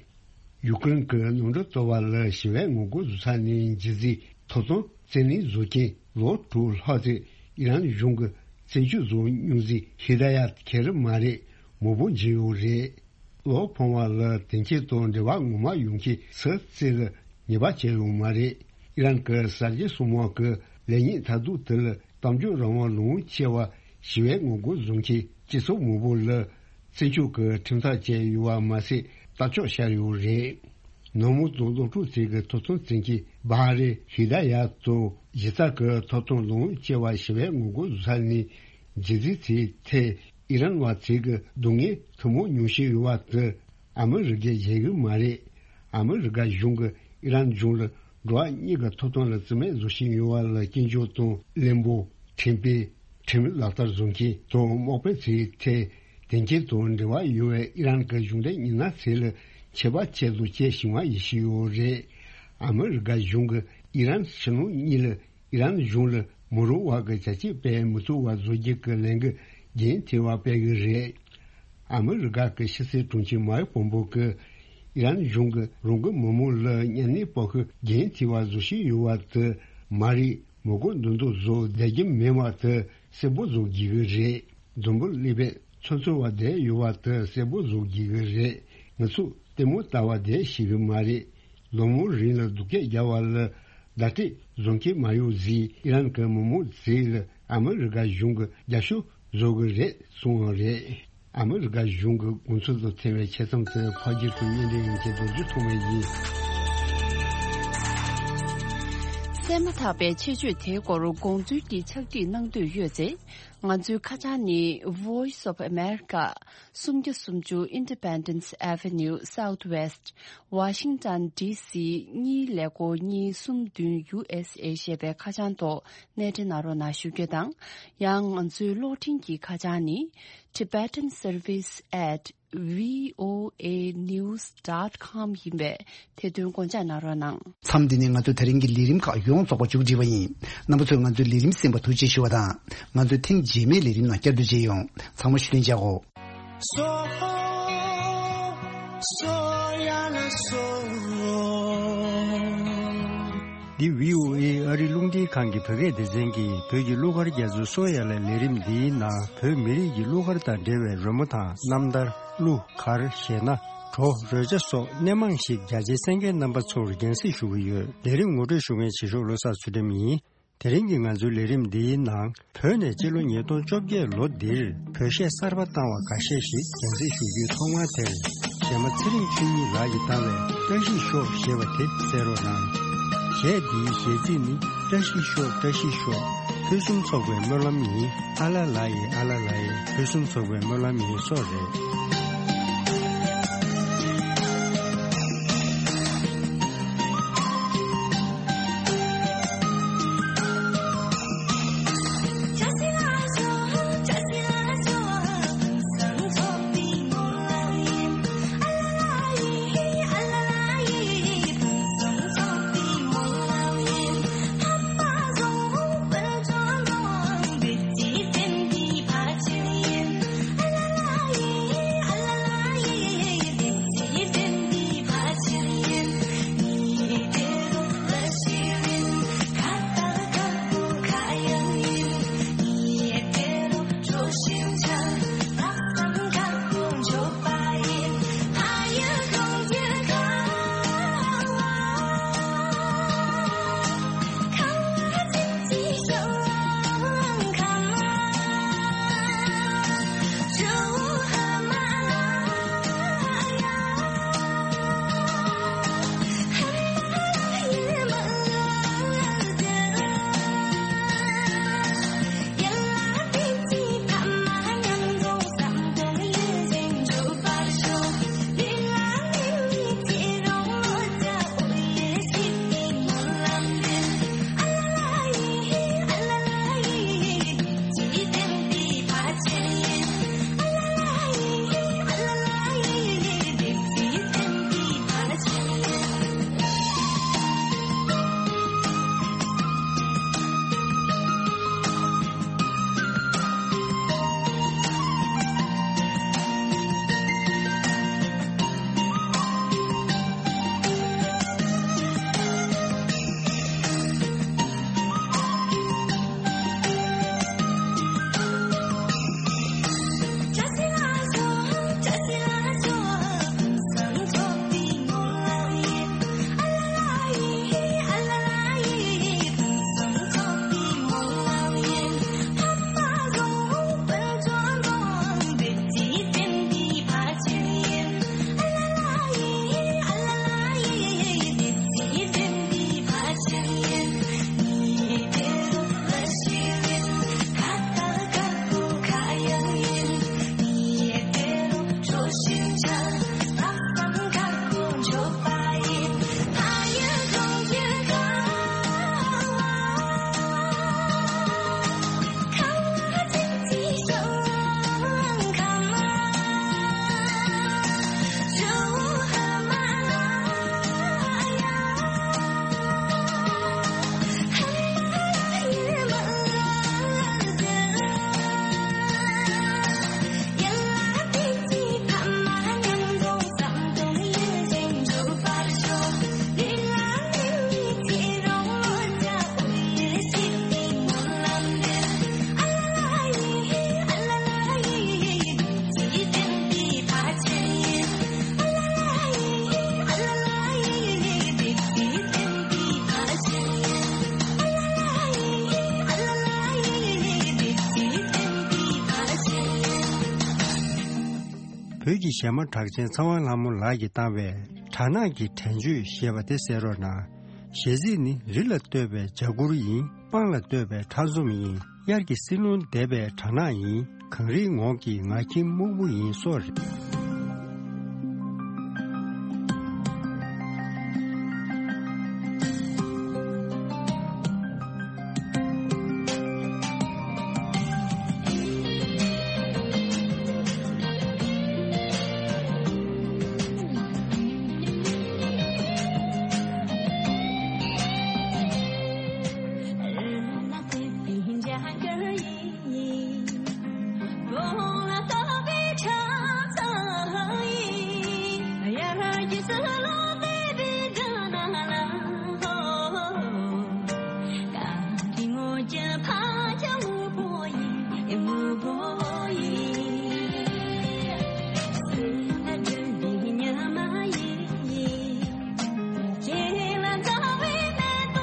ཡུ་ཀེ་རེན་གྱི་ནང་འགྲིག་གཏོར་བ་ལ་ཞི་བའི་ངོ་རྒོལ་བཟོ་ས་ནས་འགྱེལ་རྗེས་ཐོབ་ཐང་བཙན་ལེན་བཟོ་མཁན་ལོ་དྲུག་ལྷག་ཙམ་ཨི་རན་གཞུང་གིས་བཙོན་འཇུག་བཟོ་མྱོང་རྗེས་ཧི་ད་ཡ་ཁེ་རི་མ་རེད་མང་པོ་འགྱེལ་ཡོད་རེད། བློ་ཕམ་པ་ལ་དོན་རྐྱེན་དང་འབྲེལ་བ་ངོ་མ་ཡོང་མཁན་སུ་གཙོས་ལ་ཉེས་པ་བཅད་ཡོད་མ་རེད། ཨི་རན་གྱི་གསར་བརྗེ་སྲུང་དམག་གི་ལས་གཉེར་མཐར་ཐུག་དེ་ལ་གཏམ་བརྗོད་རང་དབང་ལོངས་སྤྱད་པ་ཞི་བའི་ངོ་རྒོལ་བཟོ་མཁན་སྤྱི་ཚོགས་མང་པོ་ལ། བཙོན་འཇུག་གི་ཁྲིམས་ཐག་བཅད་ཡོད་པ་མ་ཟད་རྟ་ལྕག་བཤར་ཡོད་རེད། ནང་མི་དང་སློབ་ཕྲུག་ཚོའི་ཐོབ་ཐང་བཙན་ཁྱབ་བྷ་ཧ་རེ་ཧི་ད་ཡ་དང་གཞི་རྩ་གི་ཐོབ་ཐང་ལོངས་སྤྱད་པ་ཞི་བའི་ངོ་རྒོལ་བཟོ་ས་ནས་འགྱེལ་རྗེས་ཚེ་ཐེ་ཨི་རན་བ་ཚོའི་སྡུག་བསྔལ་ཐུན་མོང་མྱོང་བཞིན་ཡོད་པ་དེ་ཨ་མི་རི་ཀས་བཞེད་གི་མ་རེད། ཨ་མི་རི་ཀ་གཞུང་གིས་ཨི་རན་གཞུང་ལ་འགྲོ་བ་མིའི་ཐོབ་ཐང་ལ་བརྩི་མེད་བཟོ་བཞིན་ཡོད་པ་ལ་སྐྱོན་བརྗོད་དང་བློན་པོ། ཁྲིམས་དཔོན། ཁྲིམས་ལག་བསྟར་བཟོ་མཁན་དང་དམག་དཔོན་ཚོའི་ཐད་དོན་རྐྱེན་དང་འབྲེལ་བ་ཡོད་པའི་ཨི་རན་གྱི་གཞུང་འབྲེལ་མི་སྣ་ཚོ་ལ་ཆད་པ་ཆེད་དུ་བཅད་བཞིན་པ་ཡིན་བཞིན་ཡོད་རེད། ཨ་མི་རི་ཀ་གཞུང་གིས་ཨི་རན་ཕྱི་ནང་གཉིས་ལ་ཨི་རན་གཞུང་ལ་མི་རུང་བ་གི་བྱ་སྤྱོད་སྤེལ་མི་ཐུབ་པ་བཟོ་རྒྱུ་གི་ལས་འགུལ་རྒྱུན་མཐུད་པ་སྤེལ་གི་རེད། ཨ་མི་རི་ཀ་གི་ཕྱི་སྲིད་དྲུང་ཆེ་མའེ་པོམ་པོ་གིས་ཨི་རན་གཞུང་གིས་རང་གི་མི་མང་ལ་གཉའ་གནོན་སྤོབས་ཤུགས་རྒྱུན་མཐུད་པ་བཟོ་བཞིན་ཡོད་པ་དེ་མ་རེད། མི་མགོ་འདོན་དུ་བཟོ་བསྡད་རྒྱུ་མེད་པ་དེ་གསལ་པོ་བཟོ་དགོས་ཀྱི་རེད། འཛམ་བུ་གླིང་པས་ཚོད་འཚོལ་བ་བསྡད་ཡོད་པ་དེ་གསལ་པོ་བཟོ་དགོས་ཀྱི་རེད། ང་ཚོས་ལྟད་མོ་ལྟ་བ་བསྡད་ཤེས་ཀྱི་མ་རེད། ལོ་མང་རིང་ལ་སྡུག་སྐད་རྒྱག་པ་ལ་བརྡ་སྤྲོད་བཟོ་མཁན་མ་ཡོང་ཟིག་ཨི་རན་གྱི་མི་མང་ཚོས་ལ་ཨ་མི་རི་ཀ་གཞུང་གིས་རྒྱབ་སྐྱོར་བཟོ་གི་རེད་གསུངས་པ་རེད། ཨ་མི་རི་ཀ་གཞུང་གི་དགོངས་ཚུལ་དང་འཚམ་པའི་ཆ་ཚང་དེ་ཕར་རྒྱུད་དུ་བརྙན་འཕྲིན་ཡན་ཆད་དུ་བརྒྱུད་ཐུབ་མེད་ཡིན། བཙས་མ་ཐག་པའི་ཆེད་བརྗོད་དེའི་སྐོར་དགོངས་ཚུལ་གྱི་ཕྱག་བྲིས་གནང་འདོད་ཡོད་ཚེ། ང་ཚོའི་ཁ་བྱང་ནི། Voice of America། སུམ་བརྒྱ་སུམ་ཅུ་Independence Avenue Southwest། Washington D C གཉིས་ཀླད་ཀོར་གཉིས་གསུམ་བདུན། U S A ཞེས་པའི་ཁ་བྱང་ཐོག་གནས་འདྲེན་གནང་རོགས་གནང་ཞུ་རྒྱུ་དང་། ཡང་ང་ཚོའི་གློག་འཕྲིན་གྱི་ཁ་བྱང་ནི། Tibetan Service at V O A news dot com ཡིན་པས་དེ་དོན་དགོངས་འཇགས་གནང་རོགས་གནང་། མཚམས་འདི་ནས་ང་ཚོ་དེ་རིང་གི་ལས་རིམ་ཁག་ཡོངས་རྫོགས་པ་མཇུག་སྒྲིལ་བ་ཡིན། རྣམ་པ་ཚོས་ང་ཚོའི་ལས་རིམ་གསན་པར་ཐུགས་རྗེ་ཞུ་བ་དང་། ང་ཚོའི་ཐེངས་རྗེས་མའི་ལས་རིམ་ནང་བསྐྱར་དུ་མཇལ་ཡོང་། ཚང་མ་ཤུལ་ལེན་བྱ་གོ། འདི་V O A ཨ་རི་རླུང་འཕྲིན་ཁང་གི་བོད་སྐད་སྡེ་ཚན་གྱི་བོད་ཀྱི་གླུ་གར་རྒྱ་མཚོའི་སོ་ཡ་ལ་ལས་རིམ་འདིའི་ནང་བོད་མི་རིགས་ཀྱི་གླུ་གར་དང་འབྲེལ་བའི་རོལ་མོ་དང་རྣམ་ཐར། གླུ་གར་གཞས་སྣ། བྲོ་རོལ་ཆ་སོགས་སྣེ་མང་ཞིག་རྒྱ་ཆེའི་གསན་མཁན་རྣམ་པ་ཚོར་རྒྱང་སྲིང་ཞུ་གི་ཡོད། ལས་རིམ་ངོ་སྤྲོད་ཞུ་མཁན་བྱེད་ཤོག་བློ་བཟང་ཚུལ་ཁྲིམས་ཡིན། དེ་རིང་གི་ང་ཚོའི་ལས་རིམ་འདིའི་ནང་། བོད་ནས་སྤྱི་ལོ་ཉིས་སྟོང་བཅོ་བརྒྱད་ལོ་འདིར་བོད་གཞས་གསར་པ་བཏང་བ་འགའ་ཤས་ཤིག་རྒྱང་སྲིང་ཞུ་རྒྱུའི་ཐོག་མར་དེར། གཞས་མ་ཚེ་རིང་ཆོས་ཉིད་ལགས་ཀྱིས་བཏང་བའི་བཀྲ་ཤིས་ཤོག་ཞེས་པ་དེ་གསན་རོགས་གནང་། གཞས་འདིའི་གཞས་ཚིག་ནི། བཀྲ་ཤིས་ཤོག་བཀྲ་ཤིས་ཤོག་ཕུན་སུམ་ཚོགས་པའི་སྨོན་ལམ་ཡིན། ཨ་ལ་ལ་ཡི་ཨ་ལ་ལ་ཡི་ཕུན་སུམ་ཚོགས་པའི་སྨོན་ལམ་ཡིན་སོགས་རེད། བོད་ཀྱི་གཞས་མ་གྲགས་ཅན་ཚེ་དབང་ལྷ་མོ་ལགས་ཀྱིས་བཏང་བའི་དགྲ་ནག་གི་དྲན་གཅོད་ཞེས་པ་དེ་གསན་རོགས་གནང་། ཞལ་གཟིགས་ནི་རི་ལ་བཏོད་པའི་འཇའ་གུར་ཡིན། སྤང་ལ་བཏོད་པའི་ཁྲ་འཛོམས་ཡིན། དབྱར་གྱི་བསིལ་རླུང་འདེབས་པའི་སྦྲ་ནག་ཡིན། གངས་རིའི་ངོགས་ཀྱི་ངར་ཁྱིམ་སྨུག་པོ་ཡིན་སོགས་རེད།